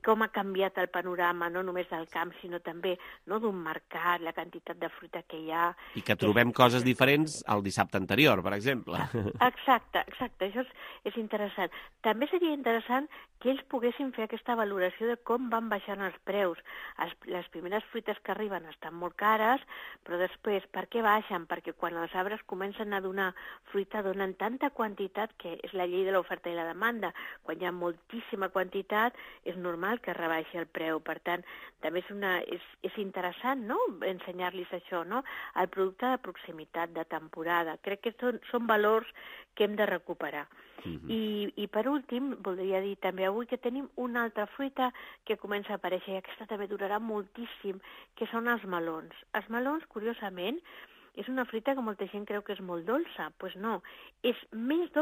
com ha canviat el panorama, no només del camp, sinó també d'un mercat, la quantitat de fruita que hi ha. I que trobem coses diferents el dissabte anterior, per exemple. Exacte, això és interessant. També seria interessant que ells poguessin fer aquesta valoració de com van baixant els preus. Les primeres fruites que arriben estan molt cares, però després, per què baixen? Perquè quan els arbres comencen a donar fruita, donen tanta quantitat, que és la llei de l'oferta i la demanda. Quan hi ha moltíssima quantitat, és normal que rebaixi el preu. Per tant, també és interessant, no?, ensenyar-los això, no?, el producte de proximitat, de temporada. Crec que són valors que hem de recuperar. I per últim, voldria dir també avui que tenim una altra fruita que comença a aparèixer, i aquesta també durarà moltíssim, que són els melons. Els melons, curiosament, és una fruita que molta gent creu que és molt dolça. Doncs no, és menys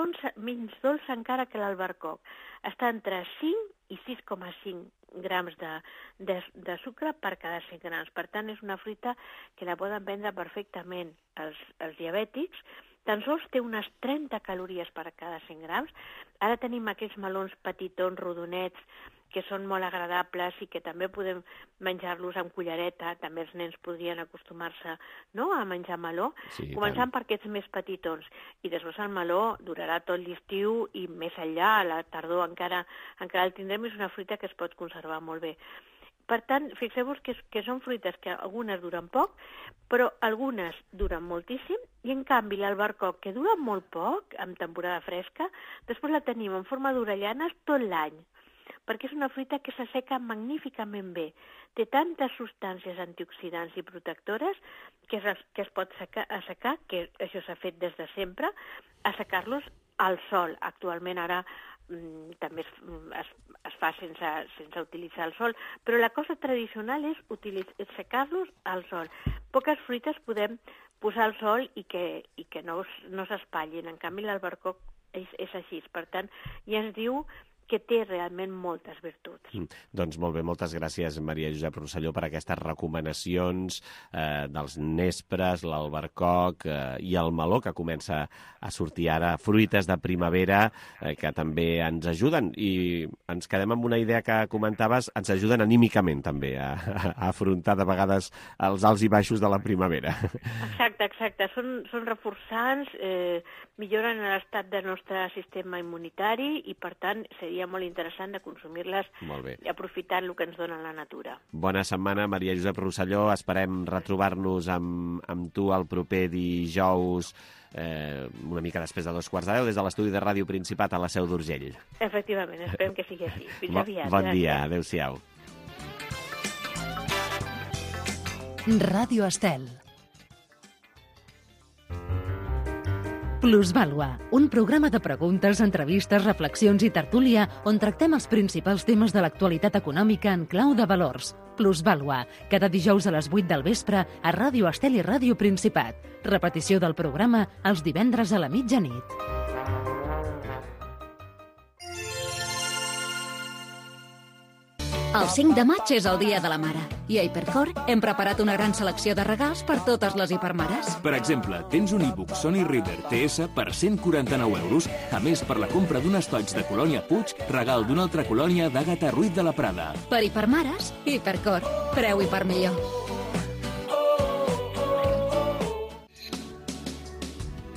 dolça encara que l'albercoc. Està entre 5 i 6,5 grams de sucre per cada 100 grams. Per tant, és una fruita que la poden prendre perfectament els diabètics. Tan sols té unes 30 calories per cada 100 grams. Ara tenim aquells melons petitons, rodonets, que són molt agradables i que també podem menjar-los amb cullereta. També els nens podrien acostumar-se, no?, a menjar meló, començant per aquests més petitons. I després el meló durarà tot l'estiu i més enllà, a la tardor encara el tindrem. És una fruita que es pot conservar molt bé. Per tant, fixeu-vos que són fruites que algunes duren poc, però algunes duren moltíssim, i en canvi l'albercoc, que dura molt poc, en temporada fresca, després la tenim en forma d'orellanes tot l'any, perquè és una fruita que s'asseca magníficament bé. Té tantes substàncies antioxidants i protectores que es pot assecar, que això s'ha fet des de sempre, assecar-los al sol. Actualment ara també es fa sense utilitzar el sol, però la cosa tradicional és secar-los al sol. Poques fruites podem posar al sol i que no s'espatllin. En canvi, l'albercoc és així. Per tant, ja es diu que té realment moltes virtuts. Doncs molt bé, moltes gràcies, Maria Josep Rosselló, per aquestes recomanacions dels nespres, l'albercoc i el meló, que comença a sortir ara, fruites de primavera, que també ens ajuden. I ens quedem amb una idea que comentaves, ens ajuden anímicament també a afrontar de vegades els alts i baixos de la primavera. Exacte. Són reforçants, milloren l'estat del nostre sistema immunitari i, per tant, seria molt interessant de consumir-les aprofitant el que ens dona la natura. Bona setmana, Maria Josep Rosselló. Esperem retrobar-nos amb tu el proper dijous, una mica després de 2:15, des de l'estudi de Ràdio Principat a la Seu d'Urgell. Efectivament, esperem que sigui així. Fins aviat. Bon dia, adéu-siau. Ràdio Estel. Plusvàlua, un programa de preguntes, entrevistes, reflexions i tertúlia on tractem els principals temes de l'actualitat econòmica en clau de valors. Plusvàlua, cada dijous a les 8 del vespre a Ràdio Estel i Ràdio Principat. Repetició del programa els divendres a la mitjanit. El 5 de maig és el Dia de la Mare i a Hipercor hem preparat una gran selecció de regals per totes les hipermares. Per exemple, tens un e-book Sony Reader TS per 149 euros, a més per la compra d'un estoig de Colònia Puig, regal d'una altra colònia d'Àgata Ruiz de la Prada. Per hipermares, Hipercor. Preu hiper millor.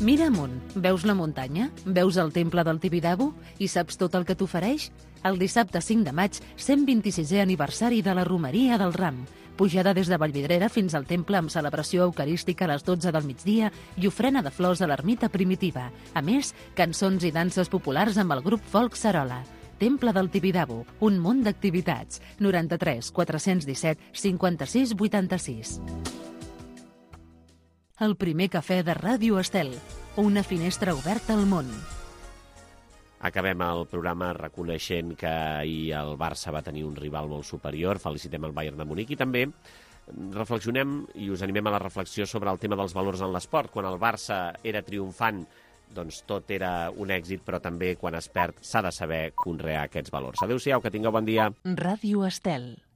Mira amunt, veus la muntanya? Veus el temple del Tibidabo? I saps tot el que t'ofereix? El dissabte 5 de maig, 126è aniversari de la Romeria del Ram. Pujada des de Vallvidrera fins al temple amb celebració eucarística a les 12 del migdia i ofrena de flors a l'ermita primitiva. A més, cançons i danses populars amb el grup folk Sarola. Temple del Tibidabo, un munt d'activitats. 93 417 56 86. El primer cafè de Ràdio Estel. Una finestra oberta al món. Acabem el programa reconeixent que ahir el Barça va tenir un rival molt superior. Felicitem el Bayern de Munic i també reflexionem i us animem a la reflexió sobre el tema dels valors en l'esport. Quan el Barça era triomfant, doncs tot era un èxit, però també quan es perd s'ha de saber conrear aquests valors. Adéu-siau, que tingueu bon dia. Ràdio Estel.